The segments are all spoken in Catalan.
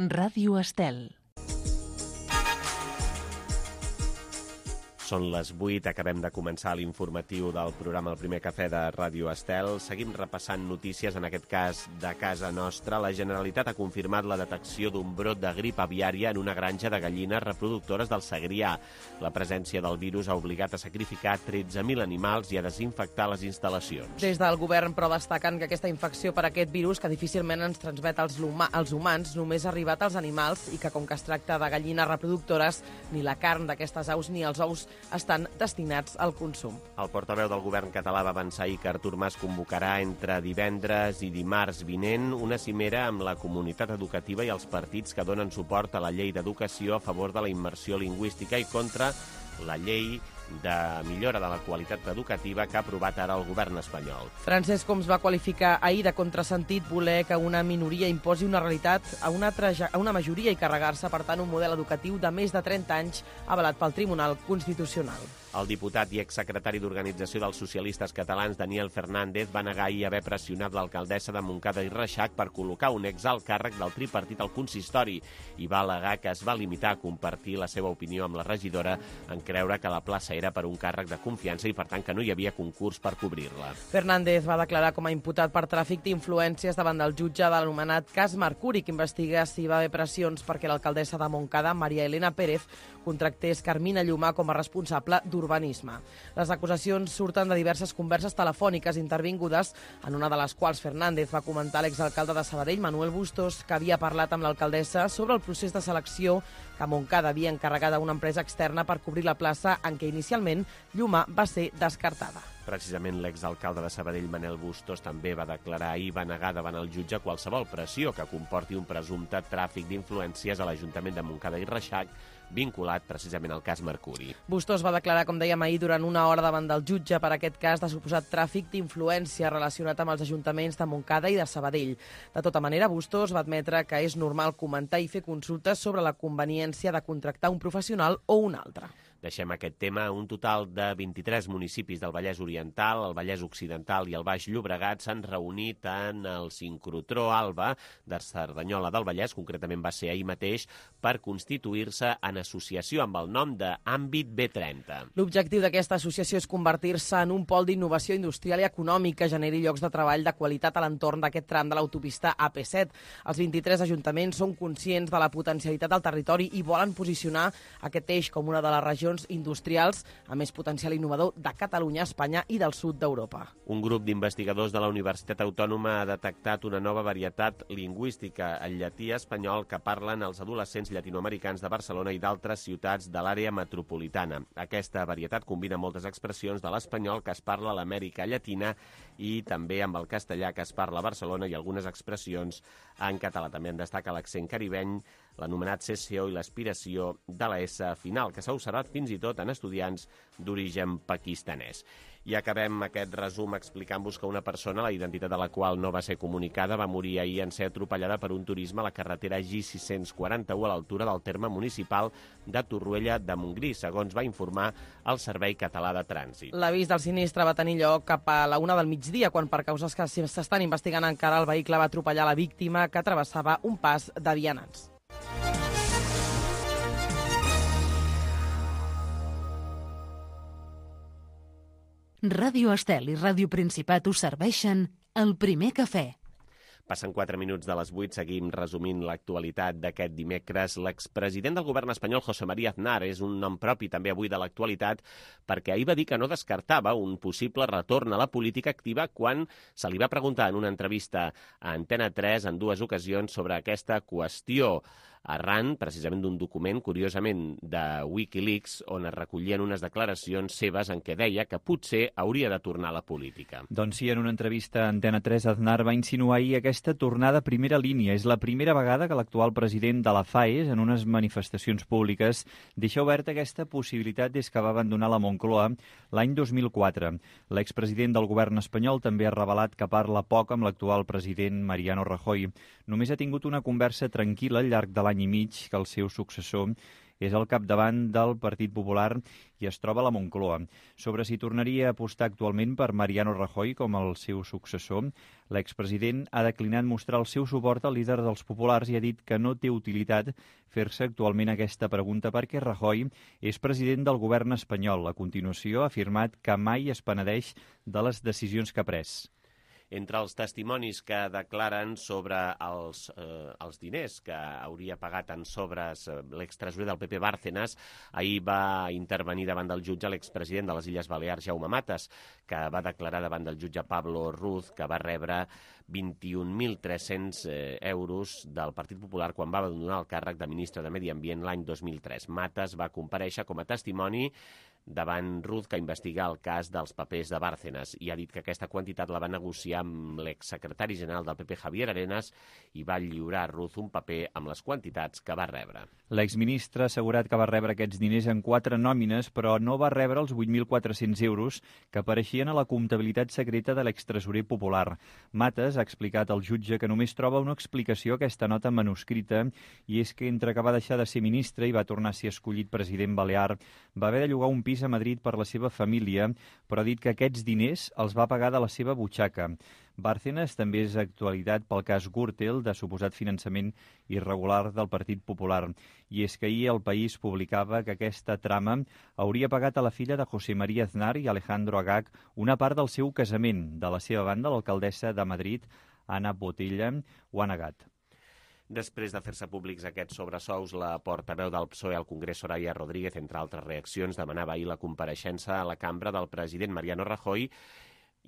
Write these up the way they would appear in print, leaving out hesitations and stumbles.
Ràdio Estel. Són les 8, acabem de començar l'informatiu del programa El Primer Cafè de Ràdio Estel. Seguim repassant notícies, en aquest cas de casa nostra. La Generalitat ha confirmat la detecció d'un brot de grip aviària en una granja de gallines reproductores del Segrià. La presència del virus ha obligat a sacrificar 13.000 animals i a desinfectar les instal·lacions. Des del govern, però, destaquen que aquesta infecció per aquest virus, que difícilment ens transmet als humans, només ha arribat als animals i que, com que es tracta de gallines reproductores, ni la carn d'aquestes aus ni els ous estan destinats al consum. El portaveu del govern català va avançar ahir que Artur Mas convocarà entre divendres i dimarts vinent una cimera amb la comunitat educativa i els partits que donen suport a la llei d'educació a favor de la immersió lingüística i contra la llei de millora de la qualitat educativa que ha aprovat ara el govern espanyol. Francesc Homs va qualificar ahir de contrasentit voler que una minoria imposi una realitat a una majoria i carregar-se, per tant, un model educatiu de més de 30 anys avalat pel Tribunal Constitucional. El diputat i exsecretari d'Organització dels Socialistes Catalans, Daniel Fernández, va negar ahir haver pressionat l'alcaldessa de Montcada i Reixac per col·locar un exalt càrrec del tripartit al consistori i va al·legar que es va limitar a compartir la seva opinió amb la regidora en creure que la plaça era per un càrrec de confiança i, per tant, que no hi havia concurs per cobrir-la. Fernández va declarar com a imputat per tràfic d'influències davant del jutge de l'anomenat cas Mercuri, que investiga si va haver pressions perquè l'alcaldessa de Montcada, Maria Elena Pérez, contractés Carmina Llumà com a responsable d'urbanisme. Les acusacions surten de diverses converses telefòniques intervingudes, en una de les quals Fernández va comentar a l'exalcalde de Sabadell, Manuel Bustos, que havia parlat amb l'alcaldessa sobre el procés de selecció que Montcada havia encarregat a una empresa externa per cobrir la plaça en què inicialment Llumà va ser descartada. Precisament l'exalcalde de Sabadell, Manel Bustos, també va declarar ahir, va negar davant el jutge qualsevol pressió que comporti un presumpte tràfic d'influències a l'Ajuntament de Montcada i Reixac, vinculat precisament al cas Mercuri. Bustos va declarar, com dèiem ahir, durant una hora davant del jutge per aquest cas de suposat tràfic d'influència relacionat amb els ajuntaments de Montcada i de Sabadell. De tota manera, Bustos va admetre que és normal comentar i fer consultes sobre la conveniència de contractar un professional o un altre. Deixem aquest tema. Un total de 23 municipis del Vallès Oriental, el Vallès Occidental i el Baix Llobregat s'han reunit en el sincrotró Alba de Cerdanyola del Vallès, concretament va ser ahir mateix, per constituir-se en associació amb el nom d'Àmbit B30. L'objectiu d'aquesta associació és convertir-se en un pol d'innovació industrial i econòmic que generi llocs de treball de qualitat a l'entorn d'aquest tram de l'autopista AP7. Els 23 ajuntaments són conscients de la potencialitat del territori i volen posicionar aquest eix com una de les regions industrials a més potencial innovador de Catalunya, Espanya i del sud d'Europa. Un grup d'investigadors de la Universitat Autònoma ha detectat una nova varietat lingüística, el llatí espanyol, que parlen els adolescents llatinoamericans de Barcelona i d'altres ciutats de l'àrea metropolitana. Aquesta varietat combina moltes expressions de l'espanyol que es parla a l'Amèrica Llatina i també amb el castellà que es parla a Barcelona i algunes expressions en català. També en destaca l'accent caribeny, l'anomenat cessió i l'aspiració de la S final, que s'ha observat fins i tot en estudiants d'origen pakistanès. I acabem aquest resum explicant-vos que una persona, la identitat de la qual no va ser comunicada, va morir ahir en ser atropellada per un turisme a la carretera G641 a l'altura del terme municipal de Torroella de Montgrí, segons va informar el Servei Català de Trànsit. L'avís del sinistre va tenir lloc cap a la 1 del migdia, quan per causes que s'estan investigant encara el vehicle va atropellar la víctima que travessava un pas de vianants. Ràdio Estel i Ràdio Principat us serveixen El Primer Cafè. Passen 4 minuts de les 8, seguim resumint l'actualitat d'aquest dimecres. L'expresident del govern espanyol, José María Aznar, és un nom propi també avui de l'actualitat perquè ahir va dir que no descartava un possible retorn a la política activa quan se li va preguntar en una entrevista a Antena 3 en 2 ocasions sobre aquesta qüestió, arran precisament d'un document, curiosament, de Wikileaks, on es recollien unes declaracions seves en què deia que potser hauria de tornar a la política. Doncs sí, en una entrevista a Antena 3, Aznar va insinuar ahir aquesta tornada a primera línia. És la primera vegada que l'actual president de la FAES, en unes manifestacions públiques, deixa oberta aquesta possibilitat des que va abandonar la Moncloa l'any 2004. L'expresident del govern espanyol també ha revelat que parla poc amb l'actual president Mariano Rajoy. Només ha tingut una conversa tranquil·la al llarg de l'any i mig que el seu successor és al capdavant del Partit Popular i es troba a la Moncloa. Sobre si tornaria a apostar actualment per Mariano Rajoy com el seu successor, l'expresident ha declinat mostrar el seu suport al líder dels populars i ha dit que no té utilitat fer-se actualment aquesta pregunta perquè Rajoy és president del govern espanyol. A continuació ha afirmat que mai es penedeix de les decisions que ha pres. Entre els testimonis que declaren sobre els diners que hauria pagat en sobres l'extresorer del PP Bárcenas, ahir va intervenir davant del jutge l'expresident de les Illes Balears, Jaume Matas, que va declarar davant del jutge Pablo Ruz que va rebre 21.300 euros del Partit Popular quan va donar el càrrec de ministre de Medi Ambient l'any 2003. Matas va comparèixer com a testimoni davant Ruz, que investiga el cas dels papers de Bárcenas, i ha dit que aquesta quantitat la va negociar amb l'exsecretari general del PP, Javier Arenas, i va lliurar a Ruz un paper amb les quantitats que va rebre. L'exministre ha assegurat que va rebre aquests diners en 4 nòmines, però no va rebre els 8.400 euros que apareixien a la comptabilitat secreta de l'extresorer popular. Matas ha explicat al jutge que només troba una explicació a aquesta nota manuscrita, i és que entre que va deixar de ser ministre i va tornar a ser escollit president balear, va haver de llogar un pis a Madrid per la seva família, però ha dit que aquests diners els va pagar de la seva butxaca. Bárcenas també és actualitat pel cas Gürtel, de suposat finançament irregular del Partit Popular. I és que ahir El País publicava que aquesta trama hauria pagat a la filla de José María Aznar i Alejandro Agag una part del seu casament. De la seva banda, l'alcaldessa de Madrid, Ana Botella, ho ha negat. Després de fer-se públics aquests sobresous, la portaveu del PSOE al Congrés, Soraya Rodríguez, entre altres reaccions, demanava ahir la compareixença a la cambra del president Mariano Rajoy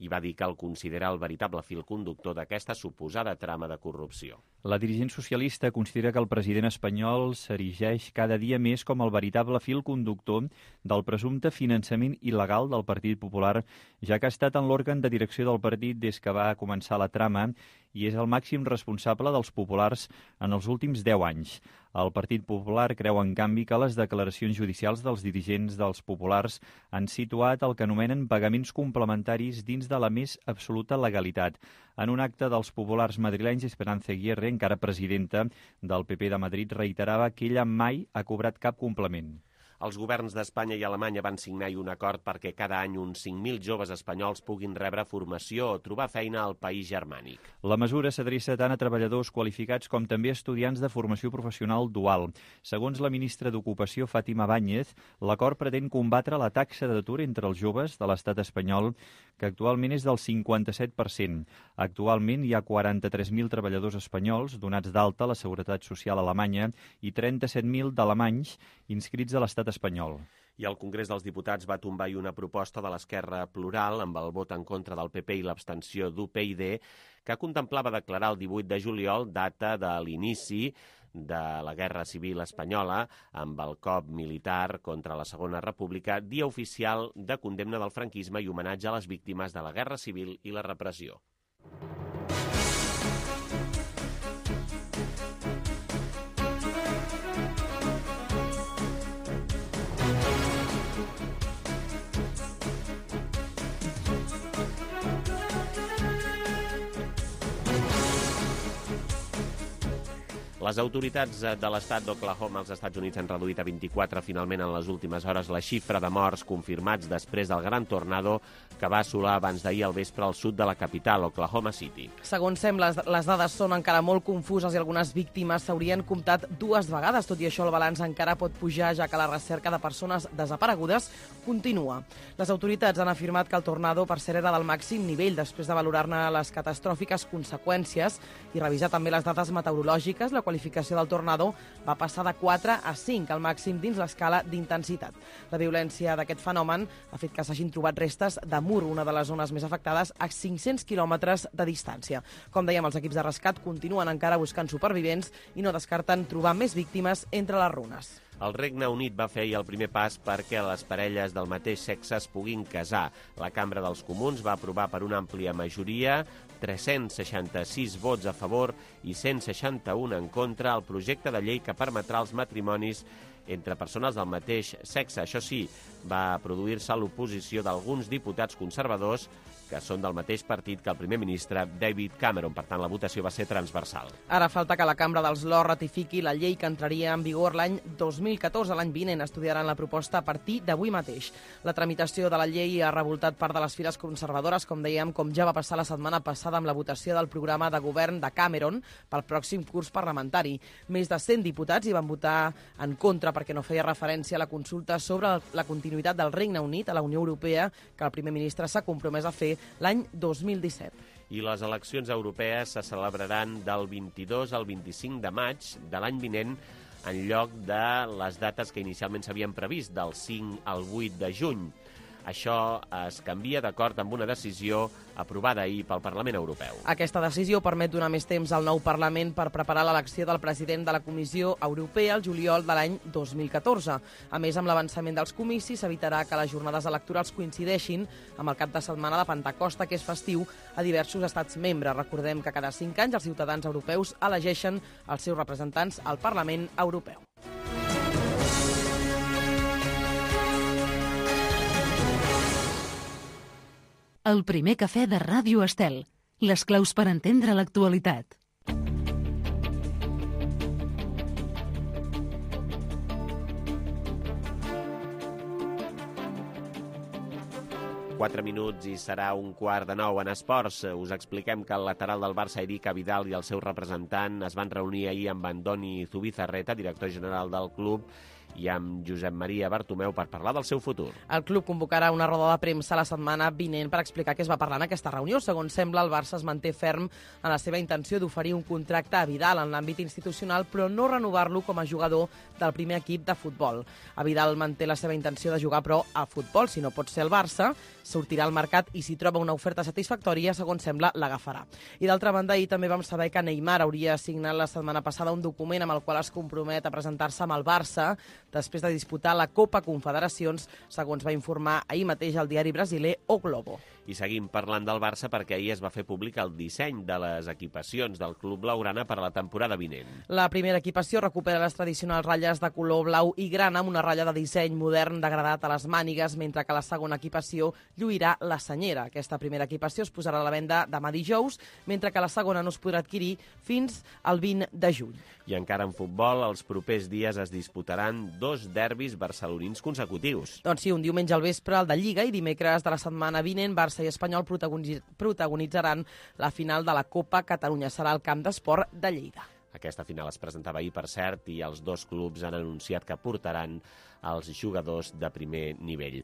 i va dir que el considera el veritable fil conductor d'aquesta suposada trama de corrupció. La dirigent socialista considera que el president espanyol s'erigeix cada dia més com el veritable fil conductor del presumpte finançament il·legal del Partit Popular, ja que ha estat en l'òrgan de direcció del partit des que va començar la trama i és el màxim responsable dels populars en els últims 10 anys. El Partit Popular creu, en canvi, que les declaracions judicials dels dirigents dels populars han situat el que anomenen pagaments complementaris dins de la més absoluta legalitat. En un acte dels populars madrilenys, Esperanza Aguirre, encara presidenta del PP de Madrid, reiterava que ella mai ha cobrat cap complement. Els governs d'Espanya i Alemanya van signar un acord perquè cada any uns 5.000 joves espanyols puguin rebre formació o trobar feina al país germànic. La mesura s'adreça tant a treballadors qualificats com també a estudiants de formació professional dual. Segons la ministra d'Ocupació, Fátima Báñez, l'acord pretén combatre la taxa d'atur entre els joves de l'estat espanyol, que actualment és del 57%. Actualment hi ha 43.000 treballadors espanyols donats d'alta a la Seguretat Social alemanya i 37.000 d'alemanys inscrits a l'estat espanyol. I el Congrés dels Diputats va tombar una proposta de l'Esquerra Plural amb el vot en contra del PP i l'abstenció d'UPyD, que contemplava declarar el 18 de juliol data de l'inici de la Guerra Civil Espanyola amb el cop militar contra la Segona República, dia oficial de condemna del franquisme i homenatge a les víctimes de la Guerra Civil i la repressió. Les autoritats de l'estat d'Oklahoma als Estats Units han reduït a 24 finalment en les últimes hores la xifra de morts confirmats després del gran tornado que va assolar abans d'ahir al vespre al sud de la capital, Oklahoma City. Segons sembla, les dades són encara molt confuses i algunes víctimes s'haurien comptat 2 vegades. Tot i això, el balanç encara pot pujar, ja que la recerca de persones desaparegudes continua. Les autoritats han afirmat que el tornado, per cert, era del màxim nivell després de valorar-ne les catastròfiques conseqüències i revisar també les dades meteorològiques. La qualificació del tornado va passar de 4 a 5, al màxim dins l'escala d'intensitat. La violència d'aquest fenomen ha fet que s'hagin trobat restes de Mur, una de les zones més afectades, a 500 quilòmetres de distància. Com dèiem, els equips de rescat continuen encara buscant supervivents i no descarten trobar més víctimes entre les runes. El Regne Unit va fer ahir el primer pas perquè les parelles del mateix sexe es puguin casar. La Cambra dels Comuns va aprovar per una àmplia majoria 366 vots a favor i 161 en contra el projecte de llei que permetrà els matrimonis entre persones del mateix sexe. Això sí, va produir-se l'oposició d'alguns diputats conservadors que són del mateix partit que el primer ministre David Cameron. Per tant, la votació va ser transversal. Ara falta que la Cambra dels Lords ratifiqui la llei que entraria en vigor l'any 2014. L'any vinent estudiaran la proposta a partir d'avui mateix. La tramitació de la llei ha revoltat part de les files conservadores, com dèiem, com ja va passar la setmana passada amb la votació del programa de govern de Cameron pel pròxim curs parlamentari. Més de 100 diputats hi van votar en contra perquè no feia referència a la consulta sobre la continuïtat del Regne Unit a la Unió Europea que el primer ministre s'ha compromès a fer l'any 2017. I les eleccions europees se celebraran del 22 al 25 de maig de l'any vinent en lloc de les dates que inicialment s'havien previst, del 5 al 8 de juny. Això es canvia d'acord amb una decisió aprovada ahir pel Parlament Europeu. Aquesta decisió permet donar més temps al nou Parlament per preparar l'elecció del president de la Comissió Europea el juliol de l'any 2014. A més, amb l'avançament dels comicis s'evitarà que les jornades electorals coincideixin amb el cap de setmana de Pentecosta, que és festiu a diversos estats membres. Recordem que cada 5 anys els ciutadans europeus elegeixen els seus representants al Parlament Europeu. El primer cafè de Ràdio Estel. Les claus per entendre l'actualitat. Quatre minuts i serà 8:45 en esports. Us expliquem que el lateral del Barça, Eric Abidal, i el seu representant es van reunir ahir amb Andoni Zubizarreta, director general del club, i amb Josep Maria Bartomeu per parlar del seu futur. El club convocarà una roda de premsa la setmana vinent per explicar què es va parlar en aquesta reunió. Segons sembla, el Barça es manté ferm en la seva intenció d'oferir un contracte a Vidal en l'àmbit institucional, però no renovar-lo com a jugador del primer equip de futbol. A Vidal manté la seva intenció de jugar, però a futbol, si no pot ser el Barça, sortirà al mercat i si troba una oferta satisfactòria, segons sembla, l'agafarà. I d'altra banda, ahir també vam saber que Neymar hauria signat la setmana passada un document amb el qual es compromet a presentar-se amb el Barça després de disputar la Copa Confederacions, segons va informar ahir mateix el diari brasiler O Globo. I seguim parlant del Barça perquè ahir es va fer públic el disseny de les equipacions del club blaugrana per a la temporada vinent. La primera equipació recupera les tradicionals ratlles de color blau i grana amb una ratlla de disseny modern degradat a les mànigues, mentre que la segona equipació lluirà la senyera. Aquesta primera equipació es posarà a la venda demà dijous, mentre que la segona no es podrà adquirir fins al 20 de juny. I encara en futbol, els propers dies es disputaran 2 derbis barcelonins consecutius. Doncs sí, un diumenge al vespre el de Lliga i dimecres de la setmana vinent Barça i Espanyol protagonitzaran la final de la Copa Catalunya. Serà al Camp d'Esport de Lleida. Aquesta final es presentava ahir, per cert, i els dos clubs han anunciat que portaran els jugadors de primer nivell.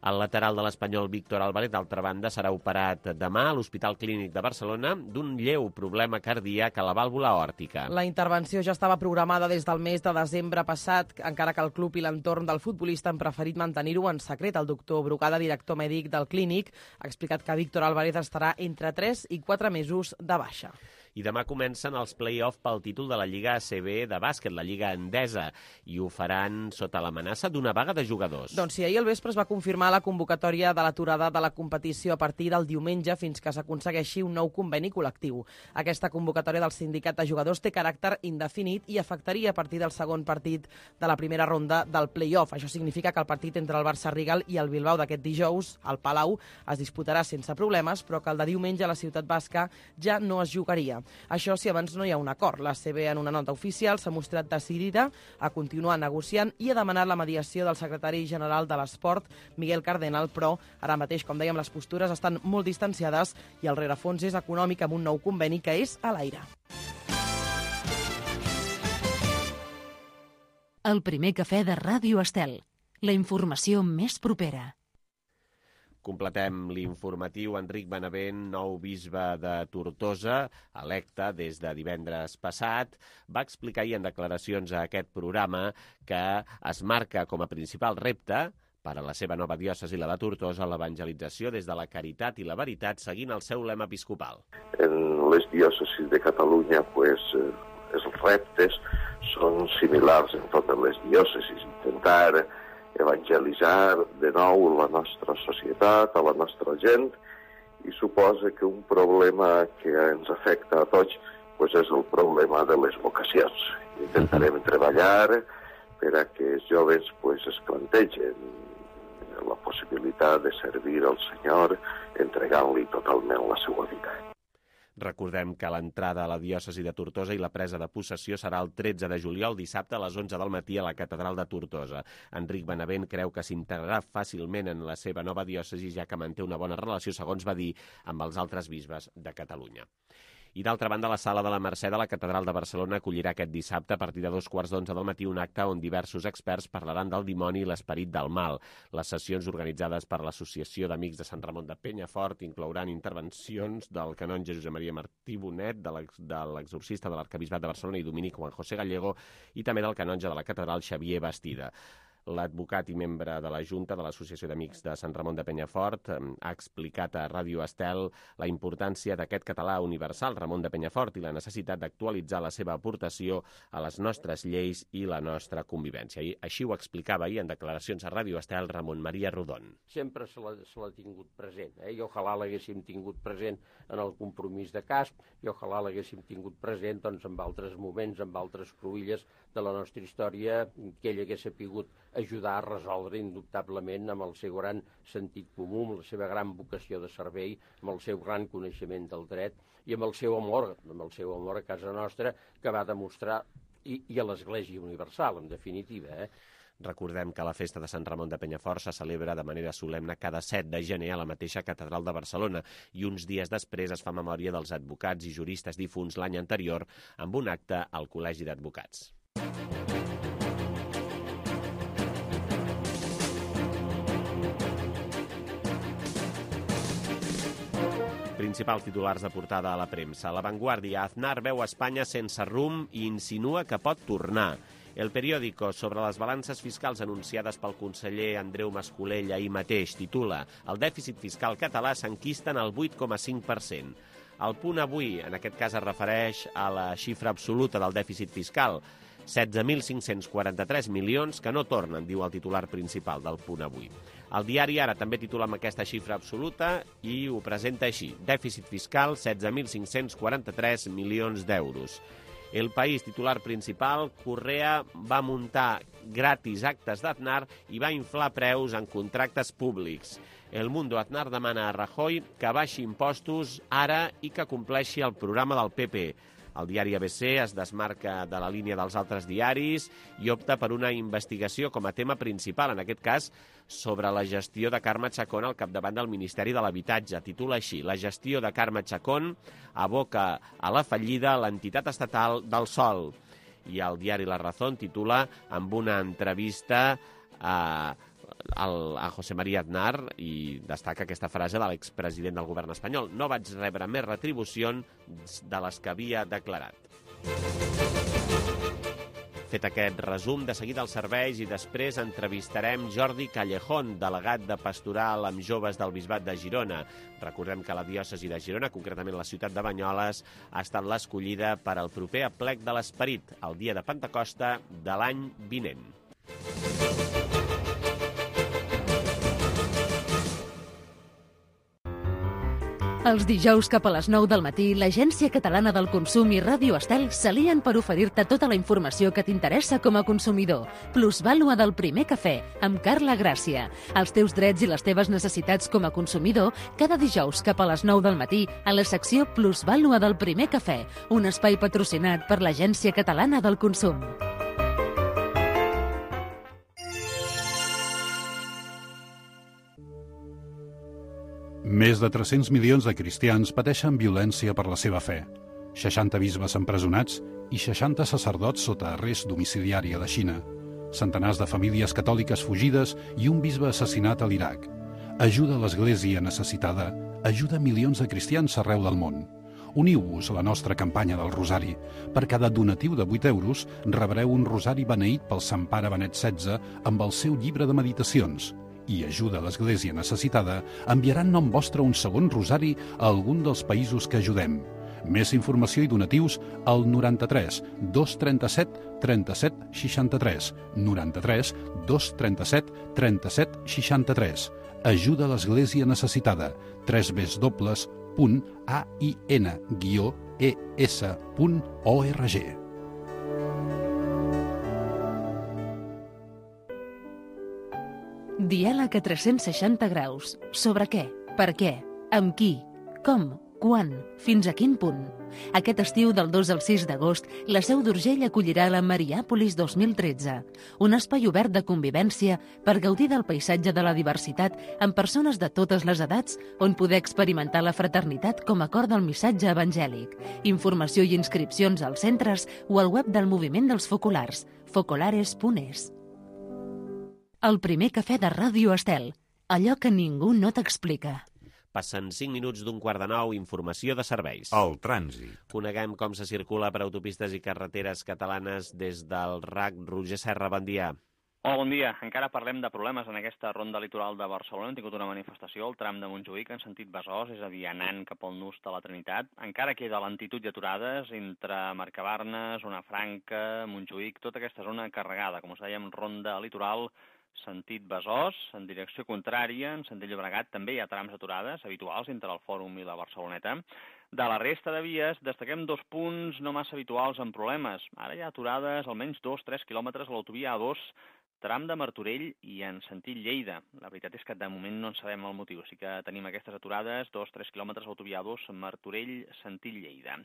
El lateral de l'Espanyol, Víctor Álvarez, d'altra banda, serà operat demà a l'Hospital Clínic de Barcelona d'un lleu problema cardíac a la vàlvula aòrtica. La intervenció ja estava programada des del mes de desembre passat, encara que el club i l'entorn del futbolista han preferit mantenir-ho en secret. El doctor Brugada, director mèdic del Clínic, ha explicat que Víctor Álvarez estarà entre 3 i 4 mesos de baixa. I demà comencen els play-off pel títol de la Lliga ACB de bàsquet, la Lliga Endesa, i ho faran sota l'amenaça d'una vaga de jugadors. Doncs sí, ahir al vespre es va confirmar la convocatòria de l'aturada de la competició a partir del diumenge fins que s'aconsegueixi un nou conveni col·lectiu. Aquesta convocatòria del sindicat de jugadors té caràcter indefinit i afectaria a partir del segon partit de la primera ronda del play-off. Això significa que el partit entre el Barça Rigal i el Bilbao d'aquest dijous, al Palau, es disputarà sense problemes, però que el de diumenge a la Ciutat Basca ja no es jugaria. Això si abans no hi ha un acord. La CB, en una nota oficial, s'ha mostrat decidida a continuar negociant i ha demanat la mediació del secretari general de l'Esport, Miguel Cardenal, però ara mateix, com dèiem, les postures estan molt distanciades i el rerefons és econòmic amb un nou conveni que és a l'aire. El primer cafè de Ràdio Estel. La informació més propera. Completem l'informatiu. Enric Benavent, nou bisbe de Tortosa, electe des de divendres passat, va explicar ahir en declaracions a aquest programa que es marca com a principal repte per a la seva nova diòcesi, la de Tortosa, l'evangelització des de la caritat i la veritat, seguint el seu lema episcopal. En les diòcesis de Catalunya, els reptes són similars en totes les diòcesis. Intentar evangelitzar de nou la nostra societat, a la nostra gent, i suposa que un problema que ens afecta a tots és el problema de les vocacions. Intentarem treballar per a que els joves es plantegen la possibilitat de servir al Senyor entregant-li totalment la seva vida. Recordem que l'entrada a la diòcesi de Tortosa i la presa de possessió serà el 13 de juliol, dissabte a les 11 del matí a la catedral de Tortosa. Enric Benavent creu que s'integrarà fàcilment en la seva nova diòcesi, ja que manté una bona relació, segons va dir, amb els altres bisbes de Catalunya. I d'altra banda, la Sala de la Mercè de la Catedral de Barcelona acollirà aquest dissabte a partir de 2:15 del matí un acte on diversos experts parlaran del dimoni i l'esperit del mal. Les sessions organitzades per l'Associació d'Amics de Sant Ramon de Penyafort inclouran intervencions del canonge Josep Maria Martí Bonet, de l'exorcista de l'Arquebisbat de Barcelona i dominic Juan José Gallego, i també del canonge de la Catedral Xavier Bastida. L'advocat i membre de la Junta de l'Associació d'Amics de Sant Ramon de Penyafort ha explicat a Ràdio Estel la importància d'aquest català universal, Ramon de Penyafort, i la necessitat d'actualitzar la seva aportació a les nostres lleis i la nostra convivència. I així ho explicava ahir en declaracions a Ràdio Estel Ramon Maria Rodon. Sempre se l'ha tingut present, i ojalà l'haguéssim tingut present en el compromís de casp, i ojalà l'haguéssim tingut present en altres moments, en altres cruïlles de la nostra història, que ell hagués sapigut ajudar a resoldre indubtablement amb el seu gran sentit comú, amb la seva gran vocació de servei, amb el seu gran coneixement del dret i amb el seu amor a casa nostra, que va demostrar, i a l'Església Universal, en definitiva. Recordem que la festa de Sant Ramon de Penyafort se celebra de manera solemne cada 7 de gener a la mateixa catedral de Barcelona i uns dies després es fa memòria dels advocats i juristes difunts l'any anterior amb un acte al Col·legi d'Advocats. Principals titulars de portada a la premsa. La Vanguardia: Aznar veu Espanya sense rumb i insinua que pot tornar. El Periódico, sobre les balances fiscals anunciades pel conseller Andreu Mascolell ahir mateix, titula: el dèficit fiscal català s'enquista en el 8,5%. El Punt Avui, en aquest cas, es refereix a la xifra absoluta del dèficit fiscal, 16.543 milions que no tornen, diu el titular principal del Punt Avui. El diari Ara també titula amb aquesta xifra absoluta i ho presenta així: dèficit fiscal, 16.543 milions d'euros. El País, titular principal: Correa va muntar gratis actes d'Aznar i va inflar preus en contractes públics. El Mundo: Aznar demana a Rajoy que baixi impostos ara i que compleixi el programa del PP. El diari ABC es desmarca de la línia dels altres diaris i opta per una investigació com a tema principal, en aquest cas sobre la gestió de Carme Chacón al capdavant del Ministeri de l'Habitatge. Titula així: la gestió de Carme Chacón aboca a la fallida l'entitat estatal del Sòl. I el diari La Razón titula amb una entrevista a José María Aznar i destaca aquesta frase de l'expresident del govern espanyol: no vaig rebre més retribucions de les que havia declarat. Fet aquest resum, de seguida els serveis i després entrevistarem Jordi Callejón, delegat de pastoral amb joves del Bisbat de Girona. Recordem que la diòcesi de Girona, concretament la ciutat de Banyoles, ha estat l'escollida per al proper aplec de l'Esperit, el dia de Pentecosta de l'any vinent. Els dijous cap a les 9 del matí, l'Agència Catalana del Consum i Ràdio Estel s'alien per oferir-te tota la informació que t'interessa com a consumidor. Plusvàlua del primer cafè, amb Carla Gràcia. Els teus drets i les teves necessitats com a consumidor, cada dijous cap a les 9 del matí, a la secció Plusvàlua del primer cafè, un espai patrocinat per l'Agència Catalana del Consum. Més de 300 milions de cristians pateixen violència per la seva fe. 60 bisbes empresonats i 60 sacerdots sota arrest domiciliari a la Xina. Centenars de famílies catòliques fugides i un bisbe assassinat a l'Iraq. Ajuda a l'Església necessitada, ajuda milions de cristians arreu del món. Uniu-vos a la nostra campanya del Rosari. Per cada donatiu de 8 euros rebreu un rosari beneït pel Sant Pare Benet XVI amb el seu llibre de meditacions. I ajuda a l'Església necessitada enviarà en nom vostre un segon rosari a algun dels països que ajudem. Més informació i donatius al 93 237 37 63. 93 237 37 63. Ajuda a l'Església necessitada. www.ain-es.org. Diàleg a 360 graus. Sobre què? Per què? Amb qui? Com? Quan? Fins a quin punt? Aquest estiu, del 2 al 6 d'agost, la Seu d'Urgell acollirà la Mariàpolis 2013, un espai obert de convivència per gaudir del paisatge de la diversitat amb persones de totes les edats, on poder experimentar la fraternitat com a cor del missatge evangèlic. Informació i inscripcions als centres o al web del Moviment dels Focolars, focolares.es. El primer cafè de Ràdio Estel, allò que ningú no t'explica. Passen 5 minuts d'un quart de 9, informació de serveis. El trànsit. Coneguem com se circula per autopistes i carreteres catalanes des del RAC. Roger Serra, bon dia. Hola, bon dia. Encara parlem de problemes en aquesta ronda litoral de Barcelona. Hem tingut una manifestació al tram de Montjuïc en sentit Besòs, és a dir, anant cap al nus de la Trinitat. Encara queda lentitud i aturades entre Mercabarnes, Zona Franca, Montjuïc, tota aquesta zona carregada. Com us dèiem, ronda litoral, sentit Besòs, en direcció contrària, en sentit Llobregat, també hi ha trams aturades habituals entre el Fòrum i la Barceloneta. De la resta de vies, destaquem 2 punts no massa habituals amb problemes. Ara hi ha aturades almenys 2-3 quilòmetres a l'autovia A2, tram de Martorell i en sentit Lleida. La veritat és que de moment no en sabem el motiu. Sí que tenim aquestes aturades, 2-3 quilòmetres a l'autovia A2, Martorell, sentit Lleida.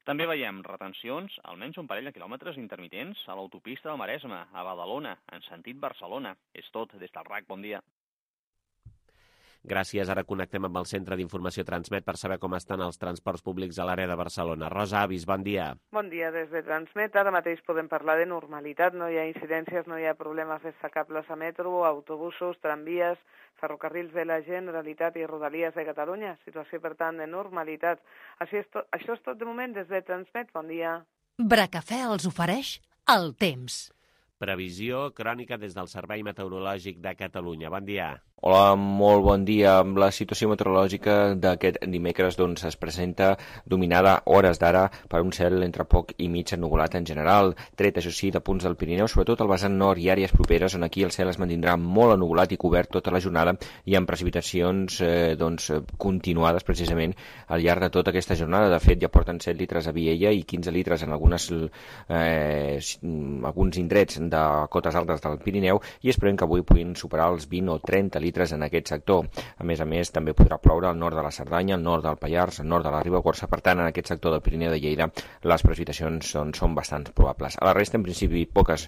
També veiem retencions, almenys un parell de quilòmetres intermitents, a l'autopista del Maresme, a Badalona, en sentit Barcelona. És tot des del RAC. Bon dia. Gràcies. Ara connectem amb el Centre d'Informació Transmet per saber com estan els transports públics a l'àrea de Barcelona. Rosa Avis, bon dia. Bon dia des de Transmet. Ara mateix podem parlar de normalitat. No hi ha incidències, no hi ha problemes destacables a metro, autobusos, tramvies, ferrocarrils de la Generalitat i Rodalies de Catalunya. Situació, per tant, de normalitat. Això és tot de moment des de Transmet. Bon dia. Bracafè els ofereix el temps. Previsió crònica des del Servei Meteorològic de Catalunya. Bon dia. Hola, molt bon dia. La situació meteorològica d'aquest dimecres es presenta dominada a hores d'ara per un cel entre poc i mig ennuvolat en general, tret, això sí, de punts del Pirineu, sobretot al vessant nord i àrees properes, on aquí el cel es mantindrà molt ennuvolat i cobert tota la jornada i amb precipitacions continuades precisament al llarg de tota aquesta jornada. De fet, ja porten 7 litres a Viella i 15 litres en alguns indrets de cotes altes del Pirineu i esperem que avui puguin superar els 20 o 30 litres en aquest sector. A més, també podrà ploure al nord de la Cerdanya, al nord del Pallars, al nord de la Ribagorça. Per tant, en aquest sector del Pirineu de Lleida les precipitacions són bastant probables. A la resta, en principi, poques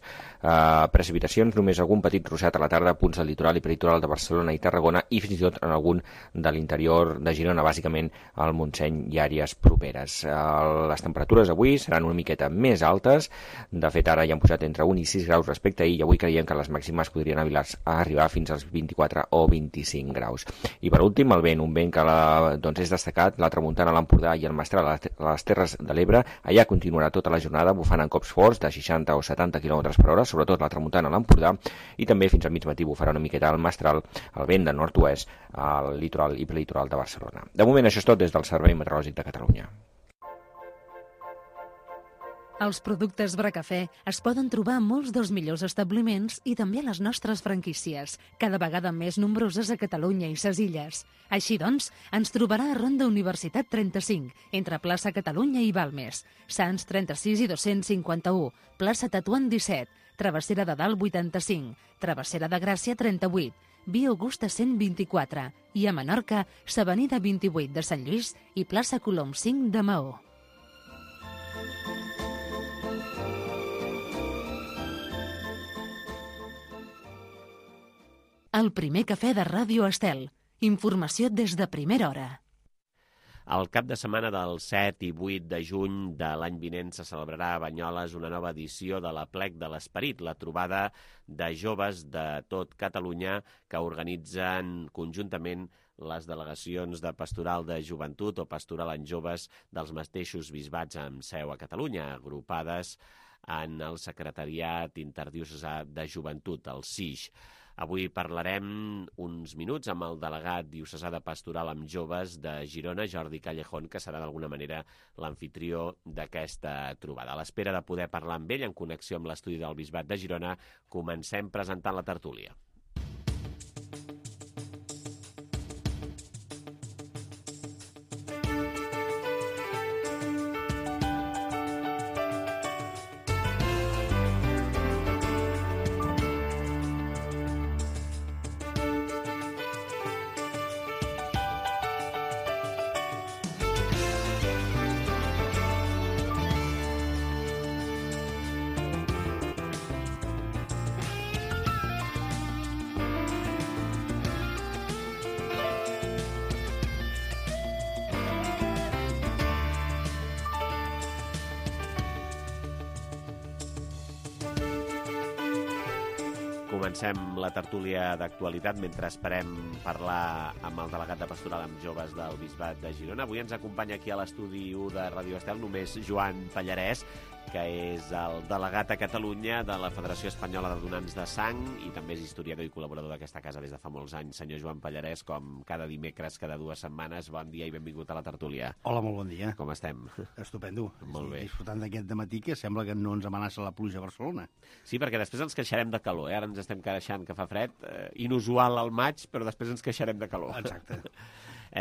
precipitacions, només algun petit ruixat a la tarda a punts del litoral i peritoral de Barcelona i Tarragona i fins i tot en algun de l'interior de Girona, bàsicament al Montseny i àrees properes. Les temperatures avui seran una miqueta més altes. De fet, ara ja han posat entre 1 i 6 graus respecte a ahir i avui creiem que les màximes podrien arribar fins als 24 o 25 graus. I per últim, el vent, un vent que és destacat, la tramuntana a l'Empordà i el Mestral a les Terres de l'Ebre. Allà continuarà tota la jornada bufant en cops forts de 60 o 70 km per hora, sobretot la tramuntana a l'Empordà, i també fins al mig matí bufarà una miqueta el Mestral, el vent de nord-oest al litoral i prelitoral de Barcelona. De moment això és tot des del Servei Meteorològic de Catalunya. Els productes Bracafè es poden trobar a molts dels millors establiments i també a les nostres franquícies, cada vegada més nombroses a Catalunya i ses illes. Així doncs, ens trobarà a Ronda Universitat 35, entre plaça Catalunya i Balmes, Sants 36 i 251, plaça Tatuant 17, Travessera de Dalt 85, Travessera de Gràcia 38, Via Augusta 124 i a Menorca, s'Avenida 28 de Sant Lluís i plaça Colom 5 de Maó. El primer cafè de Ràdio Estel. Informació des de primera hora. El cap de setmana del 7 i 8 de juny de l'any vinent se celebrarà a Banyoles una nova edició de l'Aplec de l'Esperit, la trobada de joves de tot Catalunya que organitzen conjuntament les delegacions de Pastoral de Joventut o Pastoral en Joves dels mateixos bisbats amb seu a Catalunya, agrupades en el Secretariat Interdiocesà de Joventut, el SIJ. Avui parlarem uns minuts amb el delegat diocesà de Pastoral amb Joves de Girona, Jordi Callejón, que serà d'alguna manera l'amfitrió d'aquesta trobada. A l'espera de poder parlar amb ell en connexió amb l'estudi del Bisbat de Girona, comencem presentant la tertúlia. Comencem la tertúlia d'actualitat mentre esperem parlar amb el delegat de Pastoral amb Joves del Bisbat de Girona. Avui ens acompanya aquí a l'estudi 1 de Ràdio Estel només Joan Pallarès, que és el delegat a Catalunya de la Federació Espanyola de Donants de Sang i també és historiador i col·laborador d'aquesta casa des de fa molts anys. Senyor Joan Pallarès, com cada dimecres, cada 2 setmanes, bon dia i benvingut a la tertúlia. Hola, molt bon dia. Com estem? Estupendo. Molt bé. Disfrutant d'aquest dematí que sembla que no ens amenaça la pluja a Barcelona. Sí, perquè després ens queixarem de calor, Ara ens estem queixant que fa fred, inusual al maig, però després ens queixarem de calor. Exacte.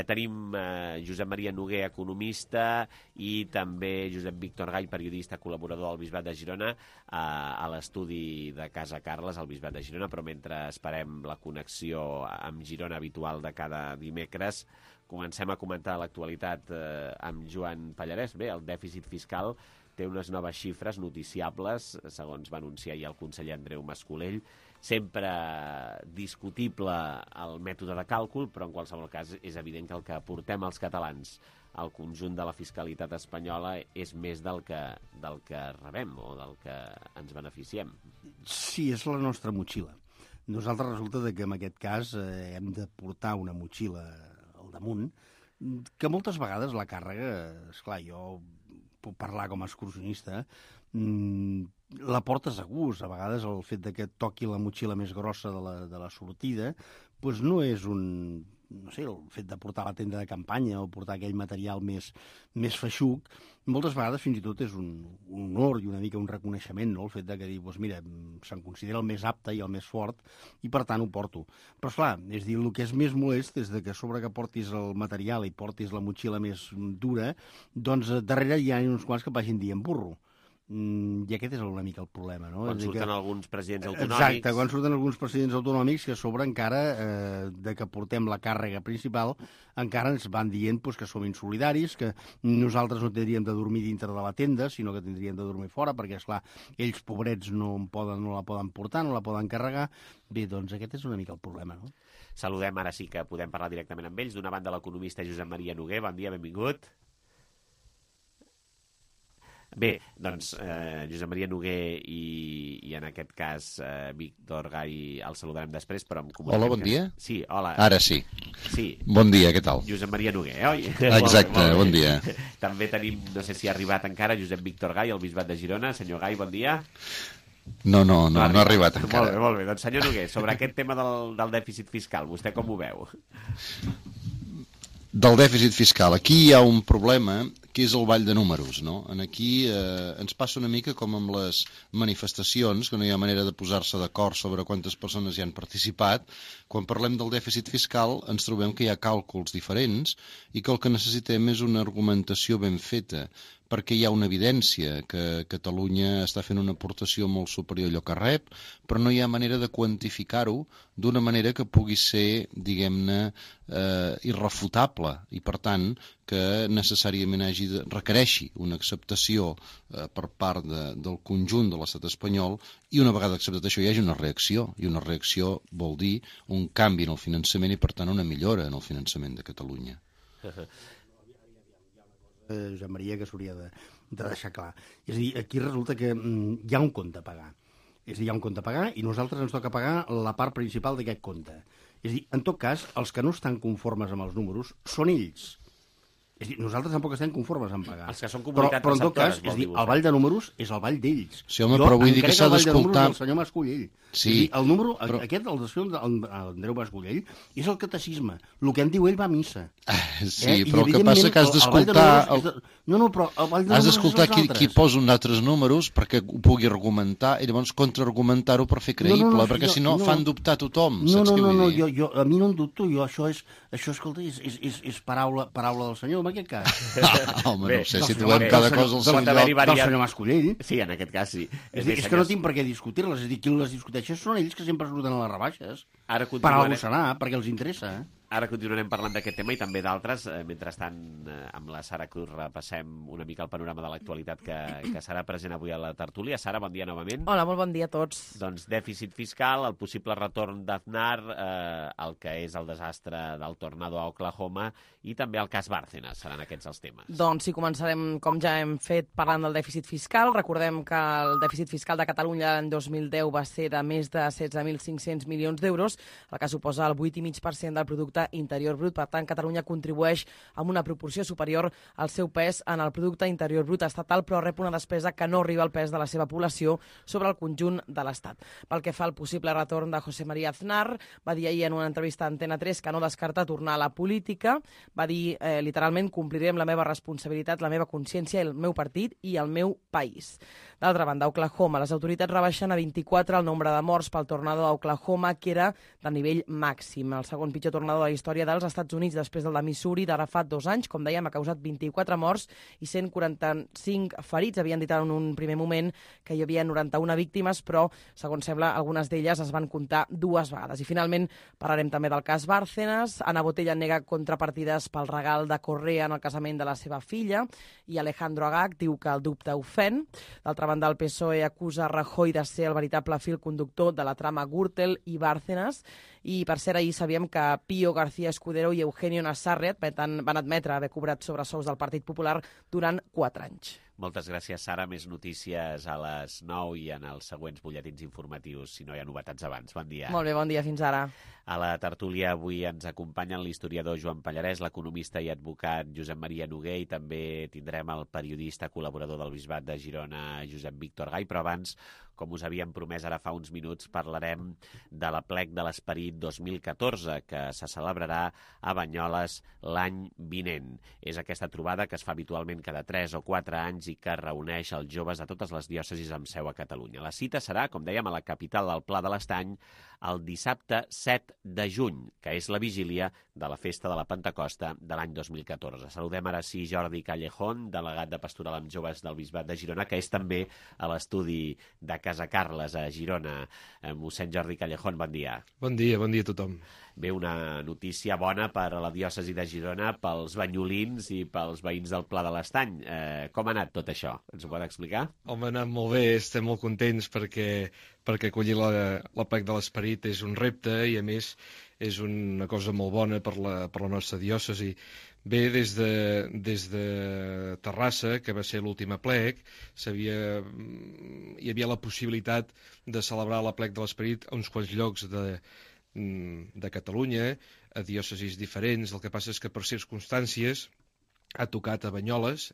Tenim Josep Maria Noguer, economista, i també Josep Víctor Gall, periodista, col·laborador del Bisbat de Girona, a l'estudi de Casa Carles, al Bisbat de Girona, però mentre esperem la connexió amb Girona habitual de cada dimecres, comencem a comentar l'actualitat amb Joan Pallarès. Bé, el dèficit fiscal té unes noves xifres noticiables, segons va anunciar ahir el conseller Andreu Mas-Colell. Sempre discutible el mètode de càlcul, però en qualsevol cas és evident que el que aportem els catalans al conjunt de la fiscalitat espanyola és més del que rebem o del que ens beneficiem. Sí, és la nostra motxilla. Nosaltres resulta que en aquest cas hem de portar una motxilla al damunt, que moltes vegades la càrrega, esclar, jo puc parlar com a excursionista, la portes a gust. A vegades el fet de que et toqui la motxilla més grossa de la sortida doncs no és no sé, el fet de portar la tenda de campanya o portar aquell material més feixuc, moltes vegades fins i tot és un honor i una mica un reconeixement, no? El fet de que dir, doncs mira, se'n considera el més apte i el més fort i per tant ho porto. Però esclar, és dir, el que és més molest és de que a sobre que portis el material i portis la motxilla més dura, doncs darrere hi ha uns quants que vagin dient burro. I aquest és una mica el problema, no? Quan surten alguns presidents autonòmics... Exacte, quan surten alguns presidents autonòmics que a sobre encara de que portem la càrrega principal encara ens van dient que som insolidaris, que nosaltres no tindríem de dormir dintre de la tenda, sinó que tindríem de dormir fora, perquè, esclar, ells, pobrets, no la poden portar, no la poden carregar. Bé, doncs aquest és una mica el problema, no? Saludem, ara sí que podem parlar directament amb ells. D'una banda, l'economista Josep Maria Noguer. Bon dia, benvingut. Bé, doncs, Josep Maria Noguer i en aquest cas Víctor Gall el saludarem després, però em comuniquem... Hola, bon dia. Sí, hola. Ara sí. Sí. Bon dia, què tal? Josep Maria Noguer, oi? Exacte, bon dia. També tenim, no sé si ha arribat encara, Josep Víctor Gall, el Bisbat de Girona. Senyor Gall, bon dia. No ha arribat encara. Molt bé. Doncs, senyor Noguer, sobre aquest tema del dèficit fiscal, vostè com ho veu? Del dèficit fiscal. Aquí hi ha un problema que és el ball de números, no? Aquí ens passa una mica com amb les manifestacions, que no hi ha manera de posar-se d'acord sobre quantes persones hi han participat. Quan parlem del dèficit fiscal ens trobem que hi ha càlculs diferents i que el que necessitem és una argumentació ben feta, perquè hi ha una evidència que Catalunya està fent una aportació molt superior a allò que rep, però no hi ha manera de quantificar-ho d'una manera que pugui ser, diguem-ne, irrefutable i, per tant, que necessàriament requereixi una acceptació per part del conjunt de l'estat espanyol i una vegada acceptat això hi hagi una reacció, i una reacció vol dir un canvi en el finançament i, per tant, una millora en el finançament de Catalunya. Josep Maria, que s'hauria de deixar clar. És a dir, aquí resulta que hi ha un compte a pagar. És a dir, hi ha un compte a pagar i nosaltres ens toca pagar la part principal d'aquest compte. És a dir, en tot cas, els que no estan conformes amb els números són ells. És a dir, nosaltres tampoc estem conformes en pagar. Els que són comunitats però en tot cas, és a dir, el ball de números és el ball d'ells. Sí, home, però vull dir que s'ha d'escoltar... El senyor Mas-Colell. Sí, el número, però... aquest, el desfil d'Andreu Mas-Colell, és el catecisme. El que en diu ell va a missa. Sí, però el que passa que has d'escoltar... No, però el ball de números has d'escoltar qui posa uns altres números perquè ho pugui argumentar i llavors contraargumentar-ho per fer creïble, perquè si no fan dubtar tothom. No, a mi no em dubto, això, escolta, és paraula del senyor, en aquest cas. Home, no sé, si trobem cada cosa al seu lloc. Del senyor Mas-Colell. Sí, en aquest cas sí. És que no tinc per què discutir-les, és a dir, qui les discuteix són ells que sempre surten a les rebaixes. Per alguna cosa, perquè els interessa. Ara continuarem parlant d'aquest tema i també d'altres. Mentrestant, amb la Sara Cruz repassem una mica el panorama de l'actualitat que serà present avui a la tertúlia. Sara, bon dia novament. Hola, molt bon dia a tots. Doncs dèficit fiscal, el possible retorn d'Aznar, el que és el desastre del tornado a Oklahoma i també el cas Bárcenas. Seran aquests els temes. Doncs sí, començarem, com ja hem fet, parlant del dèficit fiscal. Recordem que el dèficit fiscal de Catalunya l'any 2010 va ser de més de 16.500 milions d'euros, el que suposa el 8,5% del producte interior brut. Per tant, Catalunya contribueix amb una proporció superior al seu pes en el producte interior brut estatal, però rep una despesa que no arriba al pes de la seva població sobre el conjunt de l'Estat. Pel que fa al possible retorn de José María Aznar, va dir ahir en una entrevista a Antena 3 que no descarta tornar a la política. Va dir literalment: compliré amb la meva responsabilitat, la meva consciència, el meu partit i el meu país. D'altra banda, a Oklahoma, les autoritats rebaixen a 24 el nombre de morts pel tornado a Oklahoma, que era de nivell màxim. El segon pitjor tornado de la història dels Estats Units, després del de Missouri d'ara fa 2 anys. Com dèiem, ha causat 24 morts i 145 ferits. Havien dit en un primer moment que hi havia 91 víctimes, però, segons sembla, algunes d'elles es van comptar 2 vegades. I finalment parlarem també del cas Bárcenas. Ana Botella nega contrapartides pel regal de Correa en el casament de la seva filla i Alejandro Agag diu que el dubte ofèn. D'altra banda, el PSOE acusa Rajoy de ser el veritable fil conductor de la trama Gürtel i Bárcenas. I, per cert, ahir sabíem que Pío García Escudero i Eugenio Nassarret van admetre haver cobrat sobresous del Partit Popular durant 4 anys. Moltes gràcies, Sara. Més notícies a les 9 i en els següents butlletins informatius, si no hi ha novetats abans. Bon dia. Molt bé, bon dia. Fins ara. A la tertúlia avui ens acompanyen l'historiador Joan Pallarès, l'economista i advocat Josep Maria Noguer, i també tindrem el periodista col·laborador del Bisbat de Girona, Josep Víctor Gai. Però abans, com us havíem promès ara fa uns minuts, parlarem de l'Aplec de l'Esperit 2014, que se celebrarà a Banyoles l'any vinent. És aquesta trobada que es fa habitualment cada 3 o 4 anys i que reuneix els joves de totes les diòcesis amb seu a Catalunya. La cita serà, com dèiem, a la capital del Pla de l'Estany el dissabte 7 de juny, que és la vigília de la festa de la Pentecosta de l'any 2014. Saludem ara sí Jordi Callejón, delegat de Pastoral amb Joves del Bisbat de Girona, que és també a l'estudi de Casa Carles a Girona. Mossèn Jordi Callejón, bon dia. Bon dia a tothom. Bé, una notícia bona per a la diòcesi de Girona, pels banyolins i pels veïns del Pla de l'Estany. Com ha anat tot això? Ens ho pot explicar? Home, ha anat molt bé, estem molt contents perquè acollir l'Aplec de l'Esperit és un repte i, a més, és una cosa molt bona per la nostra diòcesi. Bé, des de Terrassa, que va ser l'últim aplec, hi havia la possibilitat de celebrar l'Aplec de l'Esperit a uns quants llocs de Catalunya, a diòcesis diferents. El que passa és que per circumstàncies ha tocat a Banyoles,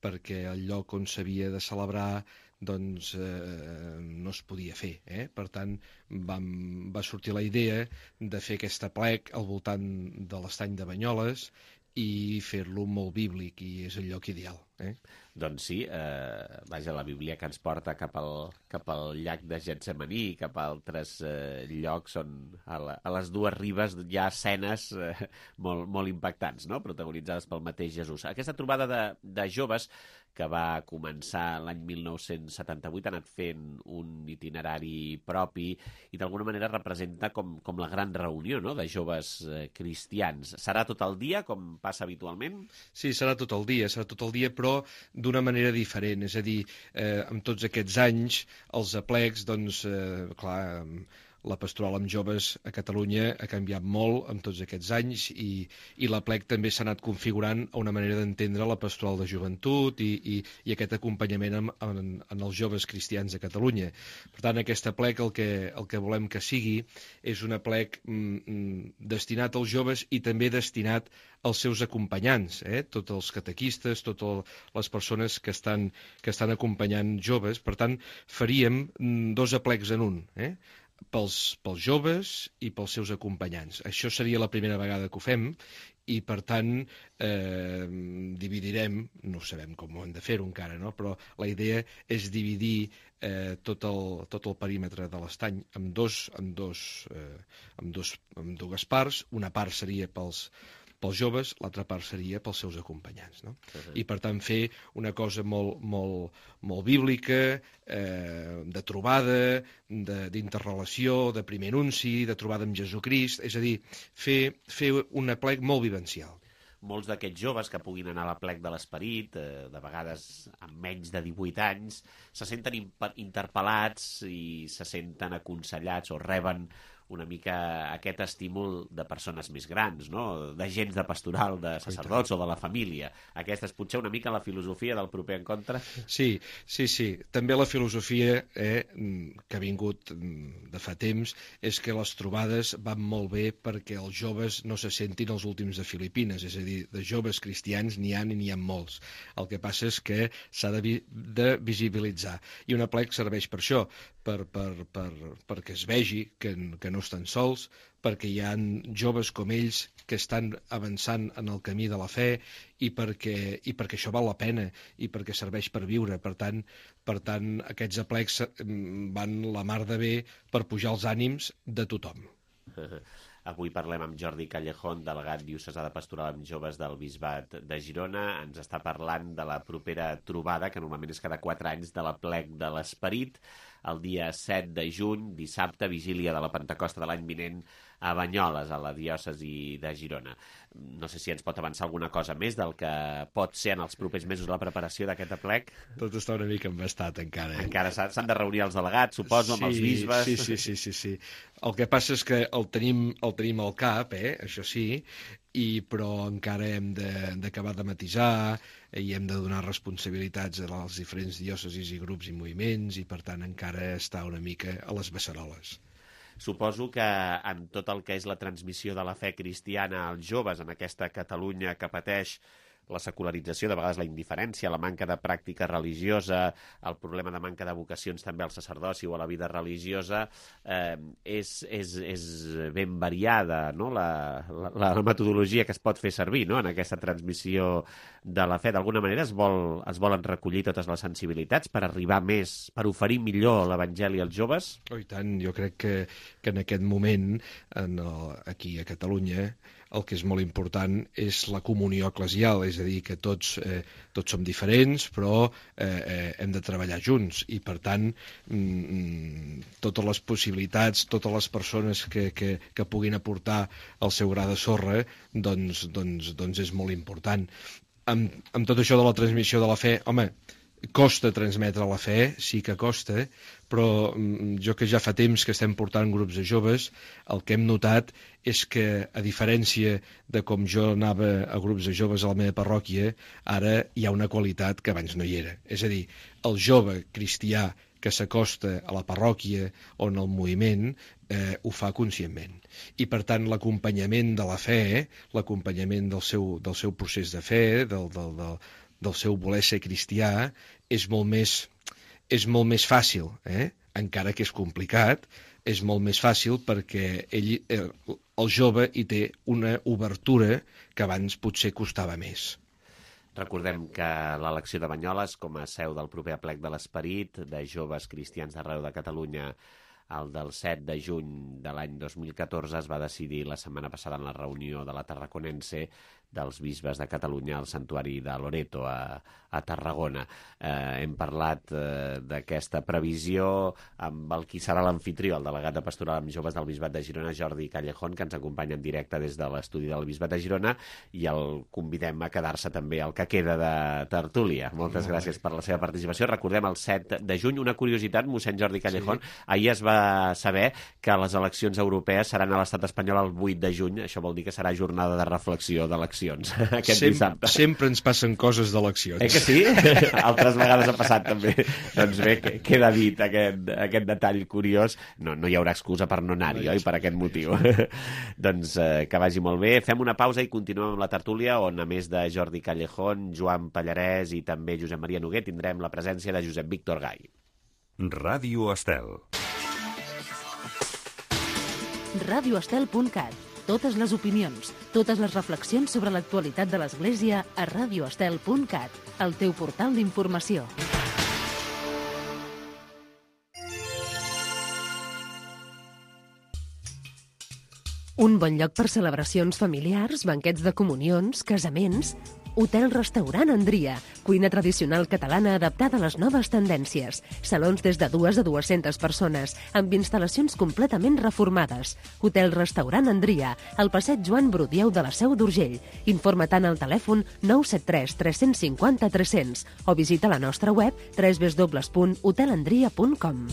perquè el lloc on s'havia de celebrar doncs no es podia fer. Per tant, va sortir la idea de fer aquest aplec al voltant de l'estany de Banyoles i fer-lo molt bíblic, i és el lloc ideal. Doncs sí, vaja, la Bíblia que ens porta cap al llac de Getsemaní, cap a altres llocs on a les dues ribes hi ha escenes molt impactants, no?, protagonitzades pel mateix Jesús. Aquesta trobada de joves que va començar l'any 1978 ha anat fent un itinerari propi i d'alguna manera representa com la gran reunió, no?, de joves cristians. Serà tot el dia, com passa habitualment? Sí, serà tot el dia, però d'una manera diferent. És a dir, amb tots aquests anys, els aplecs, doncs, clar, la pastoral amb joves a Catalunya ha canviat molt amb tots aquests anys i l'aplec també s'ha anat configurant a una manera d'entendre la pastoral de joventut i aquest acompanyament en els joves cristians de Catalunya. Per tant, aquest aplec el que volem que sigui és un aplec destinat als joves i també destinat als seus acompanyants, tots els catequistes, totes les persones que estan acompanyant joves. Per tant, faríem 2 aplecs en un, pels joves i pels seus acompanyants. Això seria la primera vegada que ho fem i, per tant, dividirem, no sabem com ho hem de fer-ho encara, no?, però la idea és dividir tot el perímetre de l'estany en dues parts. Una part seria pels pels joves, l'altra part seria pels seus acompanyants, no? I per tant fer una cosa molt bíblica, de trobada, d'interrelació, de primer anunci, de trobada amb Jesucrist, és a dir, fer un aplec molt vivencial. Molts d'aquests joves que puguin anar a l'aplec de l'Esperit, de vegades amb menys de 18 anys, se senten interpel·lats i se senten aconsellats o reben una mica aquest estímul de persones més grans, no? D'agents de pastoral, de sacerdots o de la família. Aquesta és potser una mica la filosofia del proper encontre? Sí. També la filosofia que ha vingut de fa temps és que les trobades van molt bé perquè els joves no se sentin els últims de Filipines, és a dir, de joves cristians n'hi ha molts. El que passa és que s'ha de visibilitzar. I un aplec serveix per això, perquè es vegi que no estan sols, perquè hi ha joves com ells que estan avançant en el camí de la fe i perquè això val la pena i perquè serveix per viure. Per tant, aquests aplecs van la mar de bé per pujar els ànims de tothom. Avui parlem amb Jordi Callejón, delegat diocesà de pastoral amb joves del Bisbat de Girona. Ens està parlant de la propera trobada, que normalment és cada 4 anys, de l'aplec de l'Esperit, el dia 7 de juny, dissabte, vigília de la Pentecosta de l'any vinent, a Banyoles, a la diòcesi de Girona. No sé si ens pot avançar alguna cosa més del que pot ser en els propers mesos la preparació d'aquest aplec. Tot està una mica embastat encara. Encara s'han de reunir els delegats, suposo, amb els bisbes. Sí. El que passa és que el tenim al cap, això sí, però encara hem d'acabar de matisar i hem de donar responsabilitats als diferents diòcesis i grups i moviments i per tant encara està una mica a les beceroles. Suposo que en tot el que és la transmissió de la fe cristiana als joves en aquesta Catalunya que pateix la secularització, de vegades la indiferència, la manca de pràctica religiosa, el problema de manca de vocacions també al sacerdoci o a la vida religiosa, és ben variada, no? La metodologia que es pot fer servir, no? En aquesta transmissió de la fe. D'alguna manera es volen recollir totes les sensibilitats per arribar més, per oferir millor l'Evangeli als joves? Oh, i tant, jo crec que en aquest moment, aquí a Catalunya, el que és molt important és la comunió eclesial, és a dir, que tots som diferents, però hem de treballar junts i, per tant, totes les possibilitats, totes les persones que puguin aportar el seu gra de sorra, doncs és molt important. Amb tot això de la transmissió de la fe, home, costa transmetre la fe, sí que costa, però jo que ja fa temps que estem portant grups de joves, el que hem notat és que, a diferència de com jo anava a grups de joves a la meva parròquia, ara hi ha una qualitat que abans no hi era. És a dir, el jove cristià que s'acosta a la parròquia o en el moviment ho fa conscientment. I, per tant, l'acompanyament de la fe, l'acompanyament del seu procés de fe, del seu voler ser cristià, és molt més fàcil, encara que és complicat, és molt més fàcil perquè el jove hi té una obertura que abans potser costava més. Recordem que l'elecció de Banyoles com a seu del proper aplec de l'Esperit de joves cristians d'arreu de Catalunya, el del 7 de juny de l'any 2014, es va decidir la setmana passada en la reunió de la Tarraconense dels bisbes de Catalunya al santuari de Loreto, a Tarragona. Hem parlat d'aquesta previsió amb el qui serà l'amfitrió, el delegat de pastoral amb joves del Bisbat de Girona, Jordi Callejón, que ens acompanya en directe des de l'estudi del Bisbat de Girona, i el convidem a quedar-se també al que queda de tertúlia. Moltes gràcies per la seva participació. Recordem el 7 de juny. Una curiositat, mossèn Jordi Callejón, ahir es va saber que les eleccions europees seran a l'estat espanyol el 8 de juny. Això vol dir que serà jornada de reflexió d'eleccions aquest dissabte. Sempre ens passen coses d'eleccions. Que sí? Altres vegades ha passat també. Doncs bé, queda dit aquest detall curiós. No hi haurà excusa per no anar-hi, oi? Per aquest motiu. Doncs que vagi molt bé. Fem una pausa i continuem amb la tertúlia, on a més de Jordi Callejón, Joan Pallarès i també Josep Maria Noguer, tindrem la presència de Josep Víctor Gai. Ràdio Estel. radioestel.cat. Totes les opinions, totes les reflexions sobre l'actualitat de l'Església a radioestel.cat, el teu portal d'informació. Un bon lloc per celebracions familiars, banquets de comunions, casaments... Hotel-restaurant Andria, cuina tradicional catalana adaptada a les noves tendències. Salons des de 2 a 200 persones, amb instal·lacions completament reformades. Hotel-restaurant Andria, al passeig Joan Brudieu de la Seu d'Urgell. Informa tant al telèfon 973 350 300 o visita la nostra web www.hotelandria.com.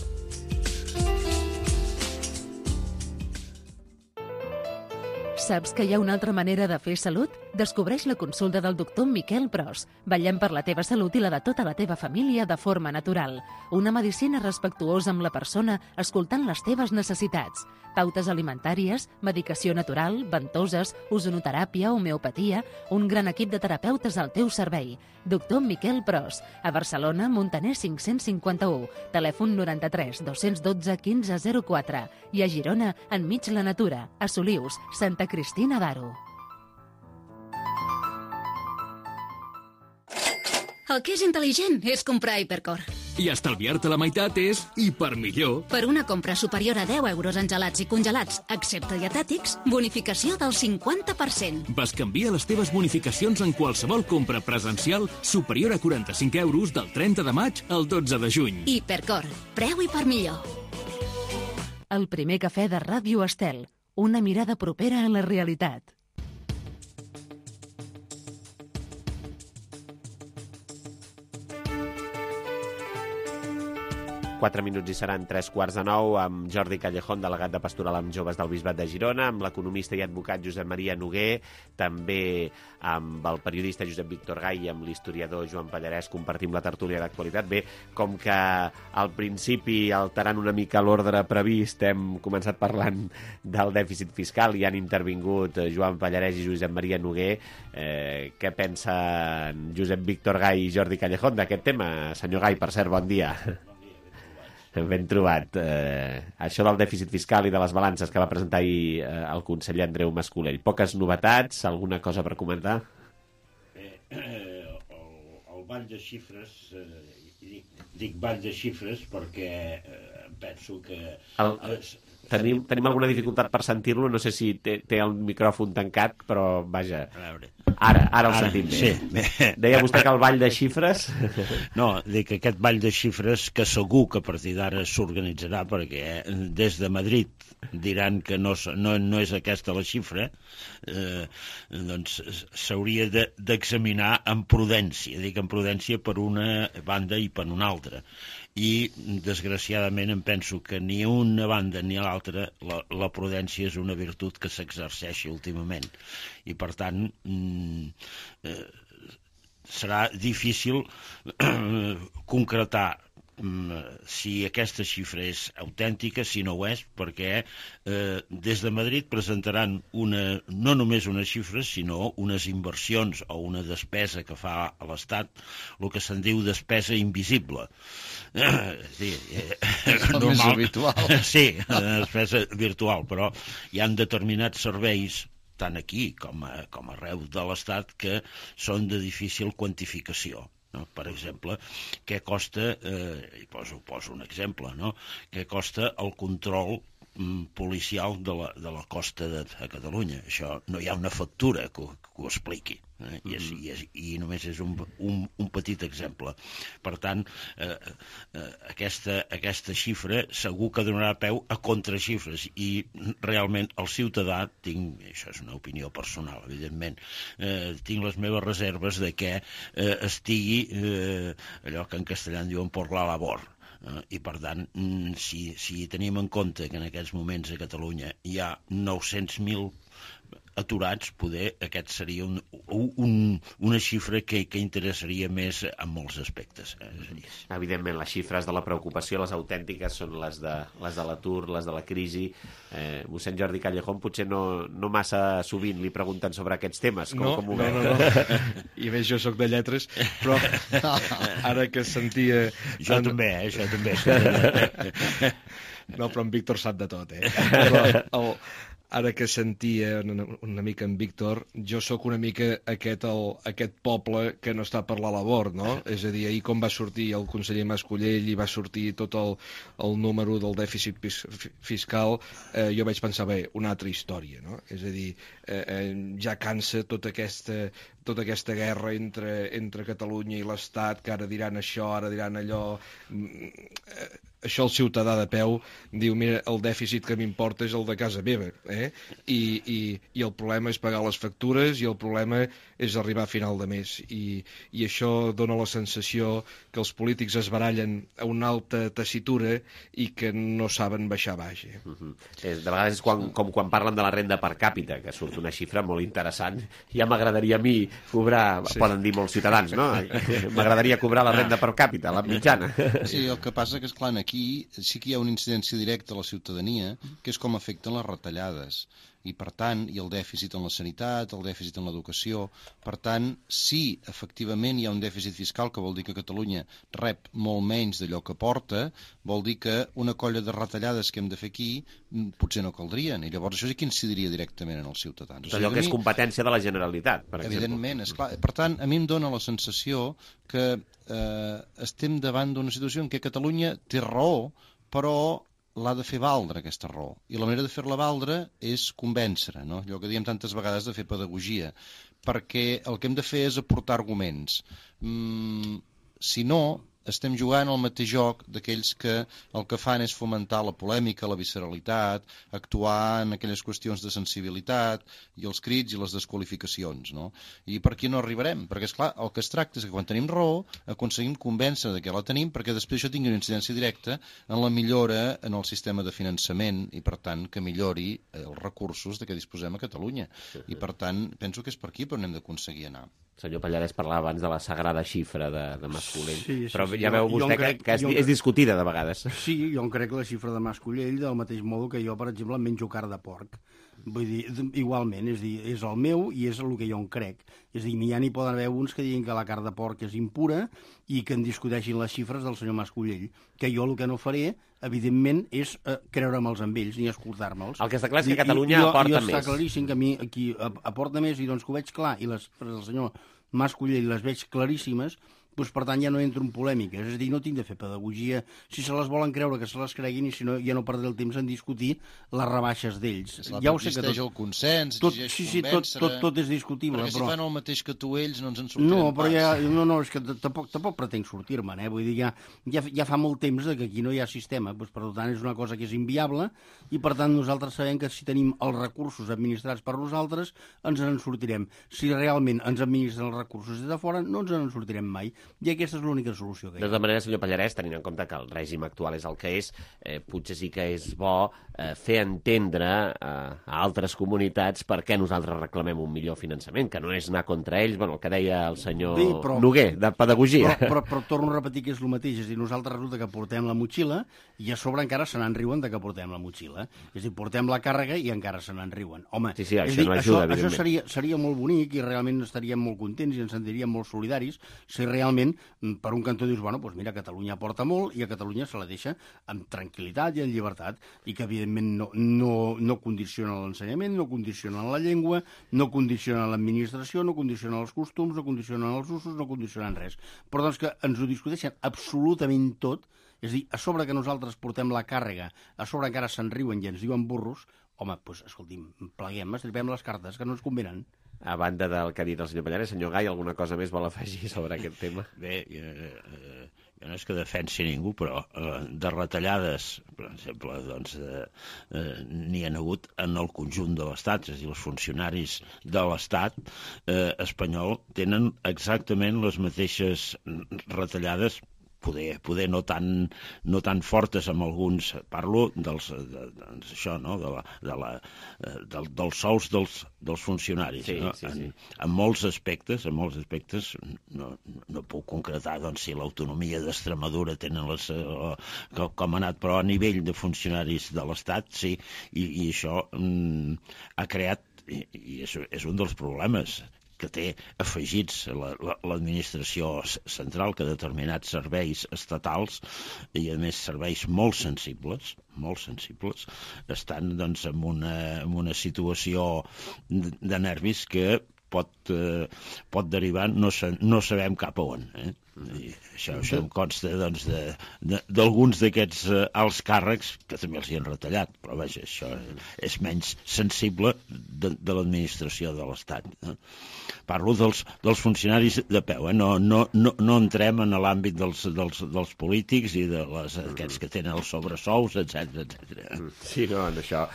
Saps que hi ha una altra manera de fer salut? Descobreix la consulta del doctor Miquel Pros. Vetllem per la teva salut i la de tota la teva família de forma natural. Una medicina respectuosa amb la persona, escoltant les teves necessitats. Pautes alimentàries, medicació natural, ventoses, ozonoteràpia, homeopatia... Un gran equip de terapeutes al teu servei. Doctor Miquel Pros. A Barcelona, Montaner 551. Telèfon 93 212 1504. I a Girona, enmig la natura. A Solius, Santa Cristina d'Aro. El que és intel·ligent és comprar Hipercor. I estalviar-te la meitat és hipermillor. Per una compra superior a 10 euros en gelats i congelats, excepte dietètics, bonificació del 50%. Bescanvia les teves bonificacions en qualsevol compra presencial superior a 45 euros del 30 de maig al 12 de juny. Hipercor. Preu hipermillor. El primer cafè de Ràdio Estel. Una mirada propera a la realitat. Quatre minuts i seran 8:45 amb Jordi Callejón, delegat de Pastoral amb Joves del Bisbat de Girona, amb l'economista i advocat Josep Maria Noguer, també amb el periodista Josep Víctor Gai i amb l'historiador Joan Pallarès compartim la tertúlia d'actualitat. Bé, com que al principi, alterant una mica l'ordre previst, hem començat parlant del dèficit fiscal i han intervingut Joan Pallarès i Josep Maria Noguer. Què pensen Josep Víctor Gai i Jordi Callejón d'aquest tema? Senyor Gai, per cert, bon dia. Ben trobat. Això del dèficit fiscal i de les balances que va presentar ahir el conseller Andreu Mas-Colell. Poques novetats? Alguna cosa per comentar? El ball de xifres, dic ball de xifres perquè penso que... Tenim alguna dificultat per sentir-lo, no sé si té el micròfon tancat, però vaja, ara el sentim bé. Sí. Deia vostè que el ball de xifres... No, dic que aquest ball de xifres que segur que a partir d'ara s'organitzarà, perquè des de Madrid diran que no és aquesta la xifra, doncs s'hauria d'examinar amb prudència, dic amb prudència per una banda i per una altra. I, desgraciadament, em penso que ni una banda ni l'altra la prudència és una virtut que s'exerceixi últimament. I, per tant, serà difícil concretar si aquesta xifra és autèntica, si no ho és, perquè des de Madrid presentaran no només unes xifres, sinó unes inversions o una despesa que fa a l'Estat, el que se'n diu despesa invisible. Sí, és el més habitual. Sí, despesa virtual, però hi ha determinats serveis tant aquí com arreu de l'Estat que són de difícil quantificació. Per exemple, què costa, i poso un exemple, què costa el control policial de la costa de Catalunya. Això no hi ha una factura que ho expliqui, i només és un petit exemple. Per tant, aquesta xifra segur que donarà peu a contraxifres, i realment el ciutadà, això és una opinió personal, evidentment, tinc les meves reserves de que estigui allò que en castellà en diuen por la labor. I, per tant, si tenim en compte que en aquests moments a Catalunya hi ha 900.000 aturats, poder aquest seria una xifra que interessaria més en molts aspectes. Evidentment, les xifres de la preocupació, les autèntiques, són les de l'atur, les de la crisi. Mossèn Jordi Callejón potser no massa sovint li pregunten sobre aquests temes. No. I a més, jo sóc de lletres, però ara que sentia... Jo també. No, però en Víctor sap de tot, Però ara que sentia una mica en Víctor, jo sóc una mica aquest poble que no està per la labor, no? És a dir, ahir com va sortir el conseller Mas-Colell i va sortir tot el número del dèficit fiscal, jo vaig pensar, bé, una altra història, no? És a dir, ja cansa tota aquesta guerra entre Catalunya i l'Estat, que ara diran això, ara diran allò. Això el ciutadà de peu diu, mira, el dèficit que m'importa és el de casa meva, i el problema és pagar les factures i el problema és arribar a final de mes, i això dona la sensació que els polítics es barallen a una alta tessitura i que no saben baixar baix. De vegades és com quan parlen de la renda per càpita, que surt una xifra molt interessant. Ja m'agradaria a mi cobrar, poden dir molts ciutadans, no? M'agradaria cobrar la renda per càpita, la mitjana. Sí, el que passa que, esclar, aquí sí que hi ha una incidència directa a la ciutadania, que és com afecten les retallades. I, per tant, hi ha el dèficit en la sanitat, el dèficit en l'educació. Per tant, si efectivament hi ha un dèficit fiscal, que vol dir que Catalunya rep molt menys d'allò que porta, vol dir que una colla de retallades que hem de fer aquí potser no caldrien. I llavors això sí que incidiria directament en els ciutadans. Allò que és competència de la Generalitat, per exemple. Evidentment, esclar. Per tant, a mi em dóna la sensació que estem davant d'una situació en què Catalunya té raó, però l'ha de fer valdre, aquesta raó. I la manera de fer-la valdre és convèncer, no? Allò que diem tantes vegades de fer pedagogia, perquè el que hem de fer és aportar arguments. Si no, estem jugant al mateix joc d'aquells que el que fan és fomentar la polèmica, la visceralitat, actuar en aquelles qüestions de sensibilitat i els crits i les desqualificacions, no? I per aquí no arribarem, perquè, esclar, el que es tracta és que quan tenim raó aconseguim convèncer de que la tenim, perquè després això tingui una incidència directa en la millora en el sistema de finançament i, per tant, que millori els recursos de què disposem a Catalunya. I, per tant, penso que és per aquí per on hem d'aconseguir anar. Senyor Pallarès parlava abans de la sagrada xifra de Mas-Colell, però ja veu vostè que és discutida de vegades. Sí, jo em crec la xifra de Mas-Colell del mateix modo que jo, per exemple, menjo carn de porc. Vull dir, igualment, és el meu i és el que jo en crec. És a dir, ja n'hi poden haver uns que diguin que la carn de porc és impura i que en discuteixin les xifres del senyor Mas-Colell, que jo el que no faré, evidentment, és creure'ls amb ells ni escoltar-me'ls. El que està clar és que Catalunya aporta més. Està claríssim que a mi aquí aporta més, i doncs que ho veig clar, i les xifres del senyor Mas-Colell les veig claríssimes, doncs, per tant, ja no entro en polèmiques. És a dir, no tinc de fer pedagogia. Si se les volen creure, que se les creguin, i si no, ja no perdré el temps en discutir les rebaixes d'ells. Ja ho sé que tot... el consens, tot és discutible. Perquè si fan el mateix que tu ells, no ens en sortirem pas. No, però és que tampoc pretenc sortir-me'n, Vull dir, ja fa molt temps que aquí no hi ha sistema, doncs, per tant, és una cosa que és inviable, i per tant nosaltres sabem que si tenim els recursos administrats per nosaltres, ens en sortirem. Si realment ens administren els recursos des de fora, no ens en sortirem mai. I aquesta és l'única solució que hi ha. De tota manera, senyor Pallarès, tenint en compte que el règim actual és el que és, potser sí que és bo fer entendre a altres comunitats per què nosaltres reclamem un millor finançament, que no és anar contra ells, el que deia el senyor Noguer, de pedagogia. Però torno a repetir que és el mateix, és a dir, nosaltres resulta que portem la motxilla i a sobre encara se n'en riuen de que portem la motxilla. És a dir, portem la càrrega i encara se n'en riuen. Home, sí, això no ajuda, això seria molt bonic i realment estaríem molt contents i ens sentiríem molt solidaris si realment per un cantó dius, bueno, doncs mira, Catalunya aporta molt i a Catalunya se la deixa amb tranquil·litat i en llibertat, i que evidentment no condiciona l'ensenyament, no condiciona la llengua, no condiciona l'administració, no condiciona els costums, no condiciona els usos, no condiciona res. Però doncs que ens ho discuteixen absolutament tot, és a dir, a sobre que nosaltres portem la càrrega, a sobre encara se'n riuen i ens diuen burros, home, doncs escolti'm, pleguem, estripem les cartes que no ens convenen. A banda del que ha dit el senyor Pallarès, senyor Gai, alguna cosa més vol afegir sobre aquest tema? Bé, jo no és que defensi ningú, però de retallades, per exemple, doncs, n'hi ha hagut en el conjunt de l'Estat, és a dir, els funcionaris de l'Estat espanyol tenen exactament les mateixes retallades, poder no tan fortes amb alguns, parlo dels sous dels funcionaris. Sí, no? sí. En molts aspectes no puc concretar si l'autonomia d'Extremadura tenen com ha anat, però a nivell de funcionaris de l'Estat, sí, i això ha creat, i és un dels problemes, que té afegits l'administració central, que determinats serveis estatals, i a més serveis molt sensibles, estan doncs, en una situació de nervis que pot derivar no sabem cap a on. I això em consta doncs, d'alguns d'aquests alts càrrecs que també els hi han retallat, però vaja, això és menys sensible de l'administració de l'Estat. Parlo dels funcionaris de peu, no entrem en l'àmbit dels polítics i d'aquests que tenen els sobresous, etc. Sí, no, en això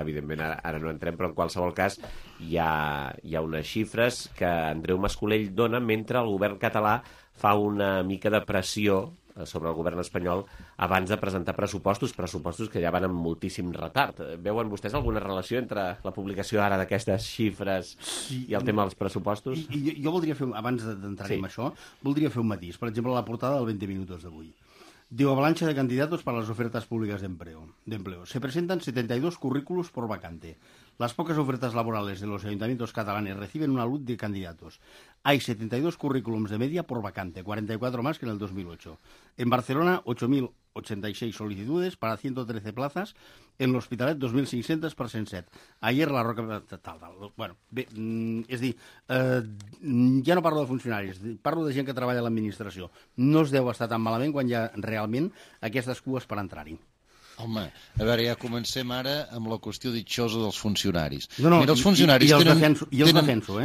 evidentment ara no entrem, però en qualsevol cas hi ha unes xifres que Andreu Mascolell dona mentre el govern català fa una mica de pressió sobre el govern espanyol abans de presentar pressupostos que ja van amb moltíssim retard. Veuen vostès alguna relació entre la publicació ara d'aquestes xifres i el tema dels pressupostos? Jo voldria fer, abans d'entrar en això, voldria fer un matís. Per exemple, la portada del 20 minutos d'avui. Diu, avalancha de candidatos para las ofertas públicas de empleo. Se presentan 72 currículos por vacante. Las pocas ofertas laborales de los ayuntamientos catalanes reciben una luz de candidatos. Hay 72 currículums de media por vacante, 44 más que en el 2008. En Barcelona, 8.086 solicitudes para 113 plazas. En l'Hospitalet, 2.500 per 107. Ayer la Roca... Bueno, bé, és dir, ja no parlo de funcionaris, parlo de gent que treballa a l'administració. No es deu estar tan malament quan hi ha realment aquestes cues per entrar-hi. Home, a veure, ja comencem ara amb la qüestió ditxosa dels funcionaris. No, mira, els funcionaris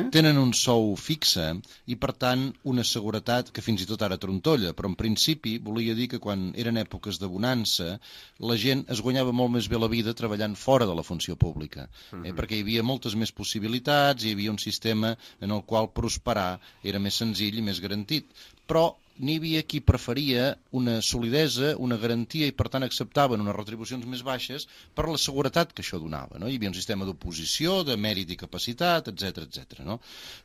tenen un sou fixe i, per tant, una seguretat que fins i tot ara trontolla, però en principi volia dir que quan eren èpoques de bonança la gent es guanyava molt més bé la vida treballant fora de la funció pública, perquè hi havia moltes més possibilitats, hi havia un sistema en el qual prosperar era més senzill i més garantit. Però n'hi havia qui preferia una solidesa, una garantia i per tant acceptaven unes retribucions més baixes per la seguretat que això donava. No? Hi havia un sistema d'oposició, de mèrit i capacitat, etc. No?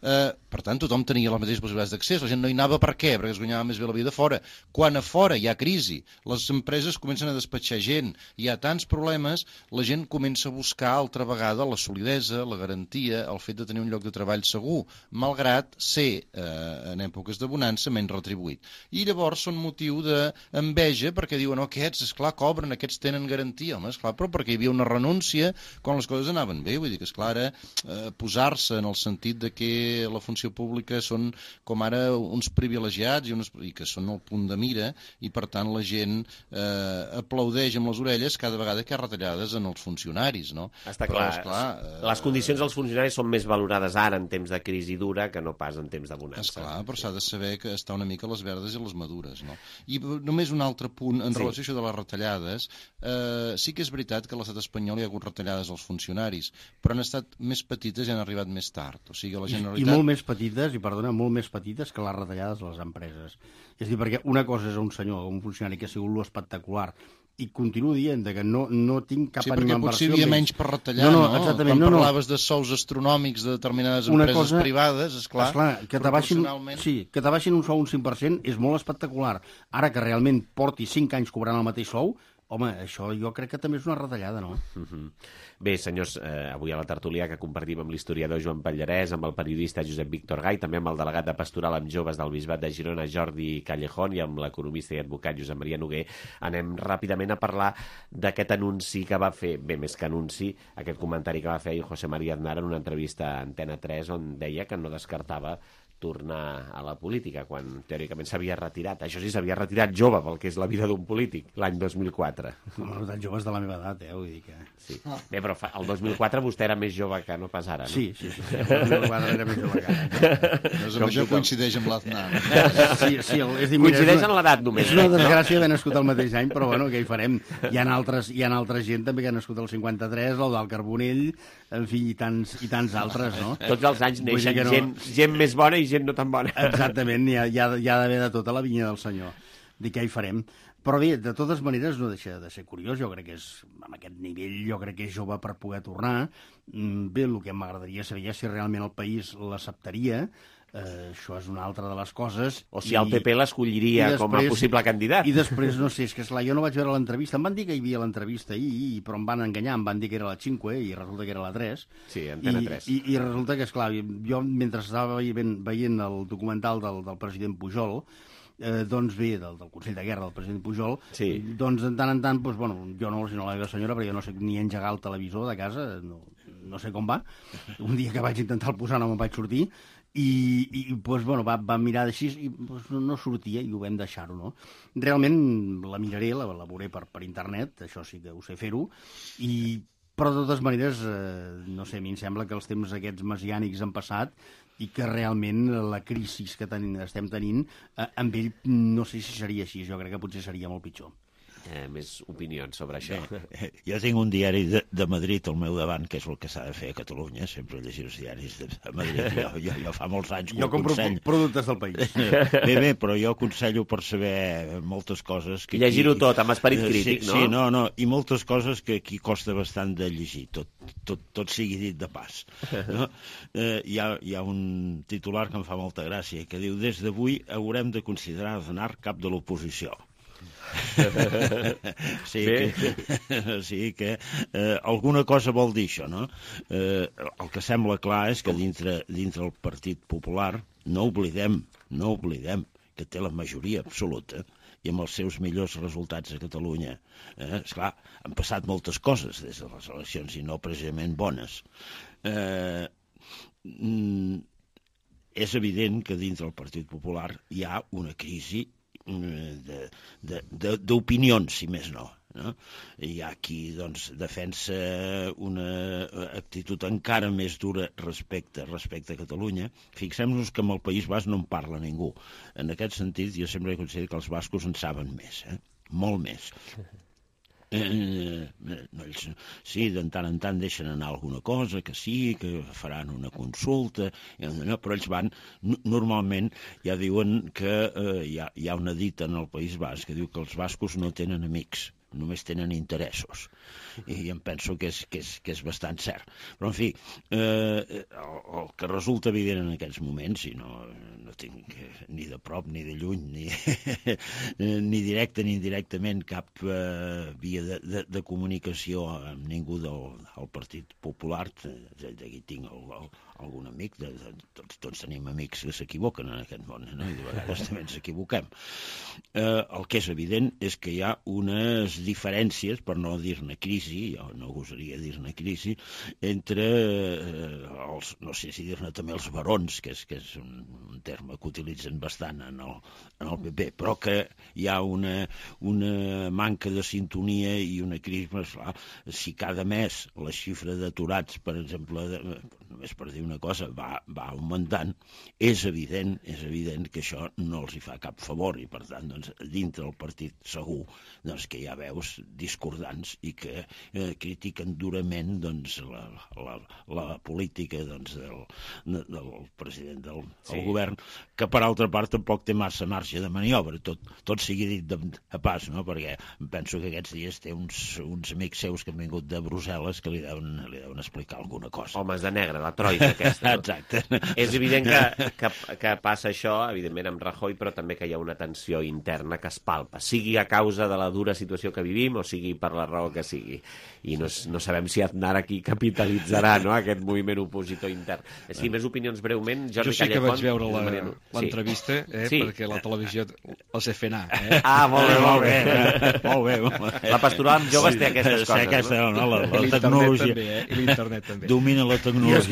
Per tant, tothom tenia les mateixes possibilitats d'accés. La gent no hi anava per què? Perquè es guanyava més bé la vida fora. Quan a fora hi ha crisi, les empreses comencen a despatxar gent, hi ha tants problemes, la gent comença a buscar altra vegada la solidesa, la garantia, el fet de tenir un lloc de treball segur, malgrat ser en èpoques de bonança menys retribuït. I llavors són motiu d'enveja perquè diuen, aquests, esclar, cobren, aquests tenen garantia. Home, esclar, però perquè hi havia una renúncia quan les coses anaven bé. Vull dir que, esclar, posar-se en el sentit de que la funció pública són com ara uns privilegiats i que són el punt de mira i, per tant, la gent aplaudeix amb les orelles cada vegada que hi ha retallades en els funcionaris, no? Està clar. Però, esclar, les condicions dels funcionaris són més valorades ara en temps de crisi dura que no pas en temps de bonança. Esclar, però s'ha de saber que està una mica a les verdes i les madures, no? I només un altre punt en relació a això de les retallades. Sí que és veritat que a l'estat espanyol hi ha hagut retallades als funcionaris, però han estat més petites i han arribat més tard. O sigui, la Generalitat... I molt més petites, molt més petites que les retallades a les empreses. És a dir, perquè una cosa és un senyor, un funcionari que ha sigut l'espectacular, i continuo dient que no tinc cap ànima en versió. Sí, perquè potser hi havia menys per retallar, no? Quan parlaves de sous astronòmics de determinades empreses privades, esclar, que t'abaixin un sou un 5% és molt espectacular. Ara que realment porti 5 anys cobrant el mateix sou, home, això jo crec que també és una retallada, no? Bé, senyors, avui a la tertúlia que compartim amb l'historiador Joan Pallarès, amb el periodista Josep Víctor Gai, també amb el delegat de Pastoral amb Joves del Bisbat de Girona, Jordi Callejón, i amb l'economista i advocat Josep Maria Noguer, anem ràpidament a parlar d'aquest anunci que va fer, bé, més que anunci, aquest comentari que va fer José María Aznar en una entrevista a Antena 3 on deia que no descartava tornar a la política, quan teòricament s'havia retirat. Això sí, s'havia retirat jove pel que és la vida d'un polític, l'any 2004. Home, tan joves de la meva edat, vull dir que... Sí. Bé, però el 2004 vostè era més jove que no pas ara, no? Sí. El 2004 era més jove que ara. Doncs amb això coincideix amb l'Aznar. Sí, és dir, coincideix en l'edat només. És una desgràcia haver nascut el mateix any, però bueno, què hi farem? Hi ha altra gent també que ha nascut el 53, el del Carbonell, en fi, i tants altres, no? Tots els anys neixen gent més bona i gent no tan bona. Exactament, hi ha d'haver de tota la vinya del senyor. Dic, què hi farem? Però bé, de totes maneres no deixa de ser curiós, jo crec que és, amb aquest nivell, jo crec que és jove per poder tornar. Bé, el que m'agradaria saber si realment el país l'acceptaria. Això és una altra de les coses. O sigui, el PP l'escolliria com a possible candidat. I després, no sé, és que esclar, jo no vaig veure l'entrevista. Em van dir que hi havia l'entrevista ahir, però em van enganyar, em van dir que era la 5 i resulta que era la 3. Sí, Antena 3. I resulta que, esclar, jo mentre estava veient el documental del president Pujol, doncs bé, del Consell de Guerra del president Pujol, doncs de tant en tant, doncs, bueno, jo no, sinó la meva senyora, perquè jo no sé ni engegar el televisor de casa, no sé com va. Un dia que vaig intentar el posar no me'n vaig sortir, i doncs, bueno, va mirar així i doncs, no sortia i ho vam deixar-ho, no? Realment la miraré, la veuré per internet, això sí que ho sé fer-ho, però de totes maneres, no sé, a mi em sembla que els temps aquests messiànics han passat i que realment la crisi que estem tenint, amb ell no sé si seria així, jo crec que potser seria molt pitjor. Més opinions sobre això. Jo tinc un diari de Madrid al meu davant, que és el que s'ha de fer a Catalunya, sempre llegir els diaris de Madrid. Jo fa molts anys que ho aconsello. Jo compro productes del país. Bé, però jo aconsello per saber moltes coses... Llegir-ho tot, amb esperit crític, no? Sí, no, i moltes coses que aquí costa bastant de llegir, tot sigui dit de pas. No? Hi ha un titular que em fa molta gràcia, que diu: des d'avui haurem de considerar Aznar cap de l'oposició. Sí que alguna cosa vol dir això, no? El que sembla clar és que dintre el Partit Popular no oblidem que té la majoria absoluta i amb els seus millors resultats a Catalunya. Esclar, han passat moltes coses des de les eleccions i no precisament bones. És evident que dintre el Partit Popular hi ha una crisi d'opinions, si més no. Hi ha qui defensa una actitud encara més dura respecte a Catalunya. Fixem-nos que amb el País Basc no en parla ningú. En aquest sentit, jo sempre he considerat que els bascos en saben més, molt més. Sí, de tant en tant deixen anar alguna cosa, que sí, que faran una consulta, però ells van, normalment ja diuen que hi ha una dita en el País Basc que diu que els bascos no tenen amics, només tenen interessos. I em penso que és bastant cert. Però, en fi, el que resulta evident en aquests moments, i no tinc ni de prop ni de lluny, ni directe ni indirectament cap via de comunicació amb ningú del Partit Popular, d'aquí tinc algun amic, tots tenim amics que s'equivoquen en aquest món, no? I de vegades també ens equivoquem. El que és evident és que hi ha unes diferències, per no dir-ne crisi, jo no gosaria dir-ne crisi, entre els, no sé si dir-ne també els barons, que és un terme que utilitzen bastant en el PP, però que hi ha una manca de sintonia i una crisi. Si cada mes la xifra d'aturats, per exemple, només per dir una cosa, va augmentant, és evident que això no els hi fa cap favor i, per tant, dintre del partit segur que hi ha veus discordants i que critiquen durament la política del president del govern, que per altra part tampoc té massa marge de maniobra, tot sigui dit de pas, no? Perquè penso que aquests dies té uns amics seus que han vingut de Brussel·les que li deuen explicar alguna cosa. Homes de negre, la troika aquesta. Exacte. És evident que passa això, evidentment, amb Rajoy, però també que hi ha una tensió interna que es palpa, sigui a causa de la dura situació que vivim o sigui per la raó que sigui. I no sabem si Aznar aquí capitalitzarà, no?, aquest moviment opositor intern. Sí, més opinions breument. Jordi Callejón. Jo sí que vaig veure l'entrevista, perquè la televisió els he fet anar. Ah, molt bé. Molt bé. La pastoral amb joves té aquestes coses, no? La tecnologia. I l'internet també. Domina la tecnologia.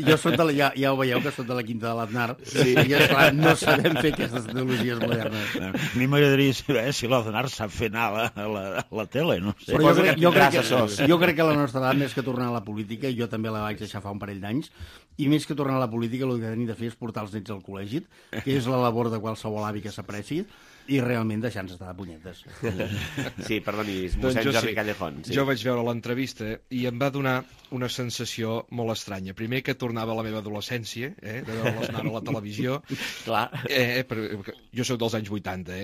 Jo soc ja ho veieu, que soc de la quinta de l'Aznar. I, esclar, no sabem fer aquestes tecnologies modernes. A mi m'agradaria saber si l'Aznar sap fer anar a la tele, no sé. Però jo crec que la nostra edat, més que tornar a la política, jo també la vaig deixar fa un parell d'anys, i més que tornar a la política, el que tenim de fer és portar els nets al col·legi, que és la labor de qualsevol avi que s'apreci, i realment deixar-nos estar de punyetes. Sí, perdoni, mossèn Jordi Callejón. Jo vaig veure l'entrevista i em va donar una sensació molt estranya. Primer que tornava a la meva adolescència, de veure l'Aznar a la televisió. Clar. Jo soc dels anys 80,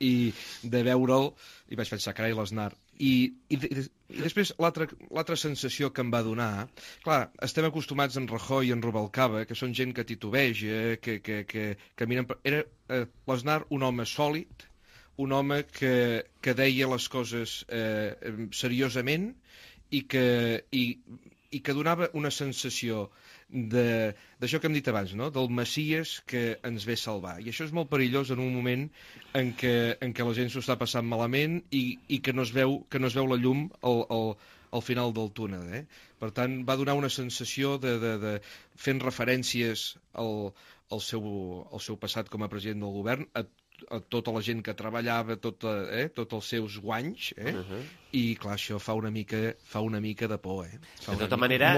i de veure'l, i vaig pensar, carai, l'Aznar, I després l'altra sensació que em va donar... Clar, estem acostumats en Rajoy i en Rubalcaba, que són gent que titubeja, que miren... Era l'Aznar un home sòlid, un home que deia les coses seriosament i que donava una sensació d'això que hem dit abans, no? Del Messies que ens ve salvar. I això és molt perillós en un moment en què la gent s'ho està passant malament i que no es veu la llum al final del túnel. Per tant, va donar una sensació de fent referències al seu passat com a president del govern, a tota la gent que treballava, tots els seus guanys, i clar, això fa una mica de por. De tota manera,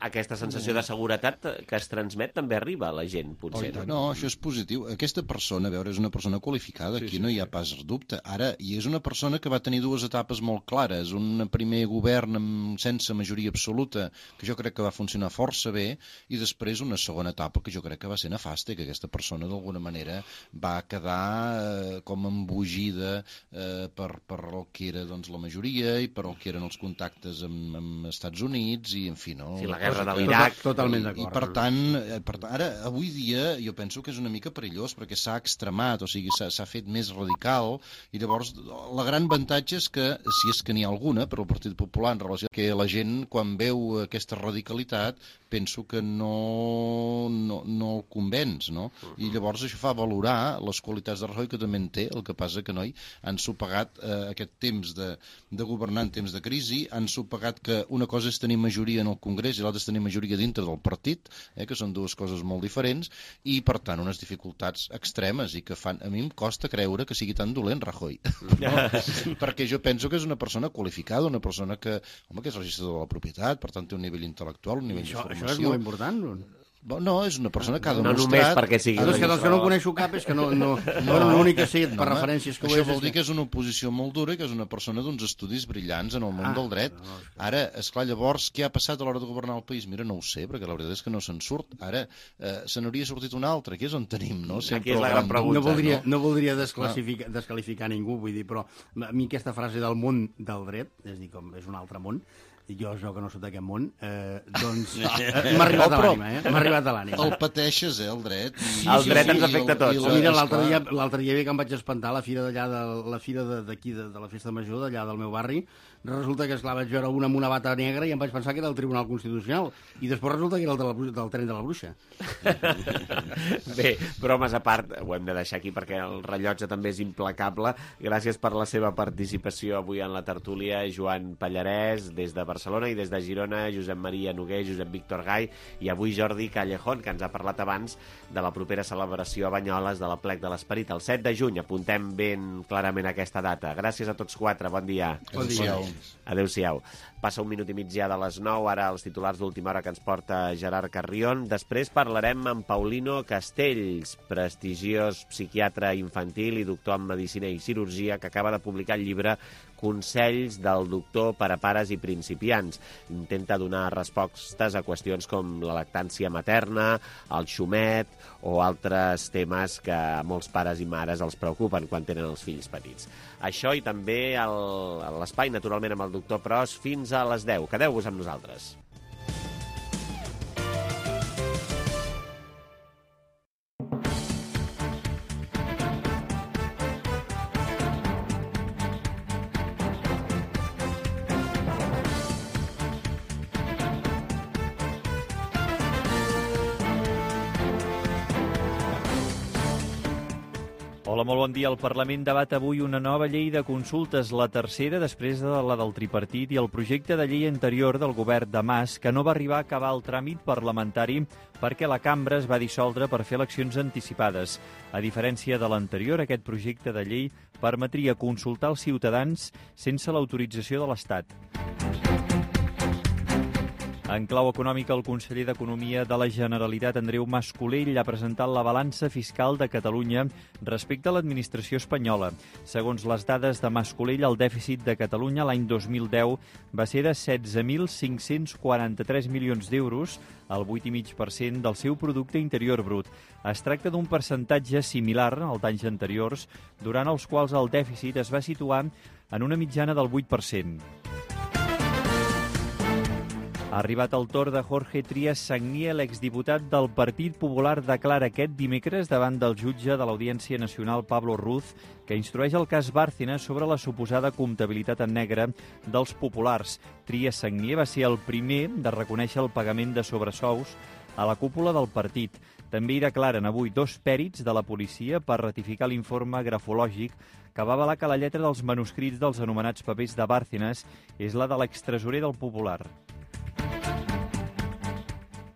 aquesta sensació de seguretat que es transmet també arriba a la gent, potser. No, això és positiu. Aquesta persona, a veure, és una persona qualificada, aquí no hi ha pas dubte. Ara, i és una persona que va tenir dues etapes molt clares. Un primer govern sense majoria absoluta, que jo crec que va funcionar força bé, i després una segona etapa que jo crec que va ser nefasta, que aquesta persona d'alguna manera va quedar com embogida per el que era la majoria i per el que eren els contactes amb Estats Units i, en fi, no? Sí, la guerra de l'Iraq. Totalment d'acord. I, per tant, ara, avui dia, jo penso que és una mica perillós perquè s'ha extremat, o sigui, s'ha fet més radical, i llavors la gran avantatge és que, si és que n'hi ha alguna, per al Partit Popular, en relació que la gent, quan veu aquesta radicalitat, penso que no el convenç, no? I llavors això fa valorar les qualitats de Rajoy, que també en té, el que passa que, han sopegat aquest temps de governar en temps de crisi, han sopegat que una cosa és tenir majoria en el Congrés i l'altra és tenir majoria dintre del partit, que són dues coses molt diferents, i per tant unes dificultats extremes i que fan, a mi em costa creure que sigui tan dolent Rajoy, perquè jo penso que és una persona qualificada, una persona que és registrador de la propietat, per tant té un nivell intel·lectual, un nivell de formació. Això és molt important, no, és una persona que ha demostrat... No només perquè sigui... És que dels que no coneixo cap és que l'únic que sé per referències que ho és... Això vol dir que és una oposició molt dura i que és una persona d'uns estudis brillants en el món del dret. Ara, esclar, llavors, què ha passat a l'hora de governar el país? Mira, no ho sé, perquè la veritat és que no se'n surt. Ara, se n'hauria sortit un altre, que és on tenim, no? Aquí és la gran pregunta. No voldria desqualificar ningú, vull dir, però a mi aquesta frase del món del dret, és a dir, com és un altre món, i jo que no soc d'aquest món, doncs m'ha arribat a l'ànima, M'ha arribat a l'ànima. El pateixes, el dret. El dret ens afecta a tots. Mira, l'altre dia que em vaig espantar a la fira d'aquí, de la Festa Major, d'allà del meu barri, resulta que, esclar, vaig veure una amb una bata negra i em vaig pensar que era el Tribunal Constitucional, i després resulta que era el del tren de la Bruixa. Bé, bromes a part, ho hem de deixar aquí perquè el rellotge també és implacable. Gràcies per la seva participació avui en la tertúlia, Joan Pallarès, des de Barcelona, i des de Girona, Josep Maria Noguer, Josep Víctor Gai, i avui Jordi Callejón, que ens ha parlat abans de la propera celebració a Banyoles de l'Aplec de l'Esperit, el 7 de juny. Apuntem ben clarament aquesta data. Gràcies a tots quatre, bon dia. Bon dia. Adéu-siau. Passa un minut i mig ja de les 9, ara els titulars d'última hora que ens porta Gerard Carrion. Després parlarem amb Paulino Castells, prestigiós psiquiatre infantil i doctor en Medicina i Cirurgia, que acaba de publicar el llibre Consells del doctor per a pares i principiants. Intenta donar respostes a qüestions com la lactància materna, el xumet o altres temes que a molts pares i mares els preocupen quan tenen els fills petits. Això i també l'espai, naturalment, amb el doctor Pros, fins a les 10. Quedeu-vos amb nosaltres. Hola, molt bon dia. El Parlament debat avui una nova llei de consultes, la tercera després de la del tripartit i el projecte de llei anterior del govern de Mas, que no va arribar a acabar el tràmit parlamentari perquè la cambra es va dissoldre per fer eleccions anticipades. A diferència de l'anterior, aquest projecte de llei permetria consultar els ciutadans sense l'autorització de l'Estat. En clau econòmica, el conseller d'Economia de la Generalitat, Andreu Mas-Colell, ha presentat la balança fiscal de Catalunya respecte a l'administració espanyola. Segons les dades de Mas-Colell, el dèficit de Catalunya l'any 2010 va ser de 16.543 milions d'euros, el 8,5% del seu producte interior brut. Es tracta d'un percentatge similar als anys anteriors, durant els quals el dèficit es va situar en una mitjana del 8%. Ha arribat el torn de Jorge Trías Sagnier, l'exdiputat del Partit Popular, declara aquest dimecres davant del jutge de l'Audiència Nacional Pablo Ruz, que instrueix el cas Bárcenas sobre la suposada comptabilitat en negre dels populars. Trías Sagnier va ser el primer de reconèixer el pagament de sobresous a la cúpula del partit. També hi declaren avui dos pèrits de la policia per ratificar l'informe grafològic que va avalar que la lletra dels manuscrits dels anomenats papers de Bárcenas és la de l'extresorer del Popular.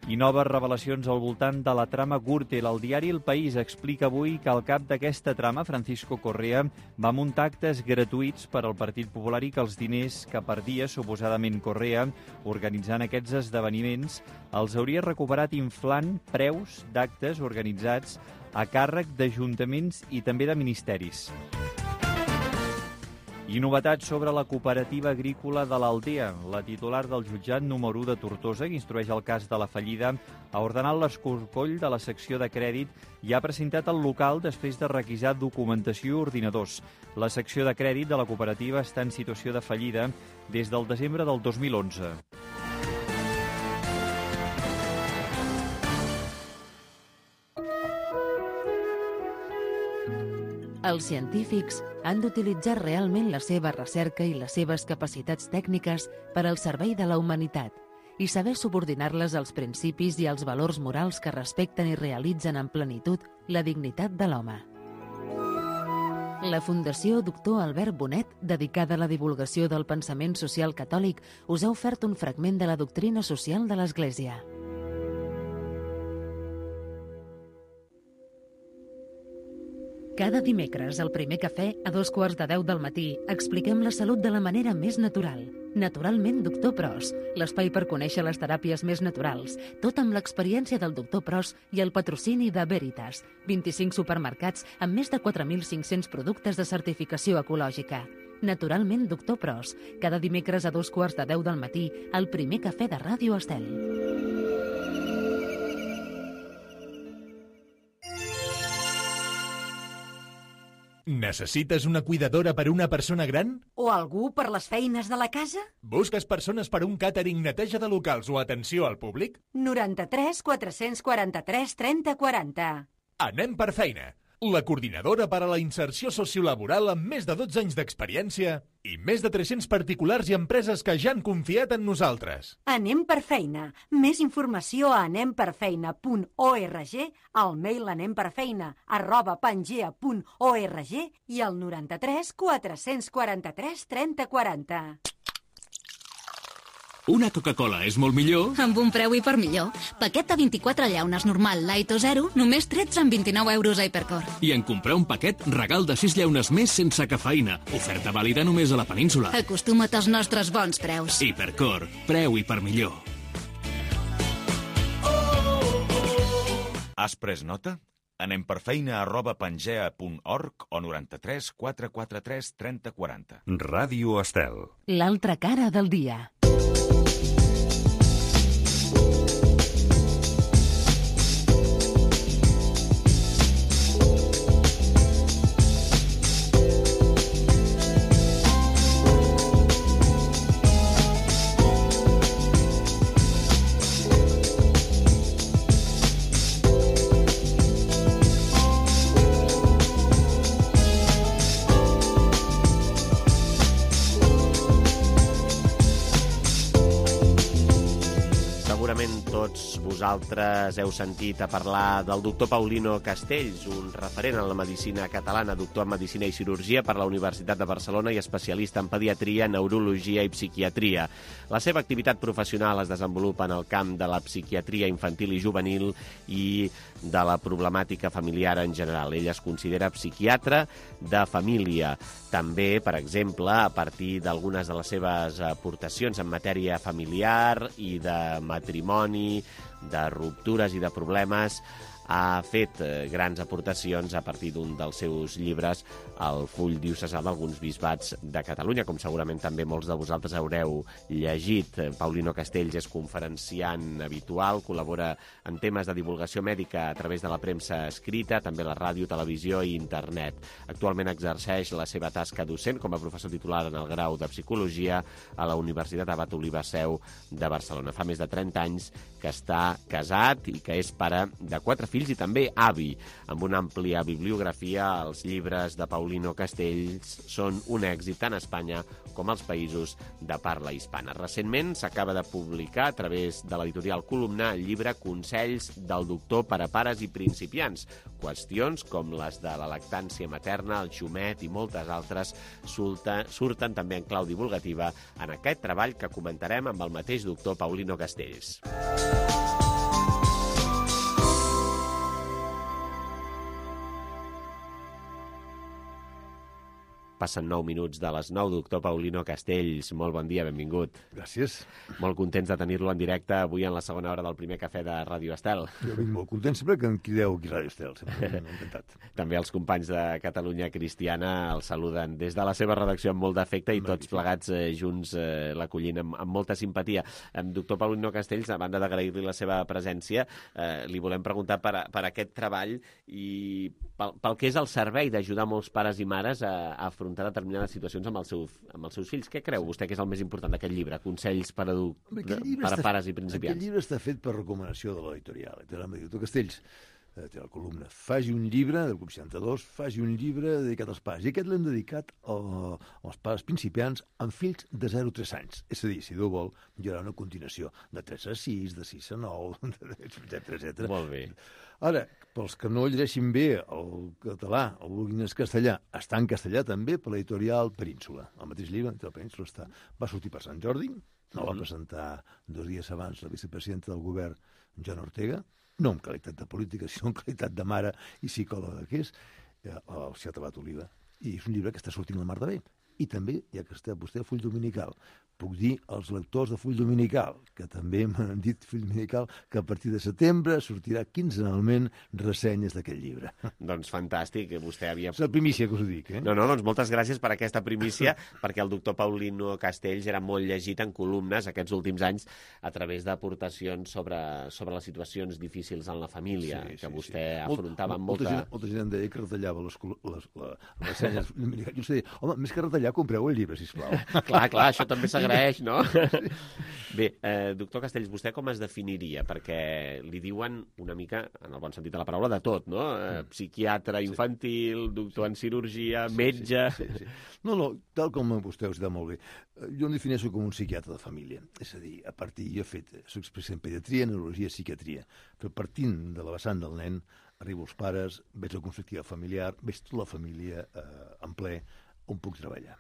I noves revelacions al voltant de la trama Gürtel. El diari El País explica avui que el cap d'aquesta trama, Francisco Correa, va muntar actes gratuïts per al Partit Popular i que els diners que perdia, suposadament Correa, organitzant aquests esdeveniments, els hauria recuperat inflant preus d'actes organitzats a càrrec d'ajuntaments i també de ministeris. I novetats sobre la cooperativa agrícola de l'Aldea. La titular del jutjat número 1 de Tortosa, que instrueix el cas de la fallida, ha ordenat l'escorcoll de la secció de crèdit i ha presentat el local després de requisar documentació i ordinadors. La secció de crèdit de la cooperativa està en situació de fallida des del desembre del 2011. Els científics han d'utilitzar realment la seva recerca i les seves capacitats tècniques per al servei de la humanitat i saber subordinar-les als principis i als valors morals que respecten i realitzen en plenitud la dignitat de l'home. La Fundació Doctor Albert Bonet, dedicada a la divulgació del pensament social catòlic, us ha ofert un fragment de la doctrina social de l'Església. Cada dimecres, al Primer Cafè, a 9:15 del matí, expliquem la salut de la manera més natural. Naturalment, Doctor Pros, l'espai per conèixer les teràpies més naturals, tot amb l'experiència del Doctor Pros i el patrocini de Veritas, 25 supermercats amb més de 4.500 productes de certificació ecològica. Naturalment, Doctor Pros, cada dimecres a 9:15 del matí, al Primer Cafè de Ràdio Estel. Necessites una cuidadora per a una persona gran? O algú per les feines de la casa? Busques persones per a un càtering, neteja de locals o atenció al públic? 93 443 30 40. Anem per feina. La coordinadora per a la inserció sociolaboral amb més de 12 anys d'experiència i més de 300 particulars i empreses que ja han confiat en nosaltres. Anem per feina. Més informació a anemperfeina.org, al mail anemperfeina@pangea.org i al 93 443 30 40. Una Coca-Cola és molt millor amb un preu hipermillor. Paquet de 24 llaunes normal, light o zero, només 13,29 euros a Hipercor. I en comprar un paquet, regal de 6 llaunes més sense cafeïna. Oferta vàlida només a la península. Acostuma't als nostres bons preus. Hipercor, preu hipermillor. Has pres nota? Anem per feina@pangea.org o 93 443 30 40. Ràdio Estel. L'altra cara del dia. Segurament tots vosaltres heu sentit a parlar del doctor Paulino Castells, un referent en la medicina catalana, doctor en medicina i cirurgia per la Universitat de Barcelona i especialista en pediatria, neurologia i psiquiatria. La seva activitat professional es desenvolupa en el camp de la psiquiatria infantil i juvenil i de la problemàtica familiar en general. Ell es considera psiquiatre de família. També, per exemple, a partir d'algunes de les seves aportacions en matèria familiar i de matrimoni, de ruptures i de problemes, ha fet grans aportacions a partir d'un dels seus llibres, el Full diocesà d'alguns bisbats de Catalunya, com segurament també molts de vosaltres haureu llegit. Paulino Castells és conferenciant habitual, col·labora en temes de divulgació mèdica a través de la premsa escrita, també la ràdio, televisió i internet. Actualment exerceix la seva tasca docent com a professor titular en el grau de Psicologia a la Universitat Abat Oliba Seu de Barcelona. Fa més de 30 anys que està casat i que és pare de 4 fills i també avi. Amb una àmplia bibliografia, els llibres de Paulino Castells són un èxit tant a Espanya com als països de parla hispana. Recentment s'acaba de publicar a través de l'editorial Columna el llibre Consells del doctor per a pares i principiants. Qüestions com les de la lactància materna, el xumet i moltes altres surten també en clau divulgativa en aquest treball que comentarem amb el mateix doctor Paulino Castells. Passen 9 minuts de les 9. Doctor Paulino Castells, molt bon dia, benvingut. Gràcies. Molt contents de tenir-lo en directe avui en la segona hora del primer cafè de Ràdio Estel. Jo vinc molt content sempre que em crideu aquí a Ràdio Estel, sempre encantat. També els companys de Catalunya Cristiana el saluden des de la seva redacció amb molt d'afecte i tots plegats junts l'acollint amb molta simpatia. Doctor Paulino Castells, a banda d'agrair-li la seva presència, li volem preguntar per aquest treball i pel que és el servei d'ajudar molts pares i mares a afrontar determinades situacions amb els seus fills. Què creu vostè que és el més important d'aquest llibre? Consells per a pares i principiants. Aquest llibre està fet per recomanació de l'editorial. Doctor Castells, té la columna, faci un llibre, del Club 62, faci un llibre dedicat als pares. I aquest l'hem dedicat als pares principiants amb fills de 0 a 3 anys. És a dir, si Déu vol, hi haurà una continuació de 3 a 6, de 6 a 9, etc. Molt bé. Ara, pels que no llegeixin bé el català, el vulguin en castellà, està en castellà també per l'editorial Península. El mateix llibre, el Península va sortir per Sant Jordi, no va presentar 2 dies abans la vicepresidenta del govern, Joana Ortega, no en qualitat de política, sinó en qualitat de mare i psicòloga que és, al Ciutat Abat Oliva. I és un llibre que està sortint la mar de bé. I també, ja que està vostè a Full Dominical, puc dir als lectors de Full Dominical, que també m'han dit Full Dominical, que a partir de setembre sortirà quinzenalment ressenyes d'aquest llibre. Doncs fantàstic, vostè havia... És la primícia que us ho dic, No, doncs moltes gràcies per aquesta primícia, perquè el doctor Paulino Castells era molt llegit en columnes aquests últims anys a través d'aportacions sobre les situacions difícils en la família, que vostè afrontava amb molta... Molta gent em deia que retallava les ressenyes. Jo sé, home, més que retallar, compreu el llibre, sisplau. Clar, això també s'agraeix, no? Bé, doctor Castells, vostè com es definiria? Perquè li diuen una mica, en el bon sentit de la paraula, de tot, no? Psiquiatre infantil, doctor en cirurgia, metge... Sí. No, tal com vostè us dit molt bé. Jo em defineixo com un psiquiatre de família. És a dir, soc especialista en pediatria, neurologia i psiquiatria. Però partint de la vessant del nen, arribo als pares, veig la constructiva familiar, veig tota la família en ple, on puc treballar.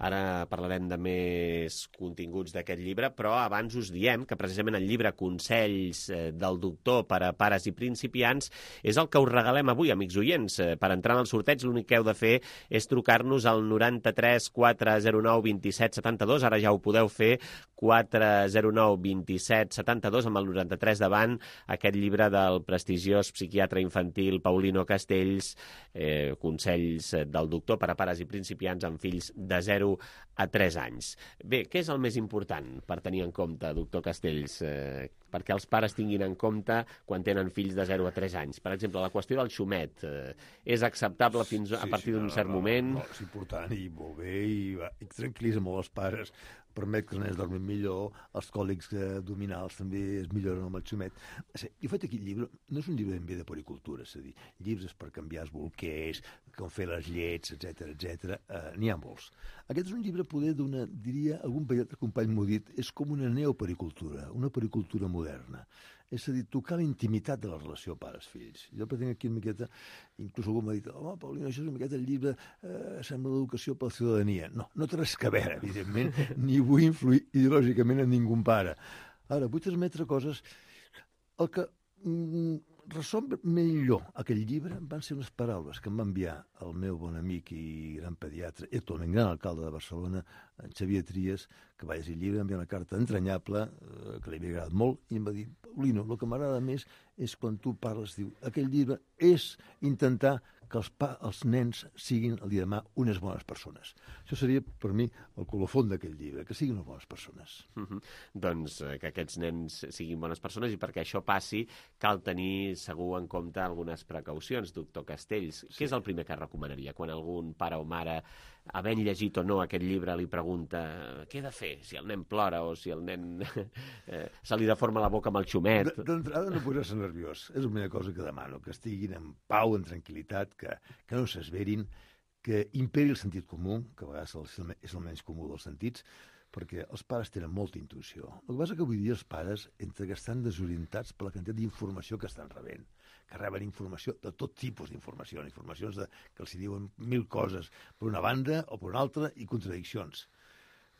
Ara parlarem de més continguts d'aquest llibre, però abans us diem que precisament el llibre Consells del doctor per a pares i principiants és el que us regalem avui, amics oients. Per entrar en el sorteig l'únic que heu de fer és trucar-nos al 93 409 27 72. Ara ja ho podeu fer, 409 27 72, amb el 93 davant, aquest llibre del prestigiós psiquiatre infantil Paulino Castells, Consells del doctor per a pares i principiants amb fills de 0 a 3 anys. Bé, què és el més important per tenir en compte, doctor Castells, perquè els pares tinguin en compte quan tenen fills de 0 a 3 anys? Per exemple, la qüestió del xumet és acceptable fins a partir d'un cert moment? No, és important i molt bé i tranquil·litza molt els pares, permet que els nens dormin millor, els còlics abdominals també es milloren amb el xumet. Jo he fet aquest llibre, no és un llibre ben bé de policultura, és a dir, llibres per canviar els bolquers, com fer les llets, etc. N'hi ha molts. Aquest és un llibre poder d'una, diria, algun company m'ho ha dit, és com una neopericultura, una pericultura moderna. És a dir, tocar la intimitat de la relació pares-fills. Jo pretenc aquí una miqueta, inclús algú m'ha dit, home, Paulino, això és una miqueta el llibre, sembla l'educació per la ciutadania. No, no té res a veure, evidentment, ni vull influir ideològicament en ningú pare. Ara, vull transmetre coses... El que resum millor aquell llibre van ser unes paraules que em va enviar el meu bon amic i gran pediatre, i actualment gran alcalde de Barcelona, en Xavier Trias, que va llegir el llibre, em va enviar una carta entranyable, que li havia agradat molt, i em va dir, Paulino, el que m'agrada més és quan tu parles, diu, aquell llibre és intentar que els nens siguin el dia de demà unes bones persones. Això seria, per mi, el colofon d'aquell llibre, que siguin unes bones persones. Doncs que aquests nens siguin bones persones, i perquè això passi cal tenir segur en compte algunes precaucions, doctor Castells. Què és el primer que recomanaria quan algun pare o mare, havent llegit o no aquest llibre, li pregunta què he de fer, si el nen plora o si el nen se li deforma la boca amb el xumet? D'entrada no posar-se nerviós. És la primera cosa que demano, que estiguin en pau, en tranquil·litat, que no s'esverin, que imperi el sentit comú, que a vegades és el menys comú dels sentits, perquè els pares tenen molta intuïció. El que passa que avui dia els pares entre que estan desorientats per la quantitat d'informació que estan rebent, que reben informació de tot tipus d'informacions, informacions que els diuen 1000 coses per una banda o per una altra i contradiccions.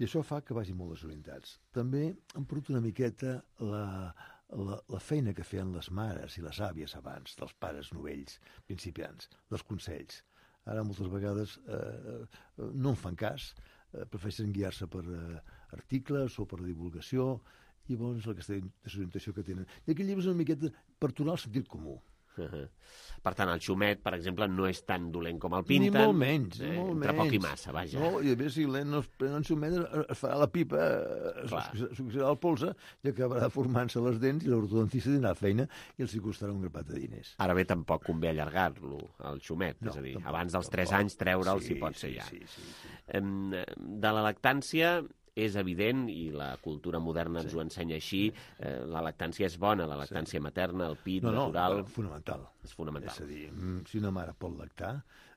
I això fa que vagin molt desorientats. També han perdut una miqueta la feina que feien les mares i les àvies abans, dels pares novells, principiants, dels consells. Ara moltes vegades no en fan cas, prefereixen guiar-se per articles o per divulgació, i llavors aquesta desorientació que tenen. I aquell llibre és una miqueta per tornar al sentit comú. Per tant, el xumet, per exemple, no és tan dolent com el pinten. Ni molt menys, entre poc i massa, vaja. No, i a més, si el nen no es pren en xumet, es farà la pipa, s'oxidarà el polze i acabarà formant-se les dents i l'ortodontista tindrà feina i els hi costarà un grapat de diners. Ara bé, tampoc convé allargar-lo, el xumet, és a dir, abans dels 3 anys treure'l si pot ser ja. De la lactància és evident, i la cultura moderna ens ho ensenya així, la lactància és bona, la lactància materna, el pit natural... No, fonamental. És fonamental. És a dir, si una mare pot lactar,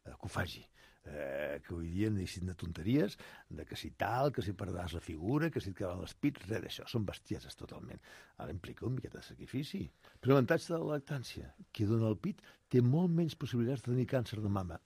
que ho faci. Que avui dia no deixin de tonteries, de que si tal, que si perdràs la figura, que si et quedaran els pits, res d'això. Són bestieses totalment. Ara implica un miqueta de sacrifici. Però l'avantatge de la lactància, que dona el pit, té molt menys possibilitats de tenir càncer de mama.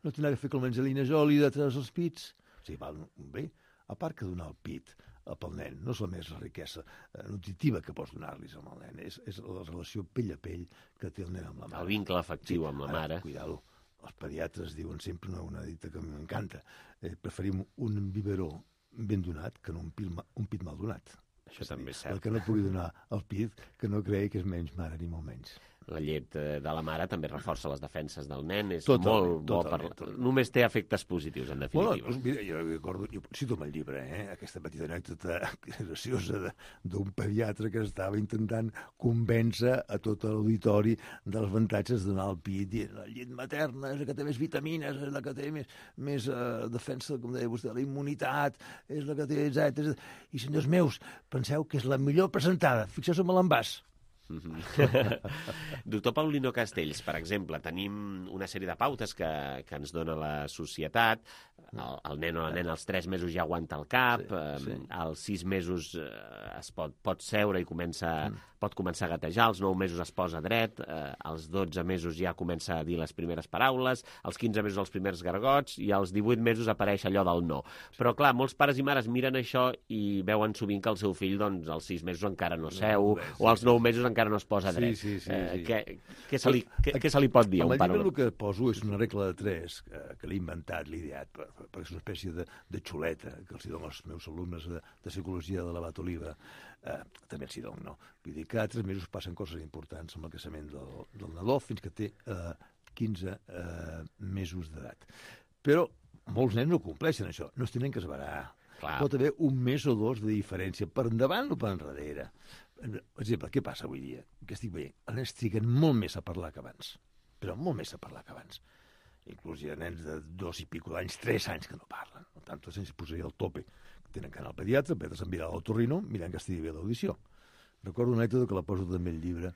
No tindrà que fer com l'Angelina Jolie de treure els pits. O sigui, val bé. A part que donar el pit pel nen no és la més riquesa nutritiva que pots donar-li al nen, és la relació pell a pell que té el nen amb la mare. El vincle afectiu amb la mare. Cuidado. Els pediatres diuen sempre una dita que m'encanta. Preferim un biberó ben donat que no un pit mal donat. Això també és cert. El que no pugui donar el pit, que no cregui que és menys mare ni molt menys. La llet de la mare també reforça les defenses del nen, és molt bo per... Només té efectes positius, en definitiva. Bueno, mira, jo recordo, jo cito el llibre, aquesta petita anècdota graciosa d'un pediatre que estava intentant convèncer a tot l'auditori dels avantatges de donar el pit, dient la llet materna és la que té més vitamines, és la que té més defensa, com deia vostè, la immunitat, és la que té, etc. I, senyors meus, penseu que és la millor presentada. Fixeu-vos en l'envàs. Doctor Paulino Castells, per exemple, tenim una sèrie de pautes que ens dona la societat. El nen o la nena als 3 mesos ja aguanta el cap, als 6 mesos es pot seure i pot començar a gatejar, als 9 mesos es posa dret, als 12 mesos ja comença a dir les primeres paraules, als 15 mesos els primers gargots i als 18 mesos apareix allò del no. Però clar, molts pares i mares miren això i veuen sovint que el seu fill doncs, als 6 mesos encara no seu, o als 9 mesos encara no es posa dret. Què se li pot dir a un pare? El llibre el que poso és una regla de 3 que l'he inventat, l'he ideat, perquè és una espècie de xuleta que els dono als meus alumnes de psicologia de l'Abat Oliva. També els dono, no? Vull dir, cada 3 mesos passen coses importants amb el creixement del nadó fins que té 15 mesos d'edat. Però molts nens no compleixen això, no es tenen que esverar. Pot haver 1 mes o 2 de diferència, per endavant o per enrere. Per exemple, què passa avui dia? Que estic veient, els nens triguen molt més a parlar que abans, però molt més a parlar que abans. Inclús hi ha nens de 2 i pico d'anys, 3 anys que no parlen. Per tant, se'ns posaria el tope. Tenen que anar al pediatre, el pediatre s'enviarà a l'otorrino, mirant que estigui bé l'audició. Recordo una anècdota que la poso també al llibre,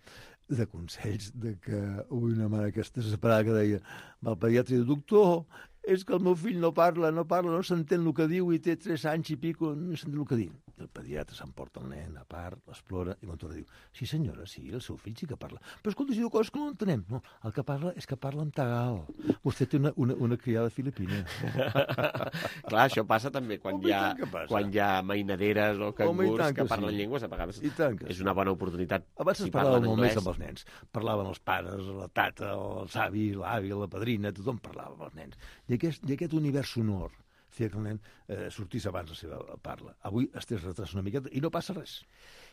de consells, de que avui una mare aquesta desesperada que deia va al pediatre i diu, doctor, és que el meu fill no parla, no s'entén el que diu i té 3 anys i pico, no s'entén el que diu. El pediatre s'emporta el nen a part, l'explora, i quan torna diu, sí senyora, sí, el seu fill sí que parla. Però escolta, si diu coses que no entenem. No, el que parla és que parla en tagal. Vostè té una criada filipina. Clar, això passa també quan hi ha mainaderes o cangurs que parlen llengües, a vegades és una bona oportunitat. Abans es parlava molt més amb els nens. Parlaven els pares, la tata, els avis, l'avi, la padrina, tothom parlava amb els nens. I aquest univers sonor feia que el nen sortís abans la seva parla. Avui es té retràs una miqueta i no passa res.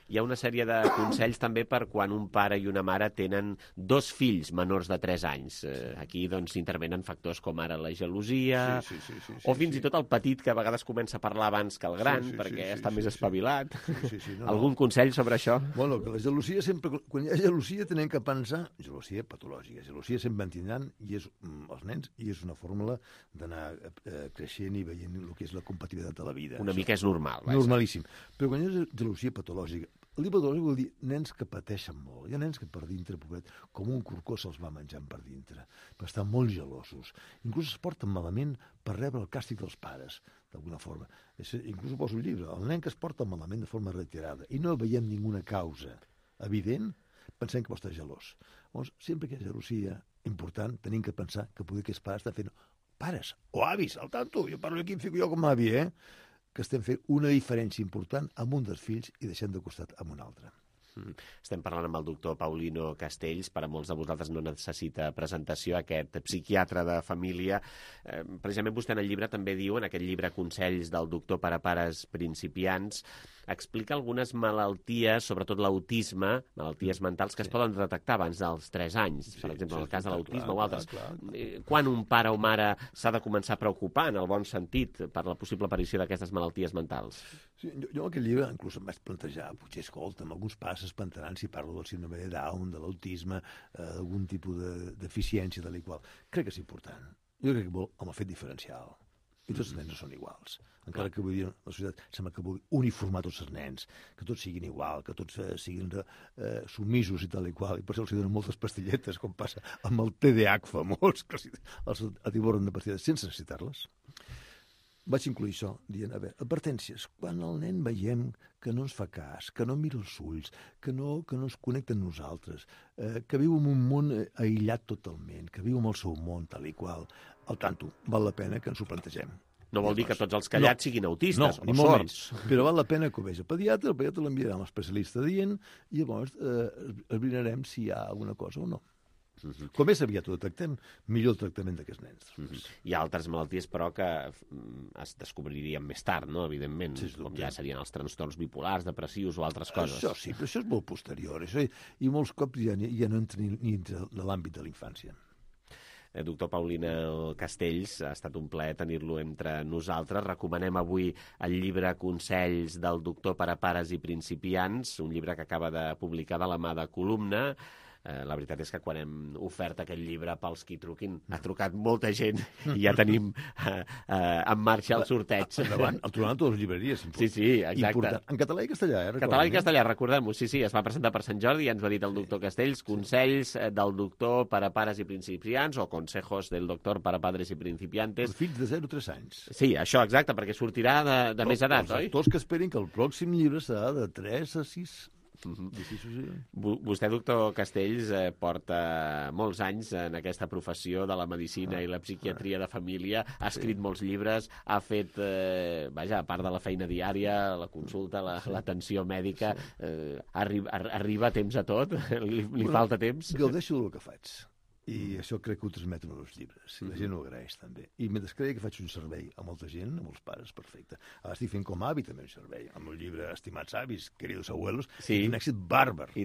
Hi ha una sèrie de consells també per quan un pare i una mare tenen 2 fills menors de 3 anys. Aquí doncs intervenen factors com ara la gelosia o fins i tot el petit que a vegades comença a parlar abans que el gran perquè està més espavilat. Algun consell sobre això? Bueno, que la gelosia sempre... Quan hi ha gelosia tenem que pensar... Gelosia patològica. Gelosia sempre en tindran i és els nens i és una fórmula d'anar creixent i veient el que és la compatibilitat de la vida. Una mica és normal. Normalíssim. Però quan hi ha gelosia patològica, l'hipotòlògic vol dir nens que pateixen molt. Hi ha nens que per dintre, pobret, com un corcó se'ls va menjant per dintre, per estar molt gelosos. Inclús es porten malament per rebre el càstig dels pares, d'alguna forma. Inclús ho poso al llibre. El nen que es porta malament de forma reiterada i no veiem ninguna causa evident, pensem que pot estar gelós. Llavors, sempre que hi ha gelosia important, tenim que pensar que poder aquests pares estan fent pares o avis, al tanto, jo parlo aquí, em fico jo com a avi, que estem fent una diferència important amb un dels fills i deixem de costat amb un altre. Estem parlant amb el doctor Paulino Castells. Per a molts de vosaltres no necessita presentació, aquest psiquiatre de família. Precisament vostè en el llibre també diu, en aquest llibre Consells del doctor per a pares principiants, explica algunes malalties, sobretot l'autisme, malalties mentals que es poden detectar abans dels 3 anys, per exemple, en el cas de l'autisme o altres. Quan un pare o mare s'ha de començar a preocupar, en el bon sentit, per la possible aparició d'aquestes malalties mentals? Sí, jo en aquest llibre inclús em vaig plantejar, potser, escolta'm, alguns pares s'espantaran si parlo del síndrome de Down, de l'autisme, d'algun tipus de deficiència de l'igual. Crec que és important. Jo crec que vol amb el fet diferencial. I tots els nens no són iguals. Encara que avui dia la societat sembla que vulgui uniformar tots els nens, que tots siguin igual, que tots siguin submisos i tal i qual, i per això els donen moltes pastilletes, com passa amb el TDAH famós, que els atiborren de pastilles sense necessitar-les. Vaig incluir això, dient, a veure, advertències, quan el nen veiem que no ens fa cas, que no mira els ulls, que no es connecta amb nosaltres, que viu en un món aïllat totalment, que viu en el seu món tal i qual, al tanto, val la pena que ens ho plantegem. No vol dir que tots els callats siguin autistes o sords. Però val la pena que ho vegi el pediatre l'enviarà a l'especialista dient i llavors esbrinarem si hi ha alguna cosa o no. Com més aviat ho detectem, millor el tractament d'aquests nens. Hi ha altres malalties, però, que es descobririen més tard, no? Evidentment, com ja serien els trastorns bipolars, depressius o altres coses. Això sí, però això és molt posterior. I molts cops ja no entra ni entre l'àmbit de la infància. Doctor Paulino Castells, ha estat un plaer tenir-lo entre nosaltres. Recomanem avui el llibre Consells del doctor per a pares i principiants, un llibre que acaba de publicar de la mà de Columna. La veritat és que quan hem ofert aquest llibre pels qui truquin, ha trucat molta gent i ja tenim en marxa el sorteig. Endavant, el trobaran a totes les llibreries. Sí, exacte. Important. En català i castellà, Català i castellà, recordem-ho. Sí, es va presentar per Sant Jordi i ens ho ha dit el doctor Castells, Consells del doctor per a pares i principiants, o Consejos del doctor para padres y principiantes. Els fills de 0 a 3 anys. Sí, això, exacte, perquè sortirà de més edat, oi? Els actors que esperin que el pròxim llibre serà de 3 a 6. Vostè, doctor Castells, porta molts anys en aquesta professió de la medicina i la psiquiatria de família, ha escrit molts llibres, ha fet, a part de la feina diària, la consulta, l'atenció mèdica, arriba a temps a tot? Li falta temps? Gaudeixo del que faig. I això crec que ho transmeto en els llibres. I la gent ho agraeix, també. I mentre creia que faig un servei a molta gent, a molts pares, perfecte. Ara estic fent com a avi també un servei. Amb el llibre Estimats avis, queridos abuelos, un èxit bàrbar. I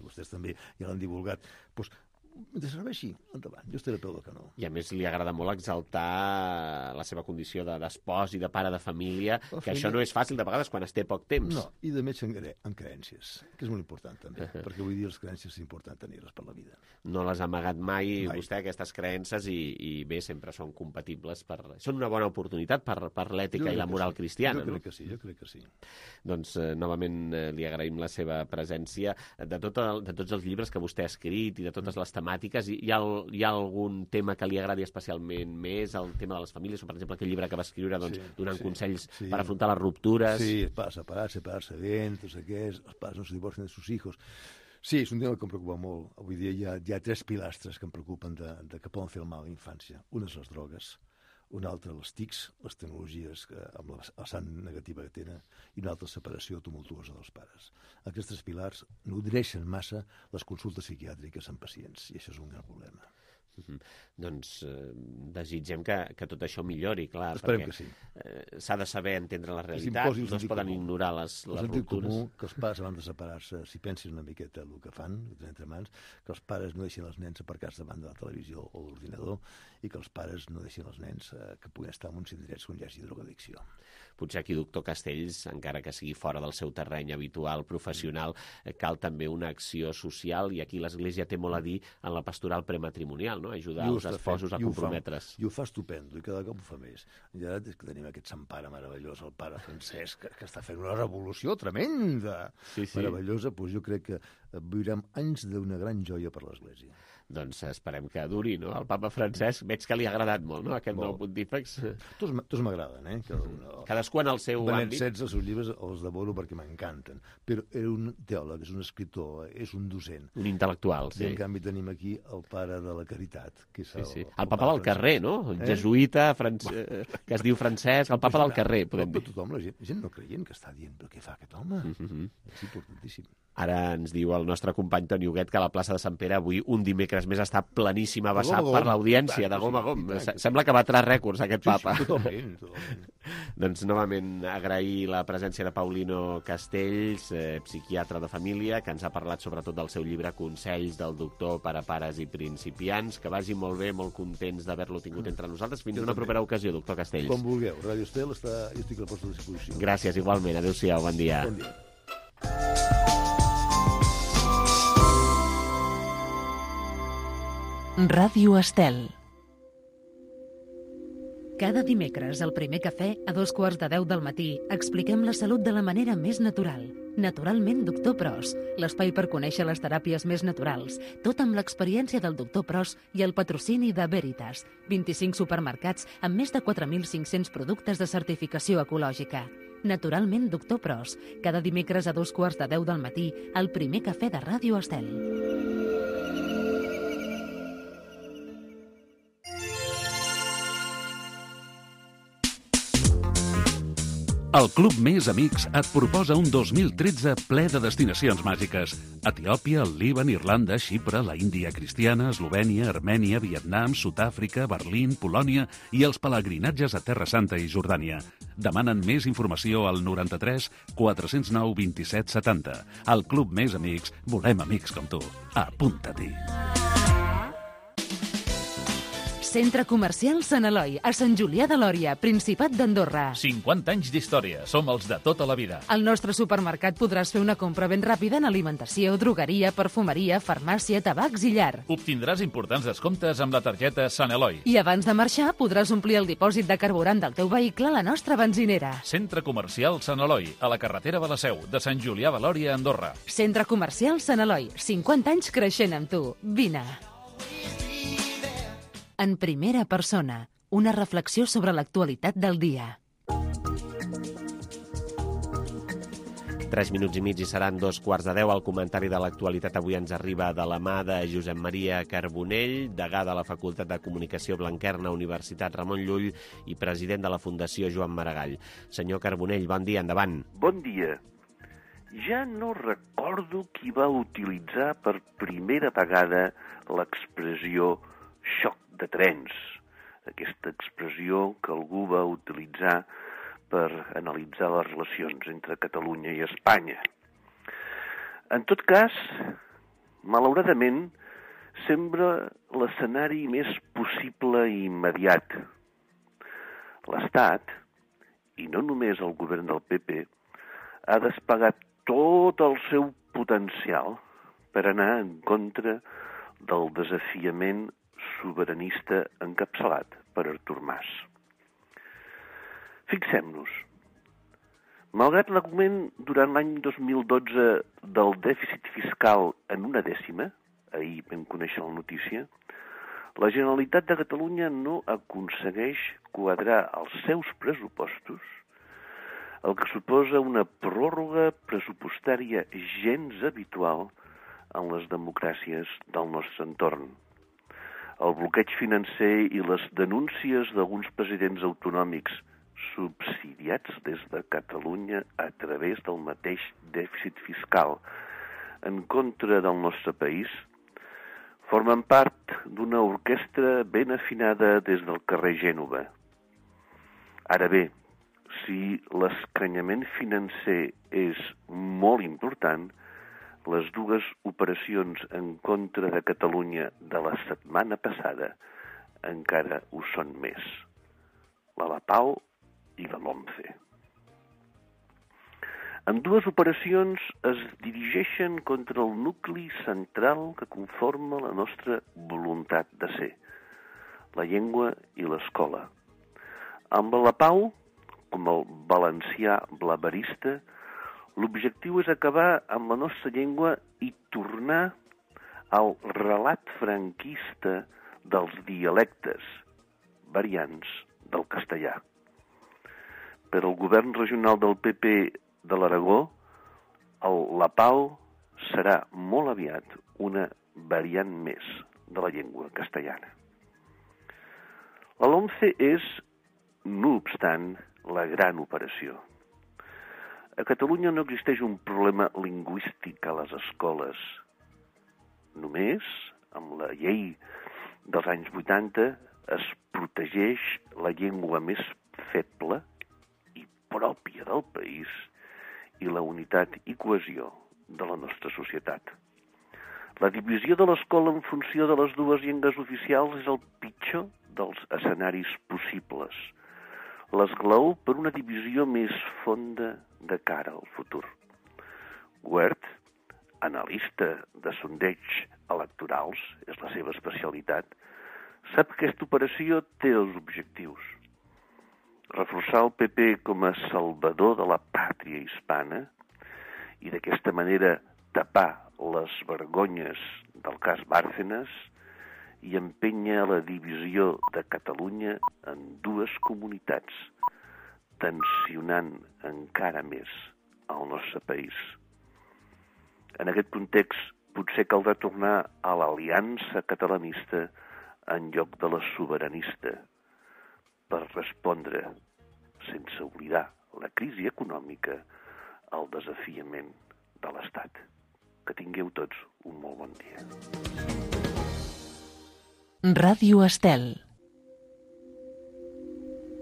vostès també ja l'han divulgat. Doncs, mentre serveixi, endavant. Jo estaré a peu del canó. I a més li agrada molt exaltar la seva condició d'espòs i de pare de família, que això no és fàcil de vegades quan es té poc temps. No, i de metge en creences, que és molt important també, perquè vull dir les creences és important tenir-les per la vida. No les ha amagat mai vostè, aquestes creences, i bé, sempre són compatibles. Són una bona oportunitat per l'ètica i la moral cristiana. Jo crec que sí. Doncs, novament, li agraïm la seva presència. De tots els llibres que vostè ha escrit i de totes les temàtiques. Hi ha algun tema que li agradi especialment més, el tema de les famílies, o per exemple aquell llibre que va escriure donant consells per afrontar les ruptures? Sí, para separarse bien, tots aquests, els pares no se divorcien de sus hijos. Sí, és un tema que em preocupa molt. Avui dia hi ha 3 pilastres que em preocupen de que poden fer el mal a la infància. Una és les drogues, una altra les TICs, les tecnologies amb la vessant negativa que tenen, i una altra separació tumultuosa dels pares. Aquests 3 pilars nodreixen massa les consultes psiquiàtriques en pacients, i això és un gran problema. Doncs desitgem que tot això millori, clar, esperem que sí. S'ha de saber entendre la realitat, no es poden ignorar les ruptures. Comú que els pares abans de separar-se, si pensin una miqueta el que fan, entre mans, que els pares no deixin els nens aparcats davant de la televisió o l'ordinador, i que els pares no deixin els nens que puguin estar en uns indrets on hi hagi drogadicció. Potser aquí, doctor Castells, encara que sigui fora del seu terreny habitual, professional, cal també una acció social, i aquí l'Església té molt a dir en la pastoral prematrimonial, no? Ajudar els esposos a comprometre's. I ho fa estupendo, i cada cop ho fa més. Ja és que tenim aquest sant pare meravellós, el pare Francesc, que està fent una revolució tremenda, meravellosa. Doncs jo crec que viurem anys d'una gran joia per l'Església. Doncs esperem que duri, no? El papa Francesc veig que li ha agradat molt, no?, aquest nou pontífex. Tots m'agraden, Cadascú en el seu àmbit. Els seus llibres els devoro perquè m'encanten. Però és un teòleg, és un escriptor, és un docent. Un intel·lectual, sí. I en canvi tenim aquí el pare de la caritat, que és el papa del carrer, no? El jesuïta que es diu Francesc, el papa del carrer, podem dir. Tothom, la gent no creient que està dient, però què fa aquest home? És importantíssim. Ara ens diu el nostre company Toni Huguet que la plaça de Sant Pere avui, un dimecres més, està pleníssima, vessat per l'audiència, de gom a gom. Sembla que batrà rècords, aquest papa. Totalment. Doncs novament agrair la presència de Paulino Castells, psiquiatre de família, que ens ha parlat sobretot del seu llibre Consells del doctor per a pares i principiants. Que vagi molt bé, molt contents d'haver-lo tingut entre nosaltres. Fins una propera ocasió, doctor Castells. Com vulgueu. Ràdio Estel jo estic a la vostra disposició. Gràcies, igualment. Adéu-siau, bon dia. Bon dia. Ràdio Estel. Cada dimecres, al primer cafè, a 2:15 del matí, expliquem la salut de la manera més natural. Naturalment, Doctor Pros, l'espai per conèixer les teràpies més naturals, tot amb l'experiència del Doctor Pros i el patrocini de Veritas, 25 supermercats amb més de 4.500 productes de certificació ecològica. Naturalment, Doctor Pros, cada dimecres a 2:15 del matí, al primer cafè de Ràdio Estel. El Club Més Amics et proposa un 2013 ple de destinacions màgiques. Etiòpia, el Líban, Irlanda, Xipre, la Índia cristiana, Eslovènia, Armènia, Vietnam, Sud-àfrica, Berlín, Polònia i els pelegrinatges a Terra Santa i Jordània. Demanen més informació al 93 409 27 70. Al Club Més Amics volem amics com tu. Apunta-t'hi. Centre Comercial Sant Eloi, a Sant Julià de Lòria, Principat d'Andorra. 50 anys d'història, som els de tota la vida. Al nostre supermercat podràs fer una compra ben ràpida en alimentació, drogueria, perfumeria, farmàcia, tabacs i llar. Obtindràs importants descomptes amb la targeta Sant Eloi. I abans de marxar podràs omplir el dipòsit de carburant del teu vehicle a la nostra benzinera. Centre Comercial Sant Eloi, a la carretera de la Seu, de Sant Julià de Lòria, Andorra. Centre Comercial Sant Eloi, 50 anys creixent amb tu. Vine. En primera persona, una reflexió sobre l'actualitat del dia. 3 minuts i mig i seran 2:15. El comentari de l'actualitat avui ens arriba de la mà de Josep Maria Carbonell, degà de la Facultat de Comunicació Blanquerna, Universitat Ramon Llull i president de la Fundació Joan Maragall. Senyor Carbonell, bon dia, endavant. Bon dia. Ja no recordo qui va utilitzar per primera vegada l'expressió xoc de trens, aquesta expressió que algú va utilitzar per analitzar les relacions entre Catalunya i Espanya. En tot cas, malauradament, sembla l'escenari més possible i immediat. L'Estat, i no només el govern del PP, ha desplegat tot el seu potencial per anar en contra del desafiament sobiranista encapçalat per Artur Mas. Fixem-nos, malgrat l'augment durant l'any 2012 del dèficit fiscal en 1/10, ahir vam conèixer la notícia, la Generalitat de Catalunya no aconsegueix quadrar els seus pressupostos, el que suposa una pròrroga pressupostària gens habitual en les democràcies del nostre entorn. El bloqueig financer i les denúncies d'alguns presidents autonòmics subsidiats des de Catalunya a través del mateix dèficit fiscal en contra del nostre país formen part d'una orquestra ben afinada des del carrer Gènova. Ara bé, si l'escanyament financer és molt important, les dues operacions en contra de Catalunya de la setmana passada encara ho són més. La Lapao i la LOMCE. Ambdues operacions es dirigeixen contra el nucli central que conforma la nostra voluntat de ser, la llengua i l'escola. Amb la Lapao, com el valencià blaverista, l'objectiu és acabar amb la nostra llengua i tornar al relat franquista dels dialectes, variants del castellà. Per al govern regional del PP de l'Aragó, el Lapao serà molt aviat una variant més de la llengua castellana. La LOMCE és, no obstant, la gran operació. A Catalunya no existeix un problema lingüístic a les escoles. Només, amb la llei dels anys 80, es protegeix la llengua més feble i pròpia del país i la unitat i cohesió de la nostra societat. La divisió de l'escola en funció de les dues llengües oficials és el pitjor dels escenaris possibles. L'esglaó per una divisió més fonda de cara al futur. Wert, analista de sondeigs electorals, és la seva especialitat, sap que aquesta operació té els objectius. Reforçar el PP com a salvador de la pàtria hispana i d'aquesta manera tapar les vergonyes del cas Bárcenas i empènyer la divisió de Catalunya en dues comunitats, tensionant encara més el nostre país. En aquest context, potser caldrà tornar a l'aliança catalanista en lloc de la sobiranista, per respondre, sense oblidar la crisi econòmica, al desafiament de l'Estat. Que tingueu tots un molt bon dia. Ràdio Estel.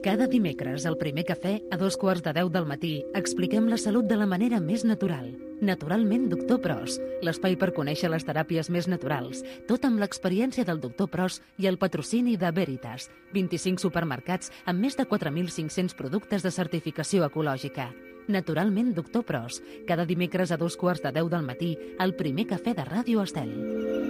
Cada dimecres, al primer cafè, a 2:15 del matí, expliquem la salut de la manera més natural. Naturalment, Doctor Pros, l'espai per conèixer les teràpies més naturals, tot amb l'experiència del Doctor Pros i el patrocini de Veritas, 25 supermercats amb més de 4.500 productes de certificació ecològica. Naturalment, Doctor Pros, cada dimecres a 2:15 del matí, al primer cafè de Ràdio Estel.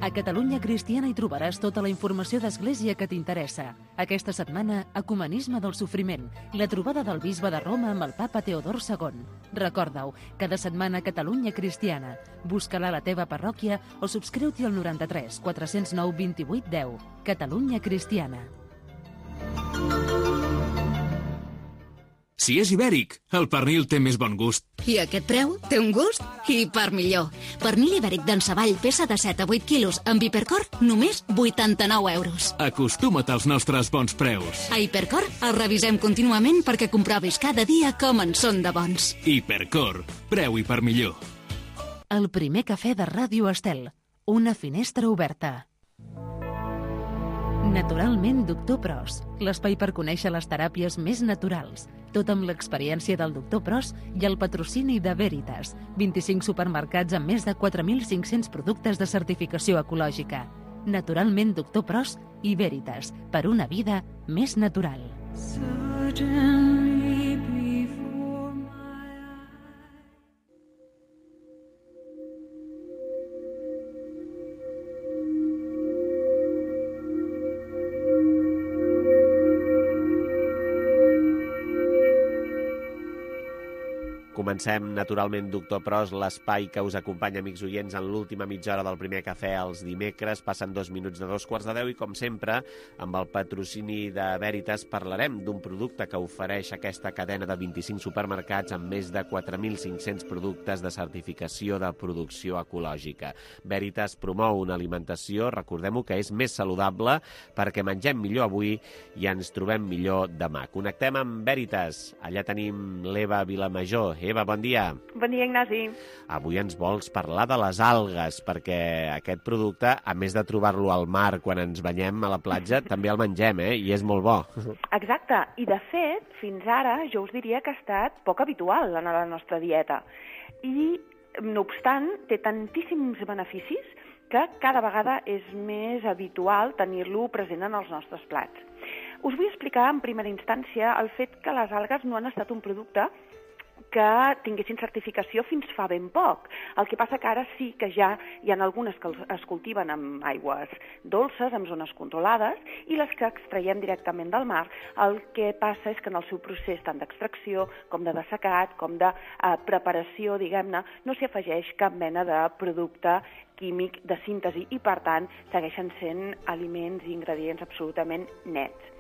A Catalunya Cristiana hi trobaràs tota la informació d'Església que t'interessa. Aquesta setmana, Ecumenisme del Sofriment, la trobada del bisbe de Roma amb el papa Teodor II. Recorda-ho, cada setmana Catalunya Cristiana. Busca-la a la teva parròquia o subscriu-t'hi al 93 409 28 10. Catalunya Cristiana. Si és ibèric, el pernil té més bon gust. I aquest preu té un gust i per millor. Pernil ibèric d'en Savall, peça de 7 a 8 quilos, amb Hipercor, només 89 euros. Acostuma't als nostres bons preus. A Hipercor els revisem contínuament perquè comprovis cada dia com en són de bons. Hipercor, preu i per millor. El primer cafè de Ràdio Estel. Una finestra oberta. Naturalment, Doctor Pros, l'espai per conèixer les teràpies més naturals, tot amb l'experiència del Doctor Pros i el patrocini de Veritas, 25 supermercats amb més de 4.500 productes de certificació ecològica. Naturalment, Doctor Pros i Veritas, per una vida més natural. Comencem, naturalment, Doctor Pros, l'espai que us acompanya, amics oients, en l'última mitja hora del primer cafè els dimecres. Passen 2 minuts de 2:15, i, com sempre, amb el patrocini de Veritas, parlarem d'un producte que ofereix aquesta cadena de 25 supermercats amb més de 4.500 productes de certificació de producció ecològica. Veritas promou una alimentació, recordem-ho, que és més saludable perquè mengem millor avui i ens trobem millor demà. Connectem amb Veritas. Allà tenim l'Eva Vilamajor. Eva, bon dia. Bon dia, Ignasi. Avui ens vols parlar de les algues, perquè aquest producte, a més de trobar-lo al mar quan ens banyem a la platja, també el mengem, i és molt bo. Exacte. I, de fet, fins ara jo us diria que ha estat poc habitual en la nostra dieta. I, no obstant, té tantíssims beneficis que cada vegada és més habitual tenir-lo present en els nostres plats. Us vull explicar en primera instància el fet que les algues no han estat un producte que tinguessin certificació fins fa ben poc. El que passa que ara sí que ja hi ha algunes que es cultiven amb aigües dolces, en zones controlades, i les que extraiem directament del mar. El que passa és que en el seu procés tant d'extracció com de dessecat, com de preparació, diguem-ne, no s'hi afegeix cap mena de producte químic de síntesi i, per tant, segueixen sent aliments i ingredients absolutament nets.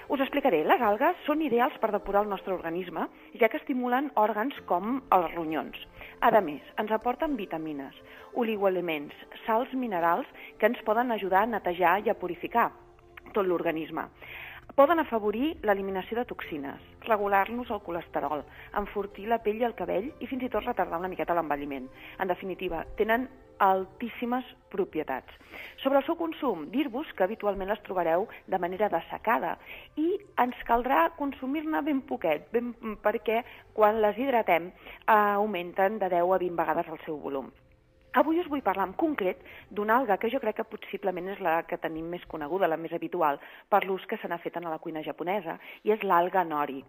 Us explicaré. Les algues són ideals per depurar el nostre organisme, ja que estimulen òrgans com els ronyons. A més, ens aporten vitamines, oligoelements, sals minerals que ens poden ajudar a netejar i a purificar tot l'organisme. Poden afavorir l'eliminació de toxines, regular-nos el colesterol, enfortir la pell i el cabell i fins i tot retardar una miqueta l'envelliment. En definitiva, tenen altíssimes propietats. Sobre el seu consum, dir-vos que habitualment les trobareu de manera dessecada i ens caldrà consumir-ne ben poquet, perquè quan les hidratem augmenten de 10 a 20 vegades el seu volum. Avui us vull parlar en concret d'una alga que jo crec que possiblement és la que tenim més coneguda, la més habitual, per l'ús que se n'ha fet en la cuina japonesa, i és l'alga nori.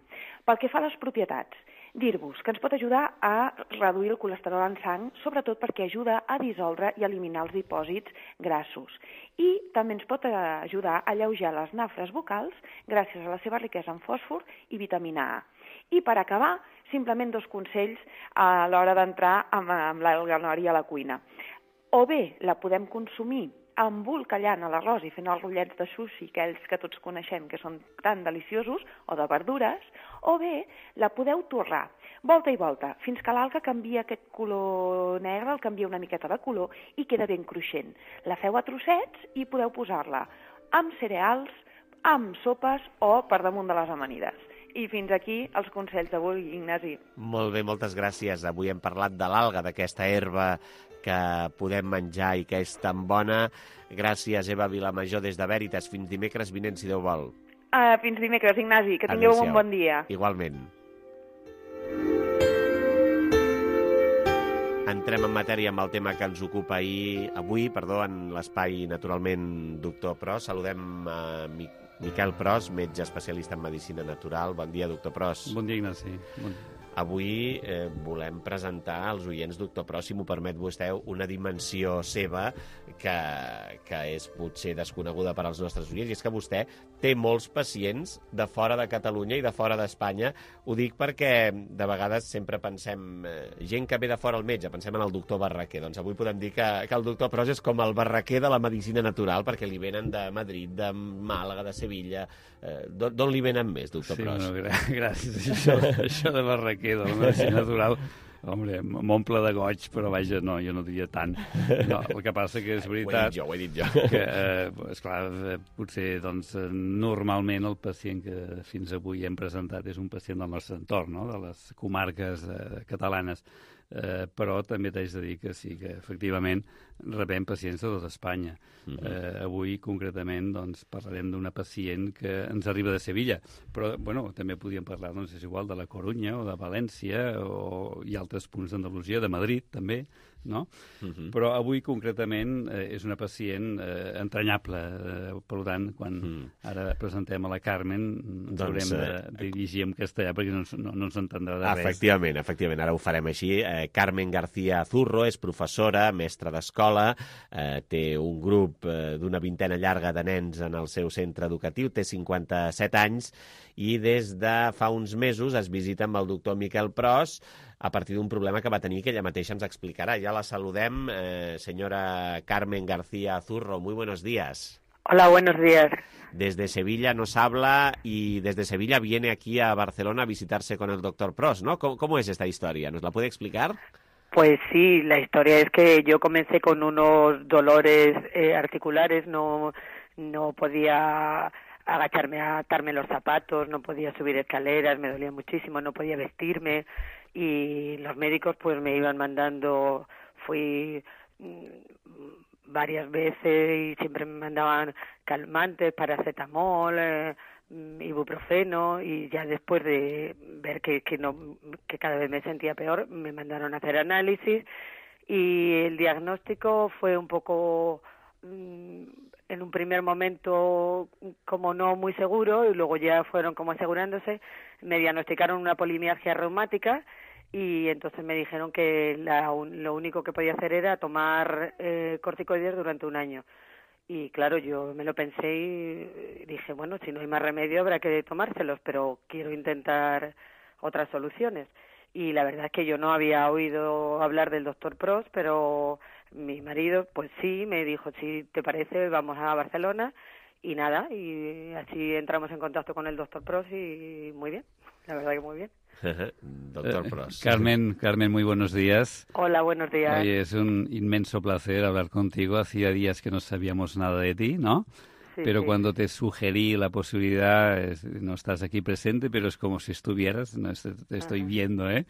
Pel que fa a les propietats, dir-vos que ens pot ajudar a reduir el colesterol en sang, sobretot perquè ajuda a dissoldre i eliminar els dipòsits grassos. I també ens pot ajudar a alleujar les nafres bucals gràcies a la seva riquesa en fòsfor i vitamina A. I per acabar, simplement 2 consells a l'hora d'entrar amb l'alga nori a la cuina. O bé la podem consumir embolcallant a l'arròs i fent els rotllets de sushi, aquells que tots coneixem que són tan deliciosos, o de verdures, o bé la podeu torrar, volta i volta, fins que l'alga canvia aquest color negre, el canvia una miqueta de color i queda ben cruixent. La feu a trossets i podeu posar-la amb cereals, amb sopes o per damunt de les amanides. I fins aquí els consells d'avui, Ignasi. Molt bé, moltes gràcies. Avui hem parlat de l'alga, d'aquesta herba que podem menjar i que és tan bona. Gràcies, Eva Vilamajor, des de Veritas. Fins dimecres vinent, si Déu vol. Fins dimecres, Ignasi. Que tingueu un bon dia. Igualment. Entrem en matèria amb el tema que ens ocupa avui, en l'espai, naturalment, Doctor Pros. Saludem a Miquel Pros, metge especialista en medicina natural. Bon dia, doctor Pros. Bon dia, Ignasi. Bon dia. Avui volem presentar als oients, doctor Pros, si m'ho permet vostè, una dimensió seva que és potser desconeguda per als nostres oients, i és que vostè té molts pacients de fora de Catalunya i de fora d'Espanya. Ho dic perquè de vegades sempre pensem, gent que ve de fora al metge, pensem en el doctor Barraquer. Doncs avui podem dir que el doctor Pros és com el Barraquer de la medicina natural, perquè li venen de Madrid, de Màlaga, de Sevilla. D'on li venen més, doctor Pros? Sí, bueno, gràcies. Això de Barraquer, de la medicina natural, home, m'omple de goig, però vaja, no, jo no diria tant. No, el que passa que és veritat... Ho he dit jo. Que, esclar, potser, doncs, normalment el pacient que fins avui hem presentat és un pacient del nostre entorn, no?, de les comarques catalanes. Però també t'haig de dir que sí, que efectivament rebem pacients de tot Espanya. Avui, concretament, doncs, parlarem d'una pacient que ens arriba de Sevilla, però bueno, també podríem parlar, doncs, és igual, de la Corunya o de València i altres punts d'Andalusia, de Madrid, també, no? Però avui, concretament, és una pacient entranyable. Per tant, quan ara presentem a la Carmen, ens haurem de dirigir en castellà perquè no ens entendrà de res. Efectivament, ara ho farem així. Carmen García Zurro és professora, mestra d'escola, té un grup d'una vintena llarga de nens en el seu centre educatiu, té 57 anys i des de fa uns mesos es visita amb el doctor Miquel Pros a partir d'un problema que va tenir, que ella mateixa ens explicarà. Ja la saludem, señora Carmen García Zurro. Muy buenos días. Hola, buenos días. Desde Sevilla nos habla y desde Sevilla viene aquí a Barcelona a visitarse con el doctor Pros, ¿no? ¿Cómo es esta historia? ¿Nos la puede explicar? Pues sí, la historia es que yo comencé con unos dolores articulares, no podía agacharme a atarme los zapatos, no podía subir escaleras, me dolía muchísimo, no podía vestirme y los médicos pues me iban mandando, fui varias veces y siempre me mandaban calmantes, paracetamol, ibuprofeno, y ya después de ver que cada vez me sentía peor, me mandaron a hacer análisis y el diagnóstico fue un poco en un primer momento como no muy seguro y luego ya fueron como asegurándose. Me diagnosticaron una polimialgia reumática y entonces me dijeron que lo único que podía hacer era tomar corticoides durante un año. Y claro, yo me lo pensé y dije, bueno, si no hay más remedio habrá que tomárselos, pero quiero intentar otras soluciones. Y la verdad es que yo no había oído hablar del doctor Pros, pero mi marido, pues sí, me dijo, si te parece, vamos a Barcelona. Y nada, y así entramos en contacto con el doctor Pros y muy bien, la verdad que muy bien. Doctor Pros. Carmen, muy buenos días. Hola, buenos días. Oye, es un inmenso placer hablar contigo. Hacía días que no sabíamos nada de ti, ¿no? Sí, pero sí. Cuando te sugerí la posibilidad, no estás aquí presente, pero es como si estuvieras, no, te estoy viendo, ¿eh?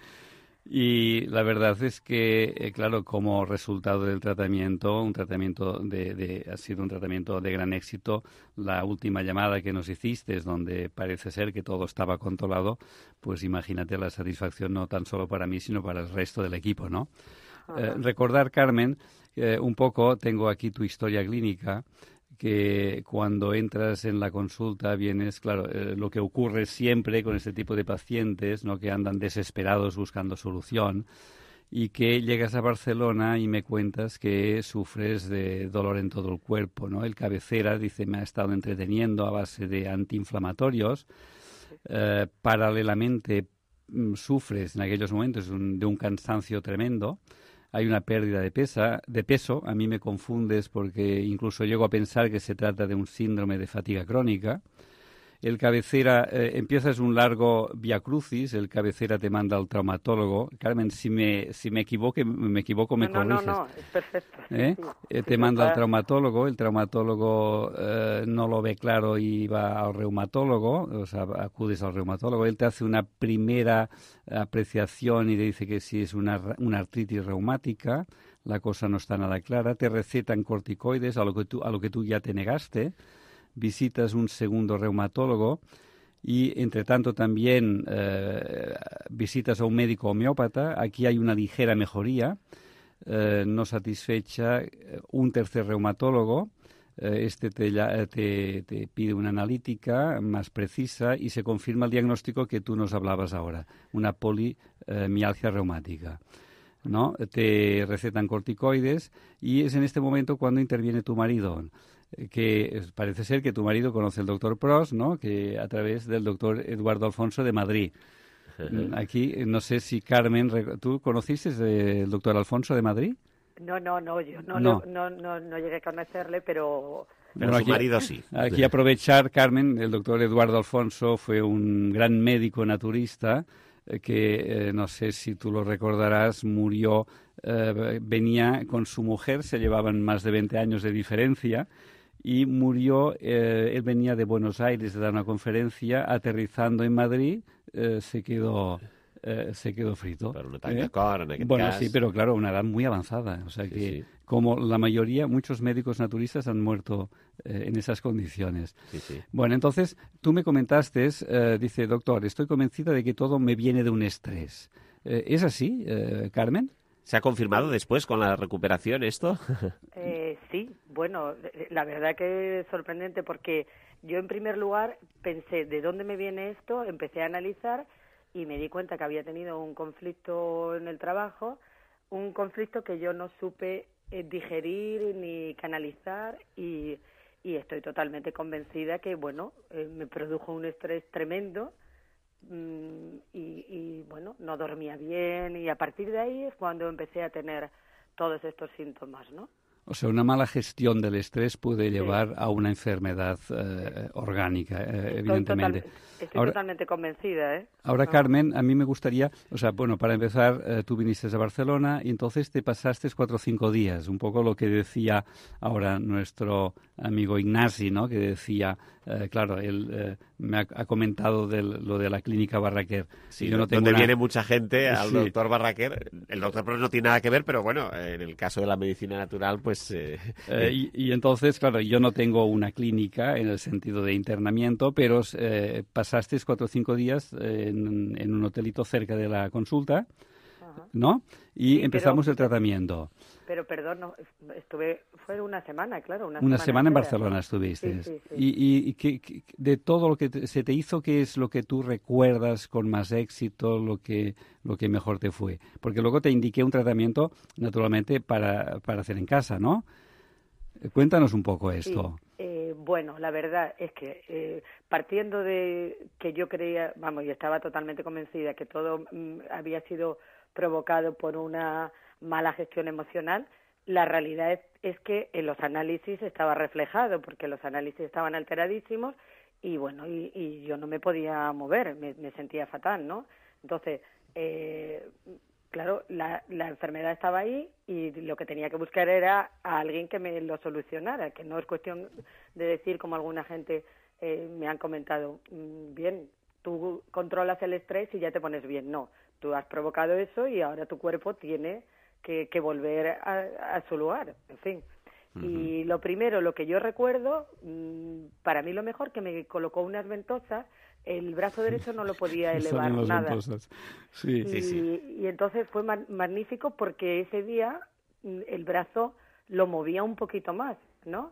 Y la verdad es que, claro, como resultado del tratamiento, ha sido un tratamiento de gran éxito. La última llamada que nos hiciste es donde parece ser que todo estaba controlado, pues imagínate la satisfacción no tan solo para mí, sino para el resto del equipo, ¿no? Recordar, Carmen, un poco, tengo aquí tu historia clínica, que cuando entras en la consulta vienes, claro, lo que ocurre siempre con este tipo de pacientes, ¿no?, que andan desesperados buscando solución, y que llegas a Barcelona y me cuentas que sufres de dolor en todo el cuerpo, ¿no? El cabecera, dice, me ha estado entreteniendo a base de antiinflamatorios. Paralelamente sufres en aquellos momentos de un cansancio tremendo. Hay una pérdida de peso. A mí me confundes porque incluso llego a pensar que se trata de un síndrome de fatiga crónica. El cabecera, empiezas un largo viacrucis, el cabecera te manda al traumatólogo. Carmen, si me equivoco, me corriges. No, es perfecto. Te manda al traumatólogo, el traumatólogo no lo ve claro y va al reumatólogo, o sea, acudes al reumatólogo. Él te hace una primera apreciación y te dice que si es una artritis reumática, la cosa no está nada clara. Te recetan corticoides, a lo que tú ya te negaste. Visitas un segundo reumatólogo y, entre tanto, también visitas a un médico homeópata. Aquí hay una ligera mejoría, no satisfecha. Un tercer reumatólogo, te pide una analítica más precisa y se confirma el diagnóstico que tú nos hablabas ahora, una polimialgia reumática, ¿no? Te recetan corticoides y es en este momento cuando interviene tu marido, que parece ser que tu marido conoce al doctor Pros, ¿no?, que a través del doctor Eduardo Alfonso de Madrid. Aquí, no sé si Carmen, ¿tú conociste el doctor Alfonso de Madrid? No, yo no llegué a conocerle, pero Pero su marido sí. Aquí aprovechar, Carmen, el doctor Eduardo Alfonso fue un gran médico naturista que, no sé si tú lo recordarás, murió, venía con su mujer, se llevaban más de 20 años de diferencia, y murió, él venía de Buenos Aires de dar una conferencia, aterrizando en Madrid, se quedó frito. Per un atac de cor, en aquest bueno, cas. sí, pero claro, una edad muy avanzada. O sea Sí, que, sí. como la mayoría, muchos médicos naturistas han muerto en esas condiciones. Sí, sí. Bueno, entonces, tú me comentaste, dice, doctor, estoy convencida de que todo me viene de un estrés. ¿Es así, Carmen? ¿Se ha confirmado después con la recuperación esto? Sí, bueno, la verdad que es sorprendente porque yo en primer lugar pensé, ¿de dónde me viene esto? Empecé a analizar y me di cuenta que había tenido un conflicto en el trabajo, un conflicto que yo no supe digerir ni canalizar y estoy totalmente convencida que, bueno, me produjo un estrés tremendo y bueno, no dormía bien, y a partir de ahí es cuando empecé a tener todos estos síntomas, ¿no? O sea, una mala gestión del estrés puede llevar a una enfermedad orgánica, evidentemente. Estoy totalmente convencida, ¿eh? Ahora, Carmen, a mí me gustaría, o sea, bueno, para empezar, tú viniste a Barcelona y entonces te pasaste 4 o 5 días, un poco lo que decía ahora nuestro amigo Ignasi, ¿no? Que decía, claro, él me ha comentado lo de la clínica Barraquer. Sí, yo no tengo donde viene mucha gente al Sí. doctor Barraquer. El doctor Pros no tiene nada que ver, pero bueno, en el caso de la medicina natural, pues... y entonces, claro, yo no tengo una clínica en el sentido de internamiento, pero pasaste 4 o 5 días en un hotelito cerca de la consulta, ¿no? Y Sí, empezamos el tratamiento. Pero perdón, no, fue una semana, claro. Una semana en entera. Barcelona estuviste. Sí. Y de todo lo que se te hizo, ¿qué es lo que tú recuerdas con más éxito, lo que mejor te fue? Porque luego te indiqué un tratamiento, naturalmente, para hacer en casa, ¿no? Cuéntanos un poco esto. Sí. Bueno, la verdad es que partiendo de que yo creía, y estaba totalmente convencida que todo había sido provocado por una mala gestión emocional, la realidad es que en los análisis estaba reflejado, porque los análisis estaban alteradísimos y bueno, y yo no me podía mover, me sentía fatal, ¿no? Entonces, claro, la enfermedad estaba ahí y lo que tenía que buscar era a alguien que me lo solucionara, que no es cuestión de decir, como alguna gente me han comentado, bien, tú controlas el estrés y ya te pones bien. No, tú has provocado eso y ahora tu cuerpo tiene que volver a su lugar, en fin. Y lo primero, lo que yo recuerdo, para mí lo mejor, que me colocó unas ventosas, el brazo derecho no lo podía elevar nada. Sí. Y entonces fue magnífico porque ese día el brazo lo movía un poquito más, ¿no?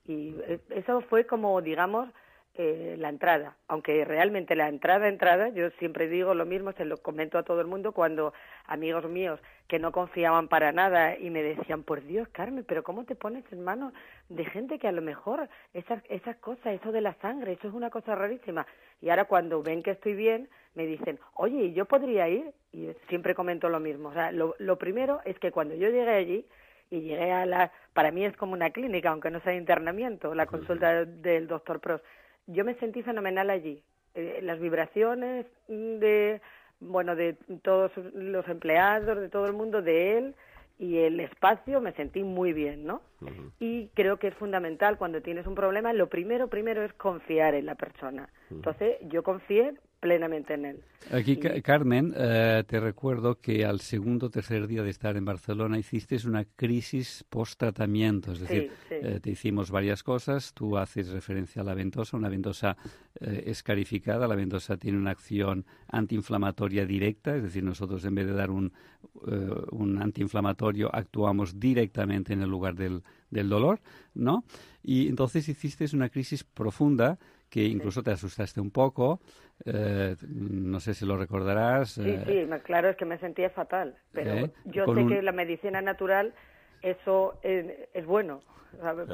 Y eso fue como, digamos, la entrada, aunque realmente la entrada, yo siempre digo lo mismo, se lo comento a todo el mundo cuando amigos míos que no confiaban para nada y me decían, por Dios, Carmen, pero ¿cómo te pones en manos de gente que a lo mejor esas cosas, eso de la sangre, eso es una cosa rarísima? Y ahora cuando ven que estoy bien, me dicen, oye, ¿yo podría ir? Y siempre comento lo mismo. O sea, lo primero es que cuando yo llegué allí, y llegué para mí es como una clínica, aunque no sea internamiento, la consulta del doctor Pros, yo me sentí fenomenal allí. Las vibraciones de todos los empleados, de todo el mundo, de él y el espacio, me sentí muy bien, ¿no? Y creo que es fundamental cuando tienes un problema, lo primero es confiar en la persona. Entonces, yo confié plenamente en él. Aquí, Carmen, te recuerdo que al segundo o tercer día de estar en Barcelona hiciste una crisis post-tratamiento, es decir, te hicimos varias cosas, tú haces referencia a la ventosa, una ventosa escarificada, la ventosa tiene una acción antiinflamatoria directa, es decir, nosotros en vez de dar un antiinflamatorio actuamos directamente en el lugar del dolor, ¿no? Y entonces hiciste una crisis profunda que incluso te asustaste un poco, no sé si lo recordarás. Sí, claro, es que me sentía fatal, pero yo sé que la medicina natural, eso es bueno.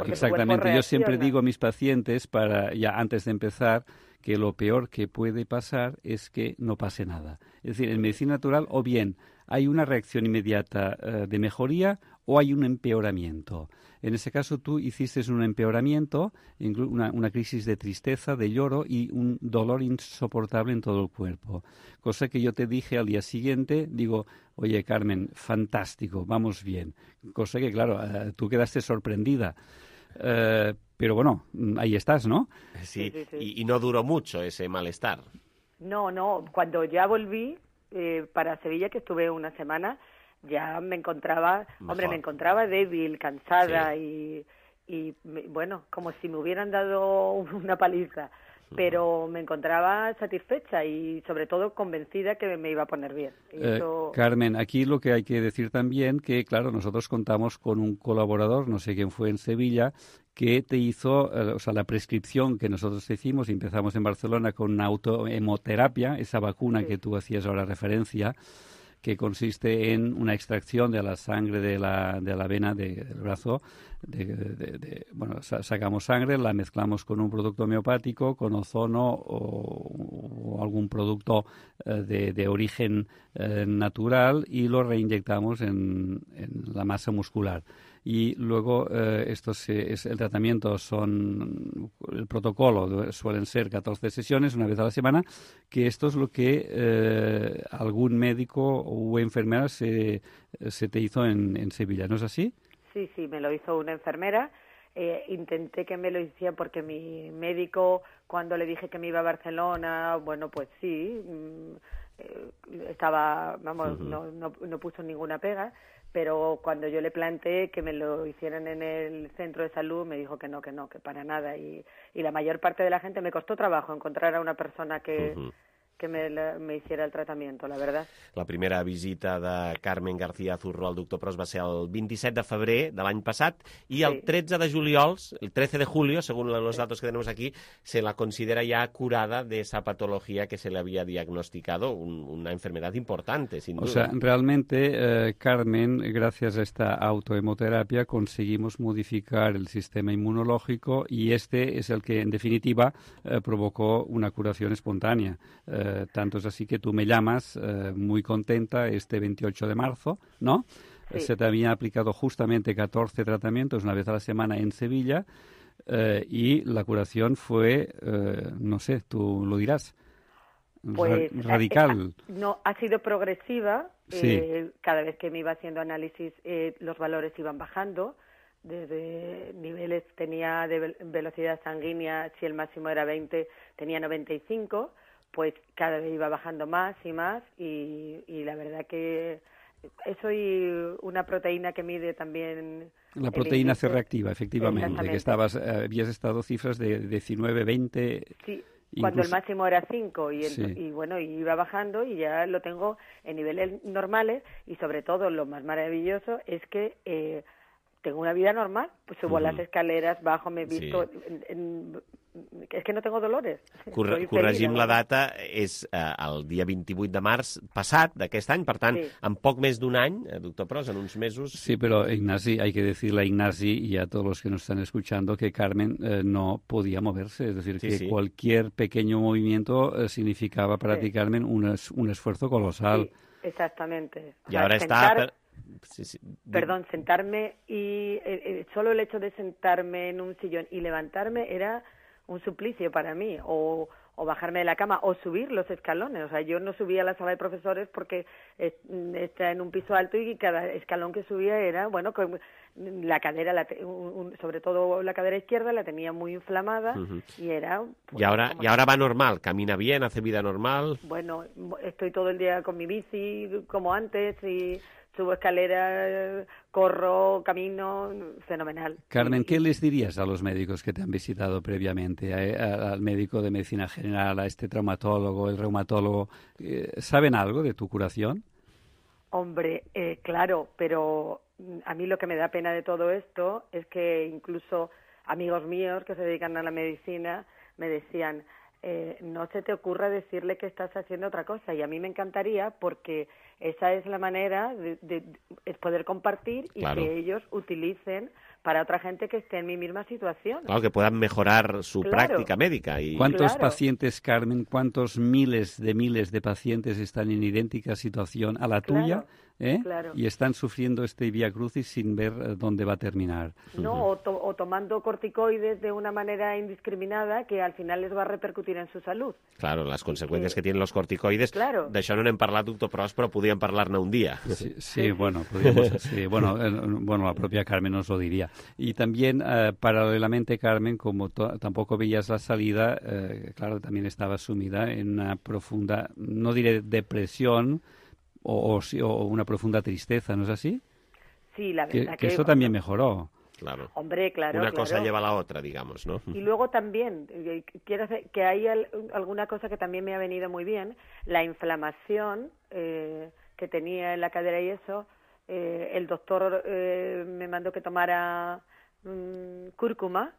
Exactamente, yo siempre digo a mis pacientes, ya antes de empezar, que lo peor que puede pasar es que no pase nada. Es decir, en medicina natural o bien hay una reacción inmediata de mejoría o hay un empeoramiento. En ese caso tú hiciste un empeoramiento, una crisis de tristeza, de lloro y un dolor insoportable en todo el cuerpo. Cosa que yo te dije al día siguiente, digo, oye Carmen, fantástico, vamos bien. Cosa que, claro, tú quedaste sorprendida. Pero bueno, ahí estás, ¿no? Sí. Y no duró mucho ese malestar. No, cuando ya volví para Sevilla, que estuve una semana, ya me encontraba, me encontraba débil, cansada y bueno, como si me hubieran dado una paliza, pero me encontraba satisfecha y sobre todo convencida que me iba a poner bien. Carmen, aquí lo que hay que decir también que, claro, nosotros contamos con un colaborador, no sé quién fue en Sevilla, que te hizo, la prescripción que nosotros te hicimos, empezamos en Barcelona con una autohemoterapia, esa vacuna que tú hacías ahora referencia, que consiste en una extracción de la sangre de la vena del brazo. Sacamos sangre, la mezclamos con un producto homeopático, con ozono o algún producto de origen natural y lo reinyectamos en la masa muscular. Y luego el tratamiento el protocolo suelen ser 14 sesiones, una vez a la semana, que esto es lo que algún médico o enfermera se te hizo en Sevilla, ¿no es así? Sí, me lo hizo una enfermera. Intenté que me lo hiciera porque mi médico, cuando le dije que me iba a Barcelona, bueno, pues sí, estaba, vamos, no puso ninguna pega, pero cuando yo le planteé que me lo hicieran en el centro de salud, me dijo que no, que para nada. Y la mayor parte de la gente, me costó trabajo encontrar a una persona que me hiciera el tratamiento, la verdad. La primera visita de Carmen García Zurro al doctor Pros va ser el 27 de febrer de l'any passat i el 13 de juliol, el 13 de julio, según los datos que tenemos aquí, se la considera ya curada de esa patología que se le había diagnosticado, una enfermedad importante, sin duda. O sea, realmente, Carmen, gracias a esta autohemoterapia, conseguimos modificar el sistema inmunológico y este es el que, en definitiva, provocó una curación espontánea. Tanto es así que tú me llamas muy contenta este 28 de marzo, ¿no? Sí. Se te habían aplicado justamente 14 tratamientos una vez a la semana en Sevilla y la curación fue, no sé, tú lo dirás, pues, radical. No, ha sido progresiva. Sí. Cada vez que me iba haciendo análisis, los valores iban bajando. Desde niveles tenía de velocidad sanguínea, si el máximo era 20, tenía 95. Pues cada vez iba bajando más y más y la verdad que soy una proteína que mide también... La proteína C reactiva, efectivamente, que habías estado cifras de 19, 20... Sí, cuando el máximo era 5 y bueno, iba bajando y ya lo tengo en niveles normales y sobre todo lo más maravilloso es que tengo una vida normal, pues subo las escaleras, bajo, me he visto... És que no tengo dolores. Corregim la data, és el dia 28 de març passat d'aquest any, per tant, en poc més d'un any, doctor Pros, en uns mesos... Sí, pero Ignasi, hay que decirle a Ignasi y a todos los que nos están escuchando que Carmen no podía moverse, es decir, que cualquier pequeño movimiento significaba para ti, Carmen, un esfuerzo colosal. Sí, exactamente. Y ahora está... Perdón, sentarme y solo el hecho de sentarme en un sillón y levantarme era un suplicio para mí, o bajarme de la cama, o subir los escalones. O sea, yo no subía a la sala de profesores porque está en un piso alto y cada escalón que subía era, bueno, con la cadera, sobre todo la cadera izquierda, la tenía muy inflamada y era... Pues, y ahora va normal, camina bien, hace vida normal. Bueno, estoy todo el día con mi bici como antes y... subo escaleras, corro, camino, fenomenal. Carmen, ¿qué les dirías a los médicos que te han visitado previamente? Al médico de medicina general, a este traumatólogo, el reumatólogo. ¿Saben algo de tu curación? Hombre, claro, pero a mí lo que me da pena de todo esto es que incluso amigos míos que se dedican a la medicina me decían... no se te ocurra decirle que estás haciendo otra cosa, y a mí me encantaría porque esa es la manera de poder compartir y que ellos utilicen para otra gente que esté en mi misma situación. Claro, que puedan mejorar su práctica médica. Y... ¿Cuántos pacientes, Carmen, cuántos miles de pacientes están en idéntica situación a la tuya? Y están sufriendo este vía crucis sin ver dónde va a terminar. No, o tomando corticoides de una manera indiscriminada que al final les va a repercutir en su salud. Claro, las consecuencias que tienen los corticoides. D'això no n'hem parlat, doctor Pros, però podríem parlar-ne un día. Sí, bueno, la propia Carmen nos lo diría. Y también, paralelamente, Carmen, como tampoco veías la salida, claro, también estaba sumida en una profunda, no diré depresión, o una profunda tristeza, ¿no es así? Sí, la verdad que eso también mejoró. Claro. Hombre, claro. Una cosa lleva a la otra, digamos, ¿no? Y luego también, quiero hacer que hay alguna cosa que también me ha venido muy bien, la inflamación que tenía en la cadera y eso, el doctor me mandó que tomara cúrcuma.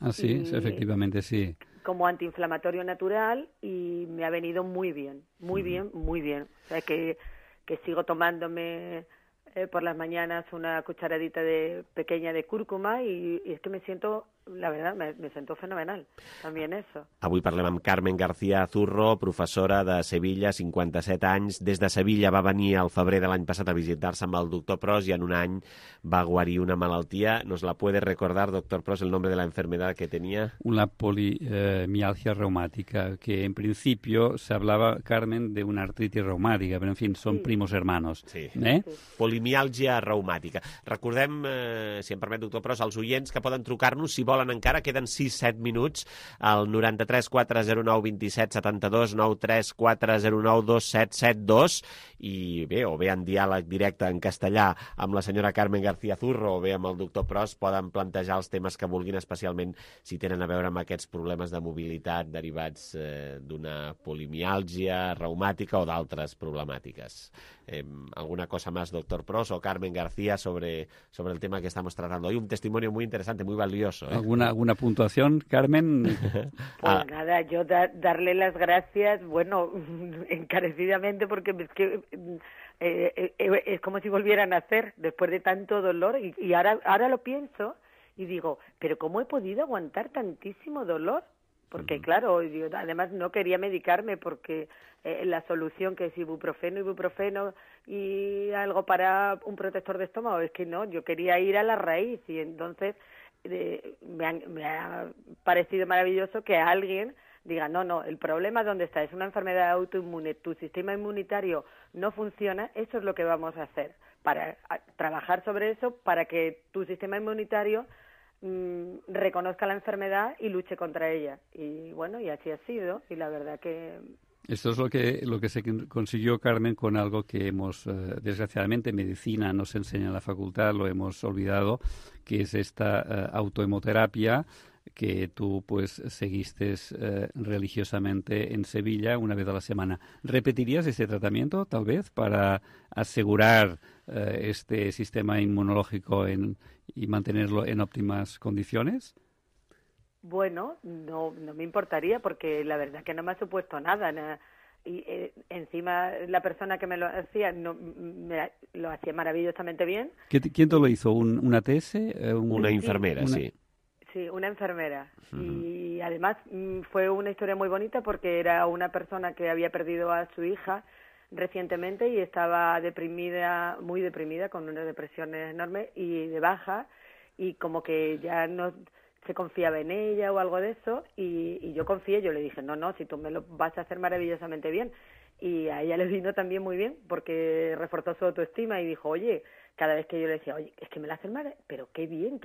Ah, sí, efectivamente, sí. Como antiinflamatorio natural y me ha venido muy bien, muy bien, muy bien. O sea que que sigo tomándome por las mañanas una cucharadita pequeña de cúrcuma y es que me siento, la verdad, me sento fenomenal, también eso. Avui parlem amb Carmen García Zurro, professora de Sevilla, 57 anys. Des de Sevilla va venir al febrer de l'any passat a visitar-se amb el doctor Pros i en un any va guarir una malaltia. ¿Nos la puede recordar, doctor Pros, el nombre de la enfermedad que tenía? Una polimialgia reumática, que en principio se hablaba, Carmen, de una artritis reumática, pero en fin, son primos hermanos. Sí. Polimialgia reumàtica. Recordem, si em permet, doctor Pros, als oients que poden trucar-nos, si volen encara, queden 6-7 minuts, al 93 409 27 72, 93 409 2772, i bé, o bé en diàleg directe en castellà amb la senyora Carmen García Zurro o bé amb el doctor Pros, poden plantejar els temes que vulguin, especialment si tenen a veure amb aquests problemes de mobilitat derivats d'una polimialgia reumàtica o d'altres problemàtiques. ¿Alguna cosa más, doctor Pros o Carmen García, sobre el tema que estamos tratando hoy? Un testimonio muy interesante, muy valioso. ¿Alguna puntuación, Carmen? Pues nada, yo darle las gracias, bueno, encarecidamente, porque es que es como si volvieran a nacer después de tanto dolor y ahora lo pienso y digo, pero ¿cómo he podido aguantar tantísimo dolor? Porque claro, yo además no quería medicarme porque la solución que es ibuprofeno y algo para un protector de estómago, es que no, yo quería ir a la raíz y entonces me ha parecido maravilloso que alguien diga, no, el problema ¿dónde está? Es una enfermedad autoinmune, tu sistema inmunitario no funciona, eso es lo que vamos a hacer, para trabajar sobre eso, para que tu sistema inmunitario reconozca la enfermedad y luche contra ella. Y bueno, y así ha sido, y la verdad que... Esto es lo que se consiguió, Carmen, con algo que hemos, desgraciadamente, en medicina nos enseña en la facultad, lo hemos olvidado, que es esta autohemoterapia que tú pues seguiste religiosamente en Sevilla una vez a la semana. ¿Repetirías ese tratamiento, tal vez, para asegurar este sistema inmunológico y mantenerlo en óptimas condiciones? Bueno, no me importaría porque la verdad que no me ha supuesto nada. Y encima la persona que me lo hacía lo hacía maravillosamente bien. ¿Quién te lo hizo? ¿Una TS? Una enfermera, sí. Sí, una enfermera. Y además fue una historia muy bonita porque era una persona que había perdido a su hija recientemente y estaba deprimida, muy deprimida, con una depresión enorme y de baja, y como que ya no se confiaba en ella o algo de eso, y yo confié, yo le dije, no, si tú me lo vas a hacer maravillosamente bien. Y a ella le vino también muy bien porque reforzó su autoestima y dijo, oye, cada vez que yo le decía, oye, es que me la hacen mal, pero qué bien,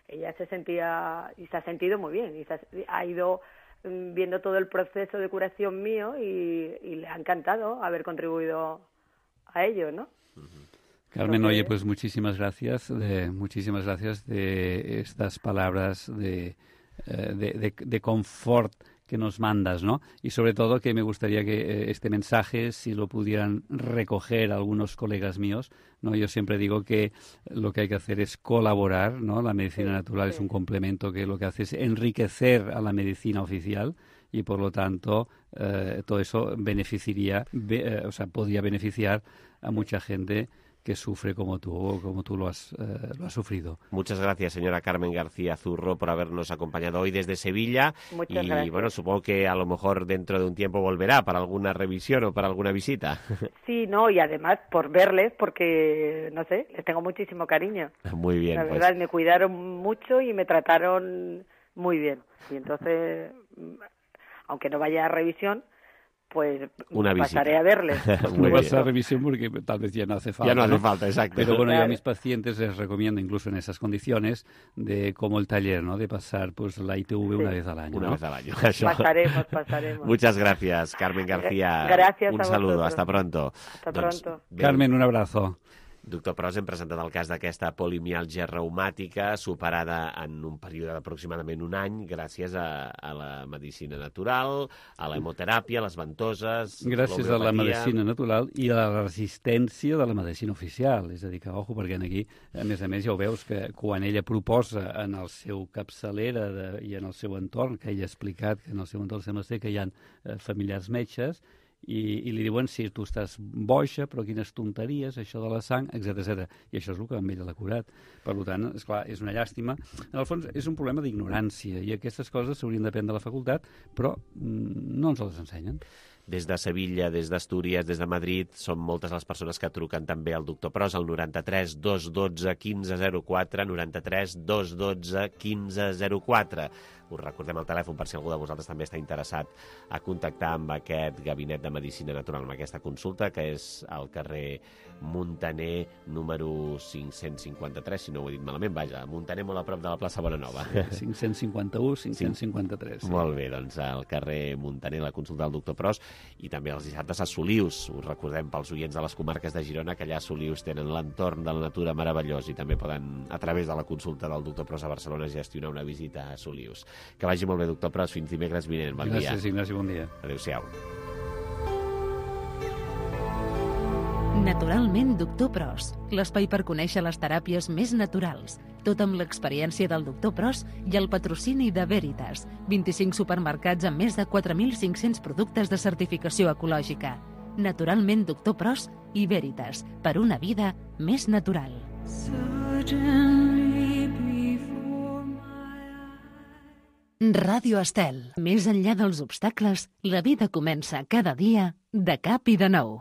ella se sentía y se ha sentido muy bien, y ha ido viendo todo el proceso de curación mío y le ha encantado haber contribuido a ello, ¿no? Carmen, oye, pues muchísimas gracias de estas palabras de confort que nos mandas, ¿no? Y sobre todo que me gustaría que este mensaje, si lo pudieran recoger algunos colegas míos, ¿no? Yo siempre digo que lo que hay que hacer es colaborar, ¿no? La medicina natural es un complemento que lo que hace es enriquecer a la medicina oficial y por lo tanto todo eso podría beneficiar a mucha gente que sufre como tú lo has sufrido. Muchas gracias, señora Carmen García Zurro, por habernos acompañado hoy desde Sevilla. Muchas gracias. Bueno, supongo que a lo mejor dentro de un tiempo volverá para alguna revisión o para alguna visita. Sí, no, y además por verles, porque, no sé, les tengo muchísimo cariño. Muy bien. La verdad, me cuidaron mucho y me trataron muy bien. Y entonces, aunque no vaya a revisión, pues pasaré a verles. No vas a revisión porque tal vez ya no hace falta. Ya no hace falta, exacto. Pero bueno, yo a mis pacientes les recomiendo, incluso en esas condiciones, como el taller, ¿no? De pasar pues la ITV una vez al año. Una vez al año. Pasaremos. Muchas gracias, Carmen García. Gracias un a saludo, vosotros. hasta pronto. Hasta pronto. Carmen, un abrazo. Doctor Pros, hem presentat el cas d'aquesta polimialgia reumàtica superada en un període d'aproximadament un any gràcies a la medicina natural, a la hemoteràpia, a les ventoses... Gràcies a la medicina natural i a la resistència de la medicina oficial. És a dir, que, ojo, perquè aquí, a més, ja ho veus, que quan ella proposa en el seu capçalera i en el seu entorn, que ella ha explicat que en el seu entorn sembla ser que hi ha familiars metges, i li diuen si tu estàs boixa, però quines tonteries, això de la sang, etc. I això és el que amb ella l'ha curat. Per tant, esclar, és una llàstima. En el fons, és un problema d'ignorància i aquestes coses s'haurien d'aprendre a la facultat, però no ens les ensenyen. Des de Sevilla, des d'Astúries, des de Madrid, són moltes les persones que truquen també al doctor Pros, al 93 212 1504, 93 212 1504. Us recordem el telèfon per si algú de vosaltres també està interessat a contactar amb aquest gabinet de medicina natural, amb aquesta consulta, que és al carrer Muntaner, número 553, si no ho he dit malament, vaja, Muntaner molt a prop de la plaça Bonanova. 551, 553. Sí. Molt bé, doncs al carrer Muntaner, la consulta del doctor Pros, i també els dissabtes a Solius. Us recordem pels oients de les comarques de Girona que allà a Solius tenen l'entorn de la natura meravellós i també poden, a través de la consulta del doctor Pros a Barcelona, gestionar una visita a Solius. Que vagi molt bé, doctor Pros. Fins dimecres vinent. Bon dia. Gràcies, Ignasi. Bon dia. Adéu-siau. Naturalment, doctor Pros. L'espai per conèixer les teràpies més naturals. Tot amb l'experiència del doctor Pros i el patrocini de Veritas. 25 supermercats amb més de 4.500 productes de certificació ecològica. Naturalment, doctor Pros i Veritas. Per una vida més natural. Ràdio Estel. Més enllà dels obstacles, la vida comença cada dia de cap i de nou.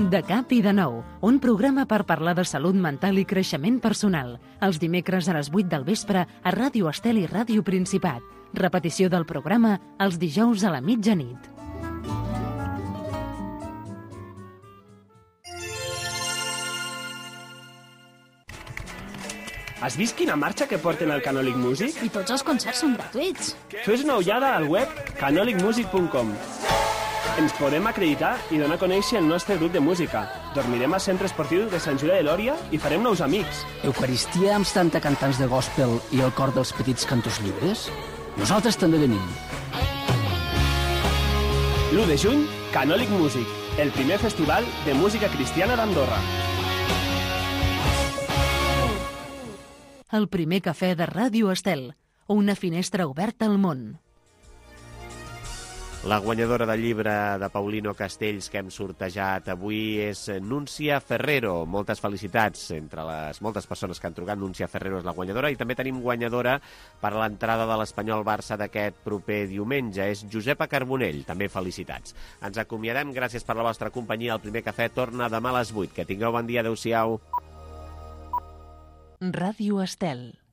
De cap i de nou, un programa per parlar de salut mental i creixement personal. Els dimecres a les 8 del vespre a Ràdio Estel i Ràdio Principat. Repetició del programa els dijous a la mitjanit. Has vist quina marxa que porten al Canolic Music? I tots els concerts són gratuïts. Fes una ullada al web canolicmusic.com. Ens podem acreditar i donar a conèixer el nostre grup de música. Dormirem al centre esportiu de Sant Julià de Lòria i farem nous amics. Eucaristia amb 70 cantants de gospel i el cor dels petits cantors lliures? Nosaltres també venim. L'1 de juny, Canolic Music, el primer festival de música cristiana d'Andorra. El primer cafè de Ràdio Estel, una finestra oberta al món. La guanyadora del llibre de Paulino Castells que hem sortejat avui és Núncia Ferrero. Moltes felicitats entre les moltes persones que han trucat. Núncia Ferrero és la guanyadora i també tenim guanyadora per l'entrada de l'Espanyol Barça d'aquest proper diumenge. És Josepa Carbonell. També felicitats. Ens acomiadem. Gràcies per la vostra companyia. El primer cafè torna demà a les 8. Que tingueu bon dia. Adéu-siau. Ràdio Estel.